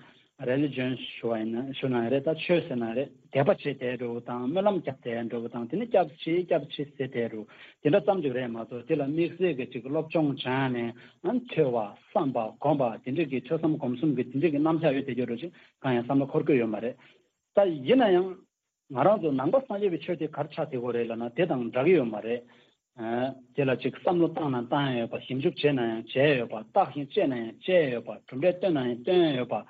རེ་ལི་ཇོན་ཞུ་བ་ཡིན་ན། ཞུ་ན་ཡང་རེད། ད་ཆོས་ཟེར་ན་རེད། དད་པ་བྱེད་བསྡད་འགྲོ་བ་དང་། སྨོན་ལམ་རྒྱབ་བསྡད་འགྲོ་བ་དང་། དེ་ནས་སྐྱབས་མཆི་སྐྱབས་མཆི་ཟེར་བསྡད་འགྲོ། དེ་འདྲ་ཙམ་ཅིག་རེད་མ་གཏོགས། དེ་ལ་དམིགས་བསལ་གྱི་ཅིག་སློབ་སྦྱོང་སྦྱངས་ནས་ཨ་ཐོས་པ་བསམ་པ་སྒོམ་པ་དེ་འདྲ་གི་ཐོས་བསམ་སྒོམ་གསུམ་གྱི་དེ་འདྲ་གི་རྣམ་གཞག་ཡོད་བསྡད་རྒྱུ་འདྲ་ཅིག་གང་ཡང་བསམ་བློ་འཁོར་གྱི་ཡོད་མ་རེད། ད་ཡིན་ན་ཡང་ང་རང་ཚོ་ནང་པ་སངས་རྒྱས་པའི་ཆོས་དེ་ག་རེ་ཆགས་བསྡད་ཀྱི་ཡོད་རེད་ལབ་ན། དེ་དང་འདྲ་གི་ཡོད་མ་རེད། དེ་ལ་ཅིག་བསམ་བློ་བཏང་ན་བཏང་ཡོད་པ། ཞིབ་འཇུག་བྱས་ན་ཡང་བྱས་ཡོད་པ། བརྟག་ཅིང་དཔྱད་ན་ཡང་དཔྱད་ཡོད་པ། གྲུབ་འབྲས་བཏོན་ན་ཡང་བཏོན་ཡོད་པ།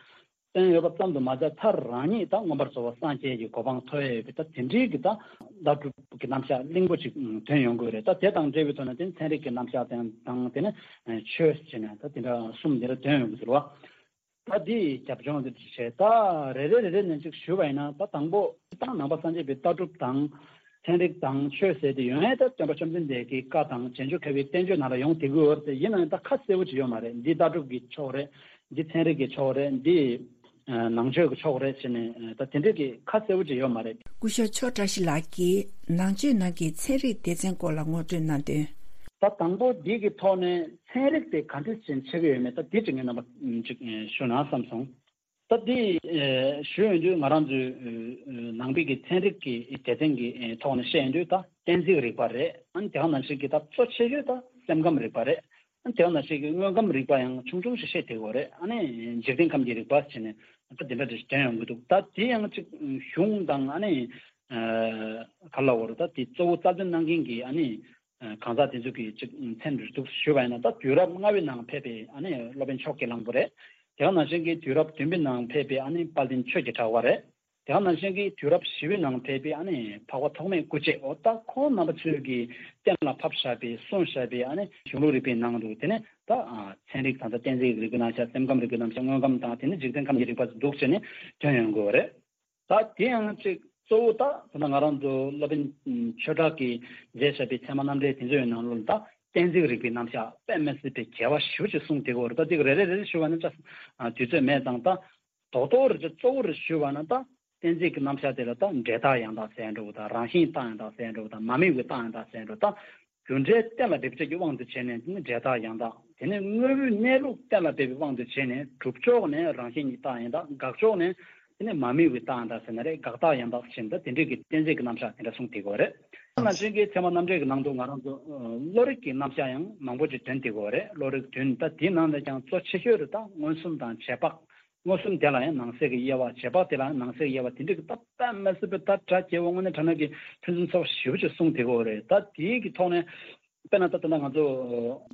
བསྟན་ཡོད་པ་ཙམ་དུ་མ་ཟད། མཐར་རང་ཉིད་དང་མངོན་པར་རྫོགས་པ་སངས་རྒྱས་ཀྱི་གོ་འཕང་ཐོབ་ཡས་ཡོད་པའི་ད་དེ་འདྲའི་གི་ད་ལྟ་གྲུབ་ཀྱི་རྣམ་གཞག་བརླིང་པོ་ཅིག་ཐོན་ཡོང་གི་ཡོད་རེད། ད་དེ་དང་འབྲེལ་བའི་ཐོག་ནས་དེ་ནི་ཚན་རིག་གི་རྣམ་གཞག་དང་དང་དེ་ནི་ཆོས་ཟེར་ནས་ད་དེ་འདྲ་གསུམ་དེ་འདྲ་ཐོན་ཡོང་གི་ཟེར་བ། ད་འདི་རྒྱབ་ལྗོངས་དེ་བྱས། ད་རེ་རེ་རེ་རེ་ནས་ཅིག་ཞུ་བ་ཡིན་ན། ད་དང་པོ་ད་ནང་པ་སངས་རྒྱས་པའི་ལྟ་གྲུབ་དང་། ཚན་རིག་དང་ཆོས་ཟེར་དེ་ཡོང་ཡས་ད་སྟོན་པ་བཅོམ་ལྡན་འདས་ཀྱི་བཀའ་དང་རྗེས་འཇུག་མཁས་པའི་བསྟན་བཅོས་ནང་ལ་ཡོང་བསྡད་ཀྱི་ཡོད་རེད། ཡིན་ན་ཡང་ད་ཁ་གསལ་པོ་ཅིག་ཡོད་མ་རེད། འདི་ལྟ་གྲུབ་ཀྱི་ཕྱོགས་རེད། འདི་ཚན་རིག་གི་ཕྱོགས་རེད། འདི་ནང་ཆོས་ཀྱི་ཕྱོགས་རེད་ཟེར་ནས་ད་དེ་འདྲ་གི་ཁ་གསལ་པོ་ཅིག་ཡོད་མ་རེད། སྐུ་ཞབས་མཆོག་བཀྲ་ཤིས་ལགས་ཀྱིས་ནང་ཆོས་ནང་གི་ཚན་རིག་སྡེ་ཚན་སྐོར་ལ་ངོ་སྤྲོད་གནང་དོན། ད་དང་པོ་འདི་གི་ཐོག་ནས་ཚན་རིག་དེ་ག་འདྲ་ཞིག་ཕྱེ་གི་ཡོད་མེད་ད་དེ་ཅིག་ངས་རྣམ་པ་ཅིག་ཞུ་ན་བསམ་སོང་། ད་འདི་ཨེ་ཞུ་ཡོང་དུས་ང་རང་ཚོའི་ཨེ་ནང་པའི་གི་ཚན་རིག་གི་སྡེ་ཚན་གྱི་ཨེ་ཐོག་ནས་བཤད་ཡོང་དུས། ད་གཏན་ཚིགས་རིག་པ་རེད། ཨ་ནི་དེ་ག་ནང་བཞིན་གྱི་ད་གཙོ་ཆེ་ཤོས་ད་སེམས་ཁམས་རིག་པ་རེད། ཨ་ནི་དེ་ག་ནང་བཞིན་གྱི་དངོས་ཁམས་རིག་པ་ཡང་ཆུང་ཆུང་ཞིག་བཤད་བསྡད་ཡོད་རེད། ཨ་ནི་འཇིག་རྟེན་ཁམས་ཀྱི་རིག་པ་བྱས་ནས་ད་དེ་འདྲ་འདྲ་ཞིག་ཐོན་ཡོང་གི་འདུག་ད་དེ་ཡང་ཅིག་གཞུང་དང་ཨ་ནི་ཨ་ག་ལ་བོར་ད་དེ་གཙོ་བོ་རྩ་དོན་གནང་མཁན་གྱི་ཨ་ནི་གང་ཟག་དེ་ཚོ་གི་ཅིག་མཚན་རེ་འདུག་ཞུས་པ་ཡིན་ན། ད་དུས་རབས་ལྔ་པའི་ནང་ཕེབས་པའི་ཨ་ནི་སློབ་དཔོན་ཕྱོགས་ཀྱི་གླང་པོ་རེད། དེ་ག་ནང་བཞིན་གྱི་དུས་རབས་བདུན་པའི་ནང་ཕེབས་པའི་ཨ་ནི་དཔལ་ལྡན་ཆོས་ཀྱི་གྲགས་པ་རེད། དེ་ག་ནང་བཞིན་གྱི་དུས་རབས་བཞི་པའི་ནང་ཕེབས་པའི་ཨ་ནི་འཕགས་པ་ཐོགས་མེད་སྐུ་མཆེད། འོ་ད་ཁོང་རྣམ་པ་ཚོས་ཀྱི་གཏན་ལ་ཕབ་བཞག་པའི་གསུངས་བཞག་པའི་ཨ་ནི་གཞུང་ལུགས་རིག་པའི་ནང་དུ་དེ་ནི་ད་ཚན་རིག་དང་ད་གཏན་ཚིགས་རིག་པའི་རྣམ་གཞག་སེམས་ཁམས་རིག་པའི་རྣམ་གཞག་དངོས་ཁམས་དང་དེ་ནི་འཇིག་རྟེན་ཁམས་ཀྱི་རིག་པ་འདུག་བྱས་ནས་ཐོན་ཡོང་དགོས་པ་རེད། ད་དེ་ཡང་ཅིག་གཙོ་བོ་ད་ད་ང་རང་ཚོ་སློབ་དཔོན་ཆོས་གྲགས་ཀྱིས་མཛད་བཞག་པའི་ཚད་མ་རྣམ་འགྲེལ་དེ་ཚོའི་ནང་ལོགས་ད་གཏན་ཚིགས་རིག་པའི་རྣམ་གཞག་དཔེ་མི་སྲིད་པའི་རྒྱས་པ་ཞེ་པོ་ཅིག་གསུངས་བསྡད་ཀྱི་ཡོད་རེད། ད་འདི་རེ་རེ་རེ་རེ་ཞུ་བ་ན་ཅིག་དུས་ཚོད་མེད་ཙང་ད་རྡོག་རྡོག་རེ་ཅིག་གཙོ་བོ་རེ་ཞུ་བ་ན། ད་གཏན་ཚིགས་ཀྱི་རྣམ་གཞག་དེ་ལ་ད་འབྲས་རྟགས་ཡང་དག་ཟེར་འགྲོ་བ་དང་། རང་བཞིན་རྟགས་ཡང་དག་ཟེར་འགྲོ་བ་དང་། མ་དམིགས་པའི་རྟགས་ཡང་དག་ཟེར་འགྲོ་བ་དང་། རྒྱུ་འབྲས་གཏན་ལ་འབེབས་བྱེད་ཀྱི་དབང་དུ་བྱས་ནས་དེ་ནི་འབྲས་རྟགས་ཡང་དག་དེ་ནས་དངོས་པོའི་གནས་ལུགས་གཏན་ལ་འབེབས་པའི་དབང་དུ་བྱས་ནས་སྒྲུབ་ཕྱོགས་ནས་རང་བཞིན་གྱི་རྟགས་ཡང་དག་དགག་ཕྱོགས་ནས་དེ་ནི་མ་དམིགས་པའི་རྟགས་ཡང་དག་ཟེར་ན་རེད། དགག་རྟགས་ཡང་དག་ཟེར་ན་ད་དེ་འདྲས་ཀྱི་གཏན་ཚིགས་ཀྱི་རྣམ་གཞག་དེ་འདྲ་གསུངས་བསྡད་ཀྱི་ཡོད་རེད། ད་ནང་བཞིན་གྱི་ཚད་མ་རྣམ་འགྲེལ་གྱི་ནང་དུ་ང་རང་ཚོ་ཨ་བློ་རིག་གི་རྣམ་གཞག་ཡང་མང་པོ་ཅིག་ཐོན་བསྡད་ཀྱི་ཡོད་རེད། བློ་རིག་བདུན། ད་དེའི་ནང་ནས་ཀྱང་གཙོ་ཆེ་ཤོས་རེད། ད་མངོན་སུམ་དང་རྗེས་དཔག་མངོན་སུམ་དེ་ལ་ཡང་ནང་གསེས་ཀྱི་དབྱེ་བ། རྗེས་དཔག་དེ་ལ་ཡང་ནང་གསེས་ཀྱི་དབྱེ་བ། དེ་འདྲ་གི་ད་དཔེ་མི་སྲིད་པའི་ད་གྲ་རྒྱས་པོ་དངོས་གནས་དྲང་གནས་ཀྱི་ཕུན་སུམ་ཚོགས་པ་ཞེ་པོ་ཅིག་གསུངས་བསྡད་ཀྱི་ཡོད་རེད། ད་དེའི་གི་ཐོག་ནས་དཔེར་ན་ད་ལྟ་ང་ཚོ་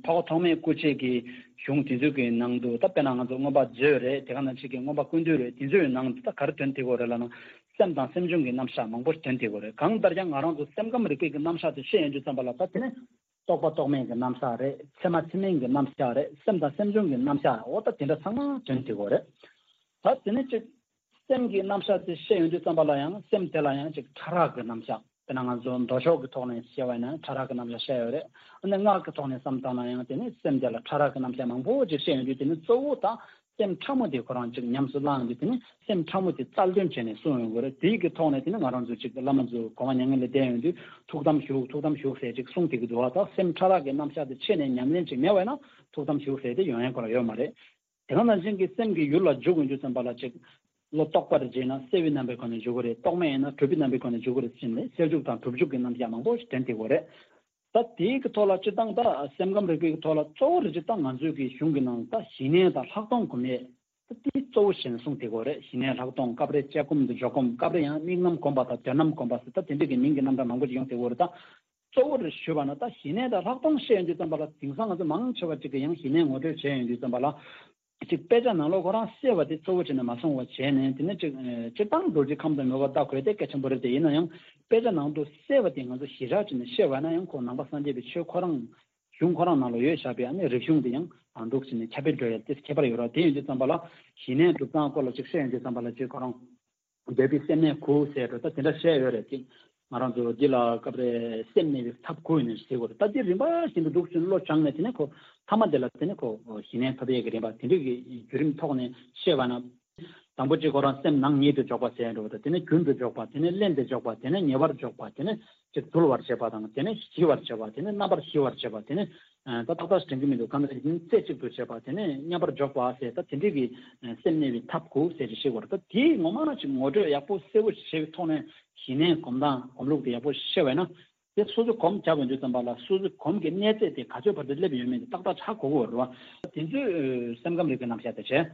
འཕགས་པ་ཐོགས་མེད་སྐུ་མཆེད་ཀྱི་གཞུང་དེ་ཚོའི་གི་ནང་དུ། ད་དཔེར་ན་ང་ཚོ་མངོན་པ་མཛོད་རེད། དེ་ག་ནང་བཞིན་གྱི་མངོན་པ་ཀུན་བཏུས་རེད། དེ་ཚོའི་ནང་དུ་ད་ག་རེ་ཐོན་བསྡད་ཀྱི་ཡོད་རེད་ལབ་ན། སེམས་དང་སེམས་བྱུང་གི་རྣམ་གཞག་མང་པོ་ཐོན་བསྡད་ཀྱི་ཡོད་རེད། གང་ལྟར་ཀྱང་ང་རང་ཚོ་སེམས་ཁམས་རིག་པའི་གི་རྣམ་གཞག་དེ་བཤད་ཡོང་དུས་ཙམ་པ་ལ། ད་དེ་ནི་རྟོག་པ་རྟོག་མེད་ཀྱི་རྣམ་གཞག་རེད། ཚད་མ་ཚད་མིན་གྱི་རྣམ་གཞག་རེད། སེམས་དང་སེམས་བྱུང་གི་རྣམ་གཞག་འོ་ད་དེ་འདྲ་ཚང་མ་ཐོན་བསྡད་ཀྱི་ཡོད་རེད། ད་དེ་ནས་ཅིག་སེམས་ཀྱི་རྣམ་གཞག་དེ་བཤད་ཡོང་དུས་ཙམ་པ་ལ་ཡང་སེམས་དེ་ལ་ཡང་ཅིག་ཕྲ་རགས་ཀྱི་རྣམ་གཞག་དཔེར་ན་ང་ཚོ་མདོ་ཕྱོགས་ཀྱི་ཐོག་ནས་བཤད་པ་ཡིན་ན་ཕྲ་རགས་ཀྱི་རྣམ་གཞག་བཤད་ཡོད་རེད། ཨ་ནི་སྔགས་ཀྱི་ཐོག་ནས་བསམ་བཏང་ན་ཡང་དེ་ནི་སེམས་དེ་ལ་ཕྲ་རགས་ཀྱི་རྣམ་གཞག་མང་པོ་ཅིག་བཤད་ཡོང་དུས། དེ་ནི་གཙོ་བོ་ད་སེམས་ཕྲ་མོ་དེ་ཁོ་རང་ཅིག་ཉམས་སུ་བླངས་ཏེ་དེ་ནི་སེམས་ཕྲ་མོ་དེ་རྩལ་འདོན་བྱས་ནས་གསུངས་ཡོང་གི་རེད། དེའི་གི་ཐོག་ནས་དེ་ནི་ང་རང་ཚོ་ཅིག་བླ་མ་ཚོ་གོང་མ་མྱ་ངན་ལས་འདས་ཡོང་དུས་ཐུགས་དམ་བཞུགས། ཐུགས་དམ་བཞུགས་ཟེར་ཅིག་གསུངས་བསྡད་ཀྱི་འདུག་བ། ད་སེམས་ཕྲ་རགས་ཀྱི་རྣམ་གཞག་དེ་ཆད་ནས་ཉམས་ལེན་ཅིག་མེད་པ་ཡིན་ན་ཐུགས་དམ་བཞུགས་ཟེར་དེ་ཡོང་ཡ་ཁོ་རང་ཡོད་མ་རེད། དེ་ག་ནང་བཞིན་གྱི་སེམས་ཀྱི་ཡུལ་ལ་འཇུག་ཡོང་དུས་ཙམ་པ་ལ་ཅིག་བློ་རྟོག་པ་རེ་བྱས་ན་སེལ་བའི་རྣམ་པའི་སྒོ་ནས་འཇུག་གི་རེད། རྟོག་མེད་ཡིན་ན་གྲུབ་པའི་རྣམ་པའི་སྒོ་ནས་འཇུག་གི་རེད་ཟེར་ནས་སེལ་འཇུག་དང་གྲུབ་འཇུག་གི་རྣམ་གཞག་མང་པོ་ཞིག་ཐོན་བསྡད་ཀྱི་ཡོད་རེད། ད་དེའི་གི་ཐོག་ལ་སྤྱིར་བཏང་ད་སེམས་ཁམས་རིག་པའི་གི་ཐོག་ལ་གཙོ་བོ་རེ་ཅིག་ད་ང་ཚོའི་གི་གཞུང་གི་ནང་ད་ཞི་གནས་དང་ལྷག་མཐོང་སྒོམ་ཡས་ད་དེ་གཙོ་བོ་བྱས་ནས་གསུངས་བསྡད་ཀྱི་ཡོད་རེད། ཞི་གནས་ལྷག་མཐོང་སྐབས་རེ་དཔྱད་སྒོམ་དུ་འཇོག་སྒོམ། སྐབས་རེ་ཡང་དམིགས་རྣམ་སྒོམ་པ་དང་དོན་རྣམ་སྒོམ་པ་ཟེར་ད་དེ་འདྲ་གི་མིང་གི་རྣམ་གྲངས་མང་པོ་ཅིག་ཡོང་བསྡད་ཀྱི་ཡོད་རེད། ད་གཙོ་བོ་རེ་ཞུས་པ་ན་ད་ཞི་གནས་དང་ལྷག་མཐོང་བཤད་ཡོང་དུས་ཙམ་པ་ལ་དེང་སང་ང་ཚོ་མང་ཆེ་བ་ཅིག་གིས་ཡང་ཞི་གནས་ངོ་སྤྲོད་བྱས་ཡོང་དུས་ཙམ་པ་ལ། ཅིག་དཔེ་ཆ་ནང་ལོགས་ཁོ་རང་གསལ་བ་དེ་གཙོ་བོ་བྱས་ནས་མ་སོང་བ་བྱས་ནས། དེ་ནས་ཅིག་ཨ་སྤྱིར་བཏང་རྡོ་རྗེ་ཁམས་དང་མོས་པ་ལྟ་དགོས་དེ་གལ་ཆེན་པོ་རེད་དེ། ཡིན་ན་ཡང་དཔེ་ཆ་ནང་དུ་གསལ་བ་དེ་ང་ཚོ་ཞེ་དྲག་བྱས་ནས་བཤད་པ་ན་ཡང་ཁོ་ནང་པ་སངས་རྒྱས་པའི་ཆོས་ཁོ་རང་གཞུང་ཁོ་རང་ནང་ལ་ཡོད་བཞག་པའི་ཨ་ནི་རིག་གཞུང་དེ་ཡང་ཨ་འདུག་བྱས་ནས་ཁྱབ་སྤེལ་འགྲོ་ཡ་དེ་ཁྱད་པར་ཡོད་ར། དེ་ཡིན་དུས་ཙམ་པ་ལ་ཞི་གནས་སྒྲུབ་སྟངས་སྐོར་ལ་ཅིག་བཤད་ཡོང་དུས་ཙམ་པ་ལ་ཅིག་ཁོ་རང་འདོད་པའི་སེམས་གནས་དགུ་ཟེར་འགྲོ་ད་དེ་འདྲ་བཤད་ཡོད་རེད་དེ། ང་རང་ཚོ་འདི་ལ་སྐབས་རེ་སེམས་གནས་པའི་ཐབས་དགུ་ཡིན་ནས་ཟེར་དགོས་རེད། ད་འདི་རིམ་པ་བཞིན་དུ་འདུག་ཚུལ་བློ་སྦྱངས་ནས་དེ་ནས་ཁོ་ཐ་མ་དེ་ལ་དེ་ནས་ཁོ་ཞི་གནས་ཐོབ་ཡས་ཀྱི་རིམ་པ་དེ་འདྲ་གི་བརྒྱུད་རིམ་ཐོག་ནས་བཤད་པ་ན། དང་པོ་གཅིག་ཁོ་རང་སེམས་ནང་ཉིད་དུ་འཇོག་པ་ཟེར་འགྲོ་བ་དང་། དེ་ནས་རྒྱུན་དུ་འཇོག་པ། དེ་ནས་བརླན་དུ་འཇོག་པ། དེ་ནས་ཉེ་བར་འཇོག་པ། དེ་ནས་ཅིག་དུལ་བར་བྱེད་པ་དང་། དེ་ནས་ཞི་བར་བྱེད་པ། དེ་ནས་རྣམ་པར་ཞི་བར་བྱེད་པ། དེ་ནས་ད་ཏག་ཏག་དྲན་གྱི་མི་འདུག་གང་ལྟར་ཡིན་རྩེ་གཅིག་ཏུ་བྱེད་པ། དེ་ནས་མཉམ་པར་འཇོག་པ་ཟེར་ད་དེ་འདྲའི་གི་སེམས་གནས་པའི་ཐབས་དགུ་ཟེར་ཅིག་བཤད་དགོས་རེད། ད་དེའི་ངོ་མ་ཅིག་ངོ་སྤྲོད་ཡག་པོ་གསལ་པོ་ཞིག་བྱས་པའི་ཐོག་ནས་ཞི་གནས་སྒོམ་སྟངས་སྒོམ་ལུགས་དེ་ཡག་པོ་ཤེས་པ་ཡིན་ན། དེ་སོ་སོ་སྒོམ་བྱ་བའི་དུས་ཙམ་པ་ལ་སོ་སོའི་སྒོམ་གྱི་གནས་ཚད་དེ་ག་ཚོད་བར་དུ་སླེབས་ཡོད་མེད་དེ་ཏག་ཏག་ཧ་གོ་གི་ཡོད་རེད་བ། དེ་ཚོས་སེམས་ཁམས་རིག་པའི་རྣམ་གཞག་དེ་བྱས།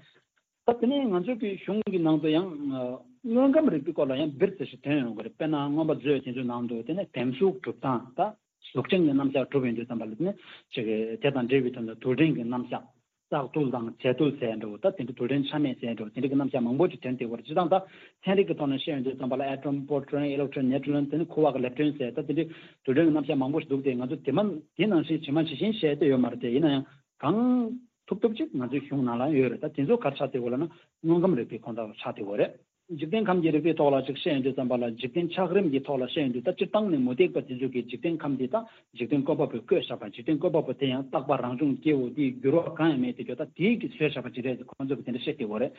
ད་དེ་ནས་ང་ཚོའི་གི་གཞུང་གི་ནང་དུ་ཡང་དངོས་ཁམས་རིག་པའི་སྐོར་ལ་ཡང་སྦིར་ཙམ་ཞིག་ཐོན་ཡོང་གི་རེད། དཔེར་ན་མངོན་པ་མཛོད་དེ་ཚོའི་ནང་དུ་དེ་ནས་བེམ་གཟུགས་གྲུབ་སྟངས་ད། གཟུགས་ཅན་གྱི་རྣམ་གཞག་གྲུབ་ཡོང་དུས་ཙམ་པ་ལ་དེ་ནི་ཅིག་དེ་དང་འབྲེལ་བའི་དོན་དུ་རྡུལ་ཕྲན་གྱི་རྣམ་གཞག་བཙག་རྡུལ་དང་བྱེ་རྡུལ་ཟེར་འགྲོ་ད་དེ་འདྲ་རྡུལ་ཕྲན་ཆ་མེད་ཟེར་འགྲོ་དེ་འདྲ་གི་རྣམ་གཞག་མང་པོ་ཅིག་ཐོན་བསྡད་ཡོད་རེད། སྤྱིར་བཏང་ད་ཚན་རིག་གི་ཐོག་ནས་བཤད་ཡོང་དུས་ཙམ་པ་ལ་ཨེ་ཊོམ་པོ་རོ་ཊོན་ཨི་ལེག་ཊོན་ནིའུ་ཊོན་དེ་ནི་ཁུ་བ་གི་ལེབ་ཊོན་ཟེར་ད་དེ་འདྲ་རྡུལ་ཕྲན་གྱི་རྣམ་གཞག་མང་པོ་ཞིག་འདུག་སྟེ་ང་ཚོ་དེ་མ་དེ་ནང་བཞིན་ཇི་མ་ཇི་བཞིན་བཤད་བསྡད་ཡོད་མ་རེད་དེ། ཡིན་ན་ཡང་གང་ཐུབ་ཐུབ་ཅིག་ང་ཚོའི་གཞུང་ནང་ལ་ཡོད་རེད། ད་དེ་ཚོ་ག་རེ་ཆགས་བསྡད་ཡོད་ལབ་ན་དངོས་ཁམས་རིག་པའི་ཁོངས་གཏོགས་ཆགས་བསྡད་ཡོད་རེད། འཇིག་རྟེན་ཁམས་ཀྱི་རིག་པའི་ཐོག་ལ་ཅིག་བཤད་ཡོང་དུས་ཙམ་པ་ལ་འཇིག་རྟེན་ཆགས་རིམ་གྱི་ཐོག་ལ་བཤད་ཡོང་དུས་ད་སྤྱིར་བཏང་ནས་མུ་སྟེགས་པ་དེ་ཚོ་གིས་འཇིག་རྟེན་ཁམས་འདི་དང་འཇིག་རྟེན་བཀོད་པ་པོས་བཀོད་བཞག་པ། འཇིག་རྟེན་བཀོད་པ་པོ་དེ་ཡང་རྟག་པ་རང་བྱུང་སྐྱེ་བོ་དེའི་འགྱུར་བ་གང་ཡང་མེད་དེ་ཀྱང་ད་དེའི་གིས་བཟོས་བཞག་པ་ཅིག་རེད་ཟེར་ཁོང་ཚོ་གིས་དེ་འདྲ་བཤད་ཀྱི་ཡོད་རེད།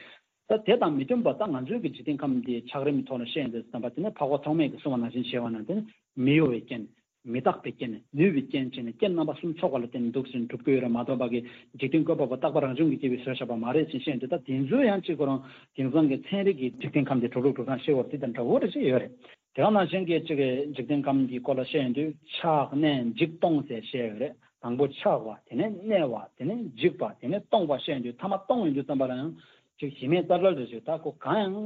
ད་དེ་དང་མི་མཐུན་པ་ད་ང་ཚོའི་གི་འཇིག་རྟེན་ཁམས་འདིའི་ཆགས་རིམ་གྱི་ཐོག་ལ་བཤད་ཡོང་དུས་ཙམ་པ་དེ་ནི་འཕགས་པ་ཐོགས་མེད་ཀྱིས་གསུངས་པ་ནང་བཞིན་བྱས་པ་ན་དེ་ནི་མི་གཡོ་བའི་རྐྱེན། མི་རྟག་པའི་རྐྱེན། ནུས་པའི་རྐྱེན་བྱས་ནས་རྐྱེན་རྣམ་པ་གསུམ་ཚོགས་པ་ལ་བརྟེན་ནས་འདུག་ཟེར་གྲུབ་ཀྱི་ཡོད་རེད་མ་གཏོགས་པ་གི་འཇིག་རྟེན་བཀོད་པ་པོ་རྟག་པ་རང་བྱུང་གིས་སྐྱེ་བའི་བཟོས་བཞག་པ་མ་རེད་ཅེས་བཤད་ཡོང་དུས་ད་དེ་ཚོ་ཡང་གཅིག་ཁོ་རང་དེང་སང་གི་ཚན་རིག་གི་འཇིག་རྟེན་ཁམས་འདི་གྲུབ་ལུགས་གྲུབ་སྟངས་ཤེས་པར་དེ་དང་འདྲ་བོ་རེ་ཞིག་ཡོད་རེད། དེ་ག་ནང་བཞིན་གྱི་གཅིག་གི་འཇིག་རྟེན་ཁམས་ཀྱི་སྐོར་ལ་བཤད་ཡོང་དུས་ཆགས་གནས་འཇིག་སྟོང་ཟེར་བཤད་ཡོད་རེད། དང་པོ་ཆགས་པ། དེ་ནས་གནས་པ། དེ་ནས་འཇིག་པ། དེ་ནས་སྟོང་པ་བཤད་ཡོང་དུས་ཐ་མ་སྟོང་ཡོང་དུས་ཙམ་པ་ལ་ཡང་ཅིག་གཞི་མེད་རྩ་བྲལ་རེ་ཞིག་ད་ཁོ་གང་ཡང་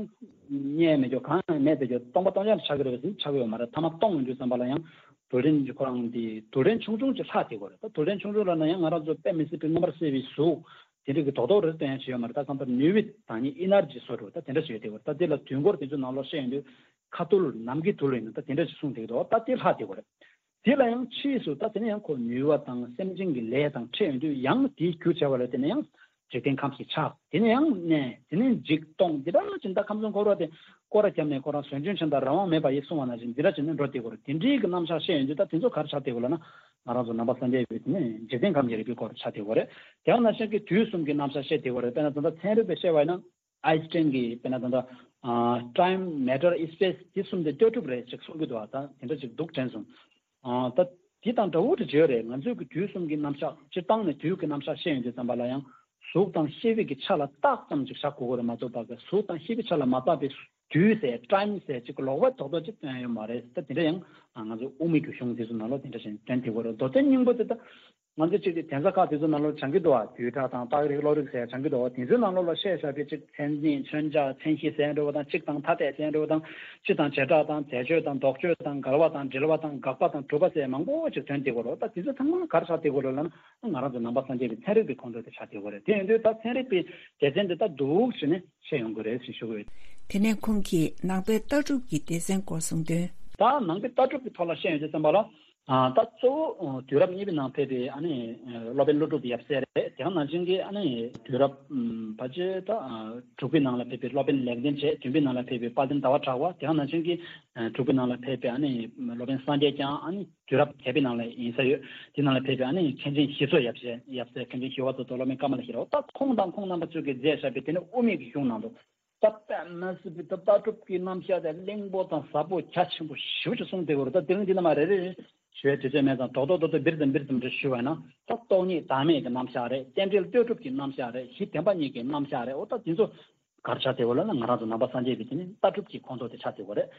རྙེད་མེད་ཀྱོ་གང་ཡང་མེད་པའི་ཀྱོ་སྟོང་པ་སྟོང་རྐྱང་ཆགས་ཀྱི་རེད་པས་ཟིན་ཆགས་ཀྱི་ཡོད་མ་རེད། ཐ་མ་སྟོང་ཡོང་དུས་ཙམ་པ་ལ་ཡང་རྡུལ་ཕྲན་གྱི་ཁོ་རང་དེ་རྡུལ་ཕྲན་ཆུང་ཆུང་ཅིག་ལྷག་བསྡད་ཀྱི་རེད། ད་རྡུལ་ཕྲན་ཆུང་ཆུང་ལབ་ན་ཡང་ང་རང་ཚོ་དཔེ་མི་སྲིད་པའི་མངོན་པར་གསལ་བའི་གཟུགས་དེ་འདྲ་གི་རྡོག་རྡོག་རེ་སྟོན་ཡང་བྱས་ཡོད་མ་རེད། ད་གང་ལྟར་ནུས་པའི་ད་ནི་ཨི་ནར་ཇི་བཟོ་འགྲོ་ད་དེ་འདྲ་བྱས་བསྡད་ཀྱི་རེད། ད་དེ་ལ་དུས་འཁོར་དེ་ཚོ་ནང་ལོགས་བཤད་ཡོང་དུས་ཁ་ཐུར་ནམ་མཁའི་ཐུར་ལ་ཡིན་ན་ད་དེ་འདྲ་ཞིག་གསུངས་བསྡད་ཀྱི་འདུག་ད་དེ་ལྷག་བསྡད་ཀྱི་རེད། དེ་ལ་ཡང་ཕྱིས་སུ་ད་དེ་ནས་ཡང་ཁོ་ནུས་པ་དང་སེམས་ཅན་གྱི་ལས་དང་འཕྲད་ཡོང་དུས་ཡང་དེའི་རྒྱུ་བྱ་བ་ལ་དེ་ནས་ཡང་འཇིག་རྟེན་ཁམས་ཤིག་ཆགས། དེ་ནས་ཡང་གནས། དེ་ནས་འཇིག་སྟོང་འདི་ལྟར་ཕྱིན། ད་ཁམས་གསུམ་འཁོར་བ་དེ་སྐོར་ར་བརྒྱབ་ནས་ཁོ་རང་ཟོན་སྐྱོན་ཆེན་དང་རང་དབང་མེད་པ་ཡིན་གསུང་བ་ནང་བཞིན་འདི་འདྲ་བྱས་ནས་འགྲོ་བསྡད་ཀྱི་རེད། དེ་འདྲའི་གི་རྣམ་གཞག་བཤད་ཡོང་དུས་ད་དེ་ཚོ་ག་རེ་ཆགས་བསྡད་ཀྱི་ལབ་ན་ང་རང་ཚོ་ནང་པ་སངས་རྒྱས་པའི་དེ་ནས་འཇིག་རྟེན་ཁམས་ཀྱི་རིག་པའི་སྐོར་ཆགས་བསྡད་ཀྱི་རེད། དེ་ཡང་ནང་བཞིན་གྱི་དུས་གསུམ་གྱི་རྣམ་གཞག་བཤད་བསྡད་ཀྱི་རེད། དཔེར་ན་ད་ལྟ་ཚན་རིག་པས་བཤད་པ་ཡིན་ན། ཨའི་སི་ཊན་གྱིས་དཔེར་ན་ད་ལྟ་ཨ་time matter space དེ་གསུམ་དེ་ལྟོས་གྲུབ་རེད་ཅེས་གསུང་གི་འདུག་ད་དེ་འདྲ་ཅིག་འདུག་དྲན་སོང་། ཨ་ད་དེ་དང་འདྲ་བོ་དེ་བརྗོད་རེད། ང་ཚོའི་གི་དུས་གསུམ་གྱི་རྣམ་གཞག་སྤྱིར་བཏང་ནས་དུས་ཀྱི་རྣམ་གཞག་བཤད་ཡོང་དུས་ཙམ་པ་ལ་ཡང་གཟུགས་དང་ཤེས་པའི་གི་ཆ་ལ་བཏགས་ཙམ་ཅིག་བཞག་དགོས་ཀྱི་རེད་མ་གཏོགས་པ་གི་གཟུགས་དང་ཤེས་པའི་ཆ་ལ་མ་བཏགས་པའི་དུས་ཟེར་time ཟེར་ཅིག་ལོགས་པ་རྡོག་རྡོག་ཅིག་སྟོན་ཡོད་མ་རེད། ད་དེ་འདྲ་ཡང་ང་ཚོ་དབུ་མའི་གི་གཞུང་དེ་ཚོ་ནང་ལོགས་དེ་འདྲ་ཞིག་སྟོན་དེ་དགོས་རེད། མདོ་དོན་སྙིང་པོ་དེ་ད། ང་ཚོ་གཅིག་གི་གདན་ས་ཁག་དེ་ཚོ་ནང་ལོགས་སྦྱང་གི་འདུག་བ། བསྡུས་གྲྭ་དང་རྟགས་རིགས་བློ་རིགས་ཟེར་སྦྱང་གི་འདུག་བ། དེ་ཚོའི་ནང་ལོགས་ལ་བཤད་བཞག་པའི་གཅིག་མཚན་ཉིད་མཚོན་བྱ་མཚན་གཞི་ཟེར་འགྲོ་བ་དང་གཅིག་དང་ཐ་དད་ཟེར་འགྲོ་བ་དང་སྤྱི་དང་བྱེ་བྲག་དང་རྫས་ཆོས་དང་ལྡོག་ཆོས་དང་འགལ་བ་དང་འབྲེལ་བ་དང་དགག་པ་དང་གྲུབ་པ་ཟེར་མང་པོ་ཅིག་ཐོན་བསྡད་ཀྱི་རེད། ད་དེ་ཚོ་ཚང་མ་ག་རེ་ཆགས་བསྡད་ཀྱི་རེད་ལབ་ན་ང་རང་ཚོ་ནང་པ་སངས་རྒྱས་པའི་ཚན་རིག་པའི་ཁོངས་གཏོགས་དེ་ཆགས་བསྡད་ཀྱི་རེད། དེ་ཡིན་དུས་ད་ཚན་རིག་པའི་སྡེ་ཚན་དེ་ད་འདུག་ཟེར་ནས་བཤད་ཡོང་གི་རེད་ཟེར་ཞུ་གི་ཡོད། དེ་ནས་ཁོང་གིས་ནང་པའི་ལྟ་གྲུབ་ཀྱི་སྡེ་ཚན་སྐོར་གསུངས་དོན། ད་ནང་པའི་ལྟ་གྲུབ་ཀྱི་ཐོག་ལ་བཤད་ཡོང་དུས་ཙམ་པ་ལ། ཨ་ད་གཙོ་བོ་དུས་རབས་གཉིས་པའི་ནང་ཕེབས་པའི་ཨ་ནི་སློབ་དཔོན་ཀླུ་སྒྲུབ་ཡབ་སྲས་རེད། དེ་ག་ནང་བཞིན་གྱི་ཨ་ནི་དུས་རབས་ཕལ་ཆེར་ད་དྲུག་པའི་ནང་ལ་ཕེབས་པའི་སློབ་དཔོན་ལེགས་ལྡན་འབྱེད། བདུན་པའི་ནང་ལ་ཕེབས་པའི་དཔལ་ལྡན་ཟླ་བ་གྲགས་པ། དེ་ག་ནང་བཞིན་གྱི་དྲུག་པའི་ནང་ལ་ཕེབས་པའི་ཨ་ནི་སློབ་དཔོན་སངས་རྒྱས་བསྐྱངས། ཨ་ནི་དུས་རབས་བརྒྱད་པའི་ནང་ལ་ཡིན་ས་ཡོད། དེ་ནང་ལ་ཕེབས་པའི་ཨ་ནི་མཁན་ཆེན་ཞི་འཚོ་ཡབ་སྲས། ཡབ་སྲས་མཁན་ཆེན་ཞི་བ་འཚོ་དང་སློབ་དཔོན་ཀ་མ་ལ་ཤཱི་ལ། ད་ཁོང་དང་ཁོང་རྣམ་པ་ཚོས་ཀྱིས་མཛད་བཞག་པའི་དེ་ནི་དབུ་མའི་གི་གཞུང་ནང་དུ། ད་དཔེ་མི་སྲིད་པའི་ད་ལྟ་གྲུབ་ཀྱི་རྣམ་གཞག་དེ་བརླིང་པོ་དང་ཟབ་པོ་རྒྱ་ཆེན་པོ་ཞེ་པོ་ཅིག་གསུངས་བསྡད་ཡོད་རེད། ད་དེ་རིང་འདི་ནས་མར་རེ་རེ་རེ་ཞུ་བའི་དུས་ཚོད་མེད་ཙང་རྡོག་རྡོག་རྡོག་རྡོག་འབིར་ཙམ་འབིར་ཙམ་རེ་ཞུ་བ་ན། ད་སྟོང་ཉིད་བདག་མེད་ཀྱི་རྣམ་གཞག་རེད། རྟེན་འབྲེལ་ལྟོས་གྲུབ་ཀྱི་རྣམ་གཞག་རེད། གཞི་བདེན་པ་གཉིས་ཀྱི་རྣམ་གཞག་རེད། འོ་ད་དེ་ཚོ་ག་རེ་ཆགས་བསྡད་ཡོད་ལབ་ན་ང་རང་ཚོ་ནང་པ་སངས་རྒྱས་པའི་དེ་ནི་ལྟ་གྲུབ་ཀྱི་ཁོངས་གཏོགས་དེ་ཆགས་བསྡད་ཡོད་རེད།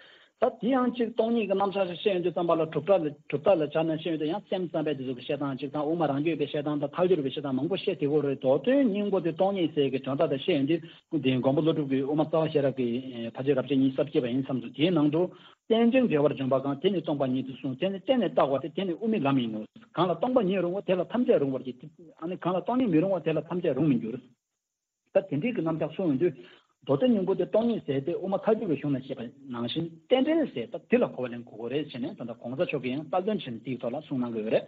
ད་དེ་ཡང་གཅིག་སྟོང་ཉིད་ཀྱི་རྣམ་གཞག་ཞིག་བཤད་ཡོང་དུས་ཙམ་པ་ལ་གྲུབ་མཐའ་ལ་གྲུབ་མཐའ་ལ་སྦྱར་ནས་བཤད་ཡོང་དུས་ཡང་སེམས་ཙམ་པའི་དེ་ཚོ་གི་བཤད་སྟངས་གཅིག་དང་། དབུ་མ་རང་རྒྱུད་པའི་བཤད་སྟངས་དང་། ཐལ་འགྱུར་བའི་བཤད་སྟངས་མང་པོ་བཤད་བསྡད་ཡོད་རེད། མདོ་དོན་སྙིང་པོ་དེ་སྟོང་ཉིད་ཟེར་གྱི་དོན་དག་དེ་བཤད་ཡོང་དུས་འདི་མགོན་པོ་ཀླུ་སྒྲུབ་ཀྱིས་དབུ་མ་རྩ་བ་ཤེས་རབ་ཀྱི་ཕལ་ཆེར་རབ་བྱེད་ཉི་ཤུ་རྩ་བརྒྱད་པ་ཡིན་བསམ་འདུག་དེའི་ནང་དུ་རྟེན་ཅིང་འབྲེལ་བར་འབྱུང་བ་གང་། དེ་ནི་སྟོང་པ་ཉིད་དུ་གསུངས། དེ་ནི་གཏན་ནས་བཏགས་པ་སྟེ། དེ་ནི་དབུ་མའི་ལམ་ཡིན་ནོ། གང་ལ་སྟོང་པ་ཉིད་རུང་བ་དེ་ལ་ཐམས་ཅད་རུང་བར་བགྱི། ཨ་ནི་གང་ལ་སྟོང་ཉིད་མི་རུང་བ་དེ་ལ་ཐམས་ཅད་རུང་མི་འགྱུར། ད་དེ་འདྲའི་གི་རྣམ་གཞག་གསུངས་ཡོང་དུས། མདོ་དོན་སྙིང་པོ་དེ་སྟོང་ཉིད་ཟེར་ཏེ་དབུ་མ་ཐལ་འགྱུར་བའི་གཞུང་ནས་བཤད་པ་ནང་བཞིན་རྟེན་འབྲེལ་ཟེར་ད་དེ་ལ་གོ་བ་ལེན་དགོས་ཀྱི་རེད་ཟེར་ནས་ད་ལྟ་གོང་ས་མཆོག་གིས་ཡང་རྟགས་དོན་ཆེན་འདིའི་ཐོག་ལ་གསུངས་གནང་གི་ཡོད་རེད།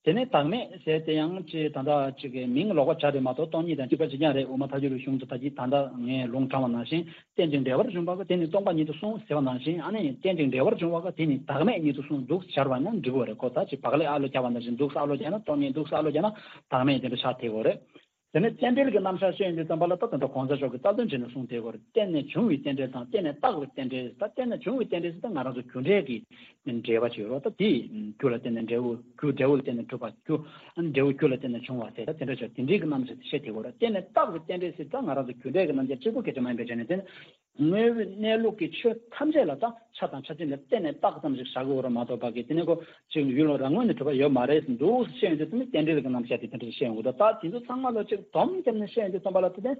དེ་ནས་བདག་མེད་ཟེར་ཏེ་ཡང་ཅིག་ད་ལྟ་ཅིག་གི་མིང་ལོགས་པ་ཆགས་རེད་མ་གཏོགས་སྟོང་ཉིད་དང་གཅིག་པ་གཅིག་རྐྱང་རེད། དབུ་མ་ཐལ་འགྱུར་བའི་གཞུང་དུ་ད་ཅི་ད་ལྟ་ངས་ལུང་དྲངས་པ་ནང་བཞིན་རྟེན་ཅིང་འབྲེལ་བར་འབྱུང་བ་གང་། དེ་ནི་སྟོང་པ་ཉིད་དུ་གསུངས་ཟེར་བ་ནང་བཞིན། ཨ་ནི་རྟེན་ཅིང་འབྲེལ་བར་འབྱུང་བ་གང་། དེ་ནི་བདག་མེད་ཉིད་དུ་གསུངས་འདུག་སྦྱར་བ་ན་འགྲིག་གི་རེད། ཁོ་ད་ཅིག་བག་ལེབ་ཨ་ལོ་རྒྱག་པ་ནང་བཞིན་འདུག་ཨ་ལོ་རྒྱག་ན་སྟོང་ཉིད་འདུག་ཨ་ལོ་རྒྱག་ན་བདག་མེད་དེ་འདྲ་ཆགས་བསྡད་ཡོད་རེད། དེ་ནས་རྟེན་འབྲེལ་གྱི་རྣམ་གཞག་བཤད་ཡོང་དུས་ཙམ་པ་ལ་ད་ད་ལྟ་གོང་ས་མཆོག་གིས་རྟགས་དོན་ཆེན་ནས་གསུངས་བསྡད་ཡོད་རེད། བརྟེན་ནས་འབྱུང་བའི་རྟེན་འབྲེལ་དང་བརྟེན་ནས་བཏགས་པའི་རྟེན་འབྲེལ། ད་བརྟེན་ནས་འབྱུང་བའི་རྟེན་འབྲེལ་ཟེར་ད་ང་རང་ཚོ་རྒྱུ་འབྲས་ཀྱི་འབྲེལ་བ་ཅིག་ཡོད་རེད། ད་དེ་རྒྱུ་ལ་བརྟེན་ནས་འབྲས་བུ། རྒྱུ་འབྲས་བུ་ལ་བརྟེན་ནས་གྲུབ་པ་རྒྱུ། ཨ་ནི་འབྲས་བུ་རྒྱུ་ལ་བརྟེན་ནས་བྱུང་བ་ཟེར་ད་དེ་འདྲ་ཅིག་དེ་འདྲའི་གི་རྣམ་གཞག་དེ་བཤད་བསྡད་ཡོད་རེད། བརྟེན་ནས་བཏགས་པའི་རྟེན་འབྲེལ་ཟེར་ད་ང་རང་ཚོ་རྒྱུ་འབྲས་ཀྱི་རྣམ་གཞག་གཅིག་པུ་སྐད་ཆ་མ་ཡིན་པའི་ཆ་ནས་དེ་ནི། དངོས་པོའི་གནས་ལུགས་ཀྱི་ཆོས་ཐམས་ཅད་ལ་ད་ཆ་དང་ཆ་ཅན་ལ་བརྟེན་ནས་བཏགས་ཙམ་ཞིག་བཞག་གི་ཡོད་རེད་མ་གཏོགས་པ་གི་དེ་ནས་ཁོ་ཅིག་ཡུལ་ལ་རང་ངོས་ནས་གྲུབ་པ་ཡོད་མ་རེད་ཟེར་འདུག་ཟེར་བཤད་ཡོང་དུས་དེ་ནི་རྟེན་འབྲེལ་གྱི་རྣམ་གཞག་དེ་དེ་འདྲ་བཤད་ཡོང་གི་འདུག་ད་དེ་ཚོ་ཚང་མ་ལ་ཅིག་སྡོམ་བརྒྱབ་ནས་བཤད་ཡོང་དུས་ཙམ་པ་ལ་དེ་ནས་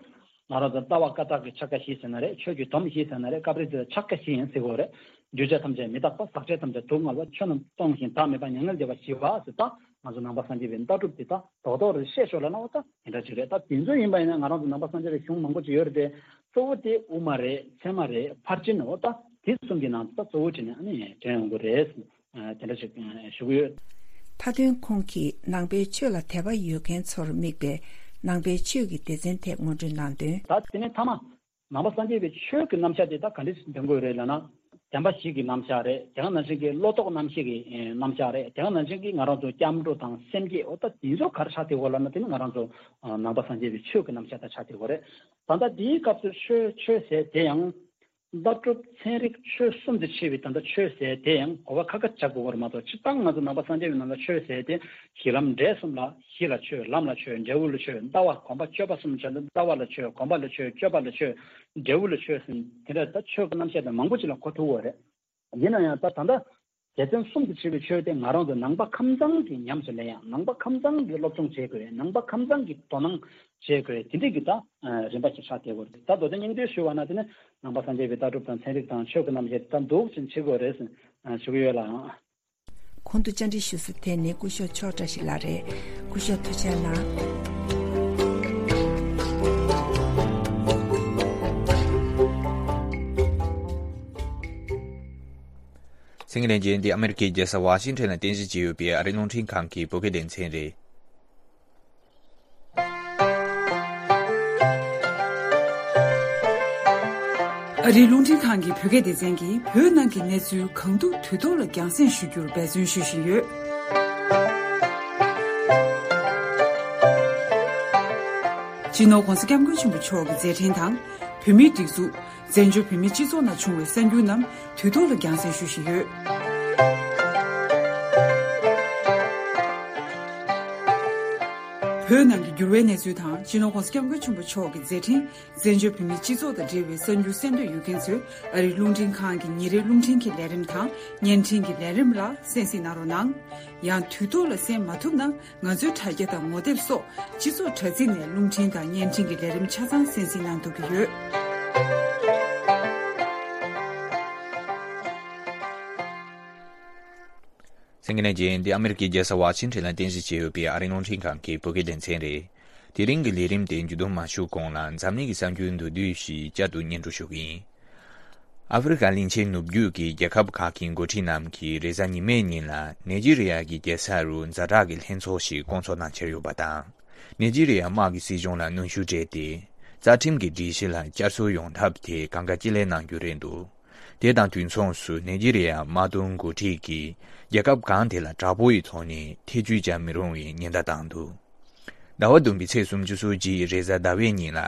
ང་རང་ཚོ་ལྟ་བ་བཀའ་རྟགས་ཀྱི་ཕྱག་རྒྱ་བཞི་ཟེར་ན་རེད། ཆོས་ཀྱི་སྡོམ་བཞི་ཟེར་ན་རེད། སྐབས་རེ་དེ་ལ་ཕྱག་རྒྱ་བཞི་ཡང་ཟེར་གྱི་ཡོད་རེད། འདུས་བྱས་ཐམས་ཅད་མི་རྟག་པ། ཟག་བཅས་ཐམས་ཅད་སྡུག་བསྔལ་བ། ཆོས་རྣམས་སྟོང་ཞིང་བདག་མེད་པ། མྱ་ངན་འདས་པ་ཞི་བ་ཟེར། ད་ང་ཚོ་ནང་པ་སངས་རྒྱས་པའི་ལྟ་གྲུབ་འདི་ད་རྡོག་རྡོག་རེ་བཤད་ཤོག་ལབ་ན་འོ་ད་དེ་འདྲ་ཅིག་རེད། ད་དེ་ཚོ་ཡིན་པ་ཡིན་ན་ང་རང་ཚོ་ནང་པ་སངས་རྒྱས་པའི་གཞུང་མང་པོ་ཅིག་ཡོད་རེད་དེ། གཙོ་བོ་དེ་དབུ་མ་རེད། ཚད་མ་རེད། ཕར་ཕྱིན་འོ་ད་དེ་གསུམ་གྱི་ནང་དུ་ད་གཙོ་བོ་བྱས་ནས་ཨ་ནི་དྲན་ཡོང་གི་རེད། ཨ། དེ་འདྲ་ཞིག་ཨ། ཞུ་གི་ཡོད། མཐའ་དོན་ཁོང་གིས་ནང་པའི་ཆོས་ལ་དད་པ་ཡོད་མཁན་ཚོར་དམིགས་པའི་ནང་པའི་ཆོས་ཀྱི་སྡེ་ཚན་ཐད་སྔོན་འགྲོའི་ནང་དོན། ད་དེ་ནས་མཐའ་མ་ནང་པ་སངས་རྒྱས་པའི་ཆོས་ཀྱི་རྣམ་གཞག་དེ་ད་ག་འདྲ་ཞིག་འདོན་དགོས་རེད་ལབ་ན། བདེན་པ་བཞི་གི་རྣམ་གཞག་རེད། དེ་ག་ནང་བཞིན་གྱི་བློ་ལྡོག་རྣམ་བཞི་གི་ཨེ། རྣམ་གཞག་རེད། དེ་ག་ནང་བཞིན་གྱི་ང་རང་ཚོ་སྐྱབས་འགྲོ་དང་སེམས་བསྐྱེད་འོ་ད་དེ་ཚོ་ག་རེ་ཆགས་བསྡད་ཡོད་ལབ་ན། དེ་ནི་ང་རང་ཚོ་ནང་པ་སངས་རྒྱས་པའི་ཆོས་ཀྱི་རྣམ་གཞག་ད་ཆགས་བསྡད་ཡོད་རེད། ད་ལྟ་དེའི་སྐབས་སུ་ཆོས་ཆོས་ཟེར་དེ་ཡང་ལྟ་གྲུབ་ཚན་རིག་ཆོས་གསུམ་དུ་ཕྱེ་བའི་ད་ལྟ་ཆོས་ཟེར་དེ་ཡང་གོ་བ་ཁ་ཁ་བྱ་དགོས་པ་རེད་མ་གཏོགས། སྤྱིར་བཏང་ང་ཚོ་ནང་པ་སངས་རྒྱས་པའི་ནང་ལ་ཆོས་ཟེར་དེ་གཞི་ལམ་འབྲས་གསུམ་ལ། གཞི་ལ་ཆོས། ལམ་ལ་ཆོས། འབྲས་བུ་ལ་ཆོས། ལྟ་བ་སྒོམ་པ་སྤྱོད་པ་གསུམ་བྱས་ན་ལྟ་བ་ལ་ཆོས། སྒོམ་པ་ལ་ཆོས། སྤྱོད་པ་ལ་ཆོས། འབྲས་བུ་ལ་ཆོས་ཟེར་དེ་འདྲ་ད་ཆོས་ཀྱི་རྣམ་གཞག་དེ་མང་པོ་ཅིག་ལ་གོ་ཐུབ་པ་རེད། ཡིན་ན་ཡང་ད་ད་ལྟ་སྡེ་ཚན་གསུམ་དུ་ཕྱེ་བའི་ཆོས་དེ་ང་རང་ཚོ་ནང་པ་ཁམས་བཟང་གིས་ཉམས་སུ་ལེན་ཡ། ནང་པ་ཁམས་བཟང་གིས་སློབ་སྦྱོང་བྱེད་དགོས། ནང་པ་ཁམས་བཟང་གིས་དོ་སྣང་བྱེད་དགོས། དེ་འདྲའི་གི་ད་རིམ་པ་ཞིག་ཆགས་བསྡད་ཡོད་རེད། ད་མདོ་དོན་སྙིང་བསྡུས་ཞུ་བ་ན་དེ་ནི་ནང་པ་སངས་རྒྱས་པའི་ལྟ་གྲུབ་དང་ཚན་རིག་དང་ཆོས་ཀྱི་རྣམ་གཞག་དེ་ད་འདུག་ཅིང་བྱེད་དགོས་རེད་ཟེར་ཞུ་གི་ཡོད་ལགས། གོང་དུ་བཅར་འདྲི་ཞུ་ས་དེ་ནི་སྐུ་ཞབས་ཆོས་བཀྲ་ཤིས་ལགས་རེད། སྐུ་ཞབས་ཐུགས་རྗེ་གནང་། གསན་མཁན་ལྷན་རྒྱས། འདི་ཨ་མེ་རི་ཁའི་རྒྱལ་ས་ཝ་ཤིང་ཊོན་ལ་རྟེན་གཞི་བྱས་ཡོད་པའི་ཨ་རིའི་རླུང་འཕྲིན་ཁང་གི་བོད་སྐད་སྡེ་ཚན་རེད། ཨ་རིའི་རླུང་འཕྲིན་ཁང་གི་བོད་སྐད་སྡེ་ཚན་གྱིས་བོད་ནང་གི་གནས་ཚུལ་གང་ཐུབ་དུས་ཐོག་ལ་རྒྱང་སྲིང་ཞུ་རྒྱུར་འབད་བརྩོན་ཞུ་བཞིན་ཡོད། སྤྱི་ནོར་༧གོང་ས་༧སྐྱབས་མགོན་ཆེན་པོ་མཆོག་གི་མཛད་འཕྲིན་དང་། བོད་མིའི་སྒྲིག་འཛུགས། བཙན་བྱོལ་བོད་མིའི་སྤྱི་ཚོགས་ནང་བྱུང་བའི་གསར་འགྱུར་རྣམས་དུས་ཐོག་ལ་རྒྱང་སྲིང་ཞུ་བཞིན་ཡོད། བོད་ནང་གི་འགྱུར་བའི་གནས་ཚུལ་དང་། སྤྱི་ནོར་༧གོང་ས་༧སྐྱབས་མགོན་ཆེན་པོ་མཆོག་གི་མཛད་འཕྲིན། བཙན་བྱོལ་བོད་མིའི་སྤྱི་ཚོགས་དང་འབྲེལ་བའི་གསར་འགྱུར་གསན་འདོད་ཡོད་མཁན་ཚོས་ཨ་རིའི་རླུང་འཕྲིན་ཁང་གི་ཉིན་རེའི་རླུང་འཕྲིན་གྱི་ལས་རིམ་དང་བརྙན་འཕྲིན་གྱི་ལས་རིམ་ལ་གསན་གཟིགས་གནང་རོགས་གནང་། ཡང་དུས་ཐོག་ལ་གསན་མ་ཐུབ་ན། ང་ཚོའི་དྲ་རྒྱ་དང་ངོ་དེབ་སོགས་སྤྱི་ཚོགས་དྲ་ཚིགས་ནས་རླུང་འཕྲིན་དང་བརྙན་འཕྲིན་གྱི་ལས་རིམ་ཆ་ཚང་གསན་གཟིགས་གནང་ཐུབ་ཀྱི་ཡོད། གསན་མཁན་ལྷན་རྒྱས། འདི་ཨ་མེ་རི་ཁའི་རྒྱལ་ས་ཝ་ཤིང་ཊོན་ལ་རྟེན་གཞི་བྱས་ཡོད་པའི་ཨ་རིའི་རླུང་འཕྲིན་ཁང་གི་བོད་སྐད་སྡེ་ཚན་རེད། དེ་རིང་གི་ལས་རིམ་དེ་མཇུག་བསྡོམས་མ་ཞུ་གོང་ལ་འཛམ་གླིང་གི་གསར་འགྱུར་མདོར་བསྡུས་ཤིག་བསྐྱར་དུ་སྙན་སྒྲོན་ཞུ་གི་ཡིན། ཨ་ཧྥེ་རི་ཁ་གླིང་ཆེན་ནུབ་རྒྱུད་ཀྱི་རྒྱལ་ཁབ་ཁག་གི་འགོ་ཁྲིད་རྣམས་ཀྱིས་རེས་གཟའ་ཉི་མའི་ཉིན་ལ་ནེ་ཇི་རི་ཡ་གི་རྒྱལ་ས་རུ་ཛ་དྲག་གི་ལྷན་ཚོགས་ཤིག་བསྐོང་ཚོགས་གནང་འཆར་ཡོད་པ་དང་། ནེ་ཇི་རི་ཡ་དམག་གི་སྲིད་གཞུང་ལ་གནོན་ཤུགས་སྤྲད་དེ། རྩ་ཁྲིམས་ཀྱི་སྒྲིག་གཞི་ལ་བསྐྱར་གསོ་ཡོང་ཐབས་དེ་གང་དགའ་ཅི་ལེགས་གནང་རྒྱུ་རེད་འདུག་དེ་དང་དུས་མཚུངས་སུ་ནེ་ཇི་རི་ཡ་དམག་དོན་འགོ་ཁྲིད་ཀྱིས་རྒྱལ་ཁབ་གང་དེ་ལ་དྲག་པོ་ཡི་ཐོག་ནས་ཐེ་བྱུས་བྱ་མི་རུང་བའི་ཉེན་བརྡ་བཏང་འདུག་ཟླ་བ་བདུན་པའི་ཚེས་སུམ་ཅུ་སོ་གཅིག་རེས་གཟའ་ཟླ་བའི་ཉིན་ལ་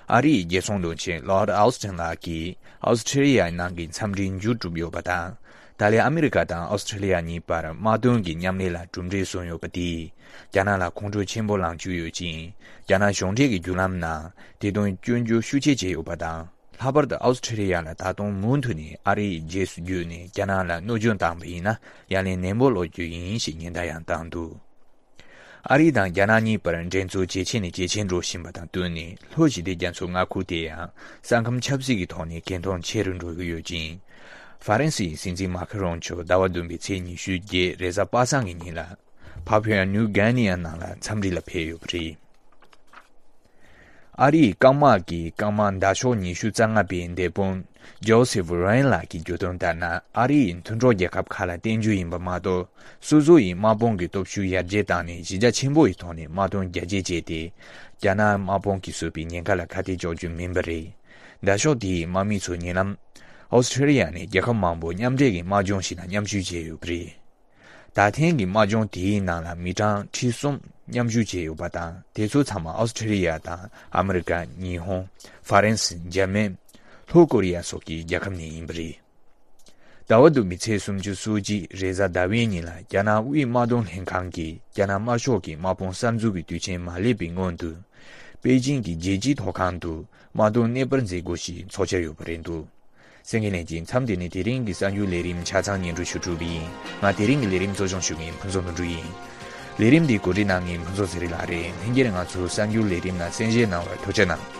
ཨ་རིའི་རྒྱལ་སྲུང་བློན་ཆེན་Lloyd Austin་ལགས་ཀྱིས་ཨོ་སི་ཁྲི་ལི་ཡ་ནང་གི་འཚམས་འདྲིར་མཇུག་གྲུབ་ཡོད་པ་དང་། ད་ལན་ཨ་མི་རི་ཀ་དང་ཨོ་སི་ཁྲི་ལི་ཡ་གཉིས་བར་དམག་དོན་གྱི་མཉམ་ལས་ལ་གྲུབ་འབྲས་བཟུང་ཡོད་པ་དེས་རྒྱ་ནག་ལ་ཁོང་ཁྲོ་ཆེན་པོ་ལངས་བཅུག་ཡོད་ཅིང་། རྒྱ་ནག་གཞུང་འབྲེལ་གྱི་བརྒྱུད་ལམ་ནང་དེ་དོན་སྐྱོན་བརྗོད་ཤུགས་ཆེ་བྱས་ཡོད་པ་དང་། ལྷག་པར་དུ་ཨོ་སི་ཁྲི་ལི་ཡ་ལ་ད་དུང་མུ་མཐུད་ནས་ཨ་རིའི་རྗེས་སུ་བརྒྱུད་ནས་རྒྱ་ནག་ལ་གནོད་སྐྱོན་བཏང་བ་ཡིན་ན་ཡ་ལན་ནན་པོ་སློག་རྒྱུ་ཡིན་ཞེས་ཉེན་བརྡ་ཡང་བཏང་འདུག་ཨ་རི་དང་རྒྱ་ནག་གཉིས་བར་འགྲན་རྩོད་ཇེ་ཆེ་ནས་ཇེ་ཆེར་འགྲོ་བཞིན་པ་དང་བསྟུན་ནས། ལྷོ་ཞི་བདེ་རྒྱ་མཚོའི་མངའ་ཁུལ་དེ་ཡང་ས་ཁམས་ཆབ་སྲིད་ཀྱི་ཐོག་ནས་གལ་མཐོང་ཆེ་རུ་འགྲོ་གི་ཡོད་ཅིང་། ཧྥ་རན་སིའི་སྲིད་འཛིན་མཱ་ཁི་རོང་མཆོག་ཟླ་བ་བདུན་པའི་ཚེས་ཉི་ཤུ་བརྒྱད་རེས་གཟའ་པ་སངས་ཀྱི་ཉིན་ལ་ཕ་ཕུ་ཡ་ནིའུ་གྷི་ནི་ཡ་ནང་ལ་འཚམས་འདྲི་ལ་ཕེབས་ཡོད་པ་རེད། ཨ་རིའི་རྐང་དམག་གི་རྐང་དམག་མདའ་ཤོག་ཉི་ཤུ་རྩ་ལྔ་པའི་མདའ་དཔོན་ཇོ་སེབ་རེན་ལགས་ཀྱིས་བརྗོད་དོན་ལྟར་ན། ཨ་རི་ཡིས་མཐུན་གྲོགས་རྒྱལ་ཁབ་ཁག་ལ་བརྟེན་རྒྱུ་ཡིན་པ་མ་གཏོགས། སོ་སོ་ཡི་དམག་དཔུང་གི་སྟོབས་ཤུགས་ཡར་རྒྱས་བཏང་ནས་གཞི་རྒྱ་ཆེན་པོ་ཡི་ཐོག་ནས་དམག་དོན་རྒྱ་སྐྱེད་བྱས་ཏེ། རྒྱ་ནག་དམག་དཔུང་གིས་བཟོས་པའི་ཉེན་ཁ་ལ་ཁ་གཏད་གཅོག་རྒྱུ་མིན་པ་རེད། མདའ་ཤོག་དེའི་དམག་མི་ཚོ་ཉེ་ལམ་ཨོ་སི་ཁྲི་ལི་ཡ་ནས་རྒྱལ་ཁབ་མང་པོ་མཉམ་འབྲེལ་གྱི་དམག་སྦྱོང་ཞིག་ནང་མཉམ་ཞུགས་བྱས་ཡོད་པ་རེད། ད་ཐེངས་ཀྱི་དམག་སྦྱོང་དེའི་ནང་ལ་མི་གྲངས་ཁྲི་གསུམ་མཉམ་ཞུགས་བྱས་ཡོད་པ་དང་། དེ་ཚོ་ཚང་མ་ཨོ་སི་ཁྲི་ལི་ཡ་དང་ཨ་མི་རི་ཀ། ཉི་ཧོང་། ཧྥ་རན་སི། འཇར་མན། ལྷོ་ཀོ་རི་ཡ་སོགས་ཀྱི་རྒྱལ་ཁབ་ནས་ཡིན་པ་རེད། ཟླ་བ་བདུན་པའི་ཚེས་སུམ་ཅུ་སོ་གཅིག་རེས་གཟའ་ཟླ་བའི་ཉིན་ལ་རྒྱ་ནག་དབུས་དམག་དོན་ལྷན་ཁང་གིས་རྒྱ་ནག་དམར་ཤོག་གི་དམག་དཔུང་གསར་འཛུགས་ཀྱི་དུས་ཆེན་མ་སླེབས་པའི་སྔོན་དུ། པེ་ཅིང་གི་རྒྱལ་སྤྱིའི་ཐོག་ཁང་དུ་དམག་དོན་གནས་སྤར་མཛད་སྒོ་ཞིག་འཚོགས་འཆར་ཡོད་པ་རེད་འདུག་གསན་མཁན་ལྷན་རྒྱས། མཚམས་འདི་ནས་དེ་རིང་གི་གསར་འགྱུར་ལས་རིམ་ཆ་ཚང་སྙན་སྒྲོན་ཞུ་གྲུབ་ཡིན། ང་དེ་རིང་གི་ལས་རིམ་གཙོ་སྐྱོང་ཞུ་མཁན་ཕུན་ཚོགས་དོན་གྲུབ་ཡིན། ལས་རིམ་འདི་གོ་སྒྲིག་གནང་མཁན་ཕུན་ཚོགས་ཚེ་རིང་ལགས་རེད། ལྷན་རྒྱས་ང་ཚོའི་གསར་འགྱུར་ལས་རིམ་ལ་གསན་བཞེས་གནང་བར་ཐུགས་རྗེ་གནང་།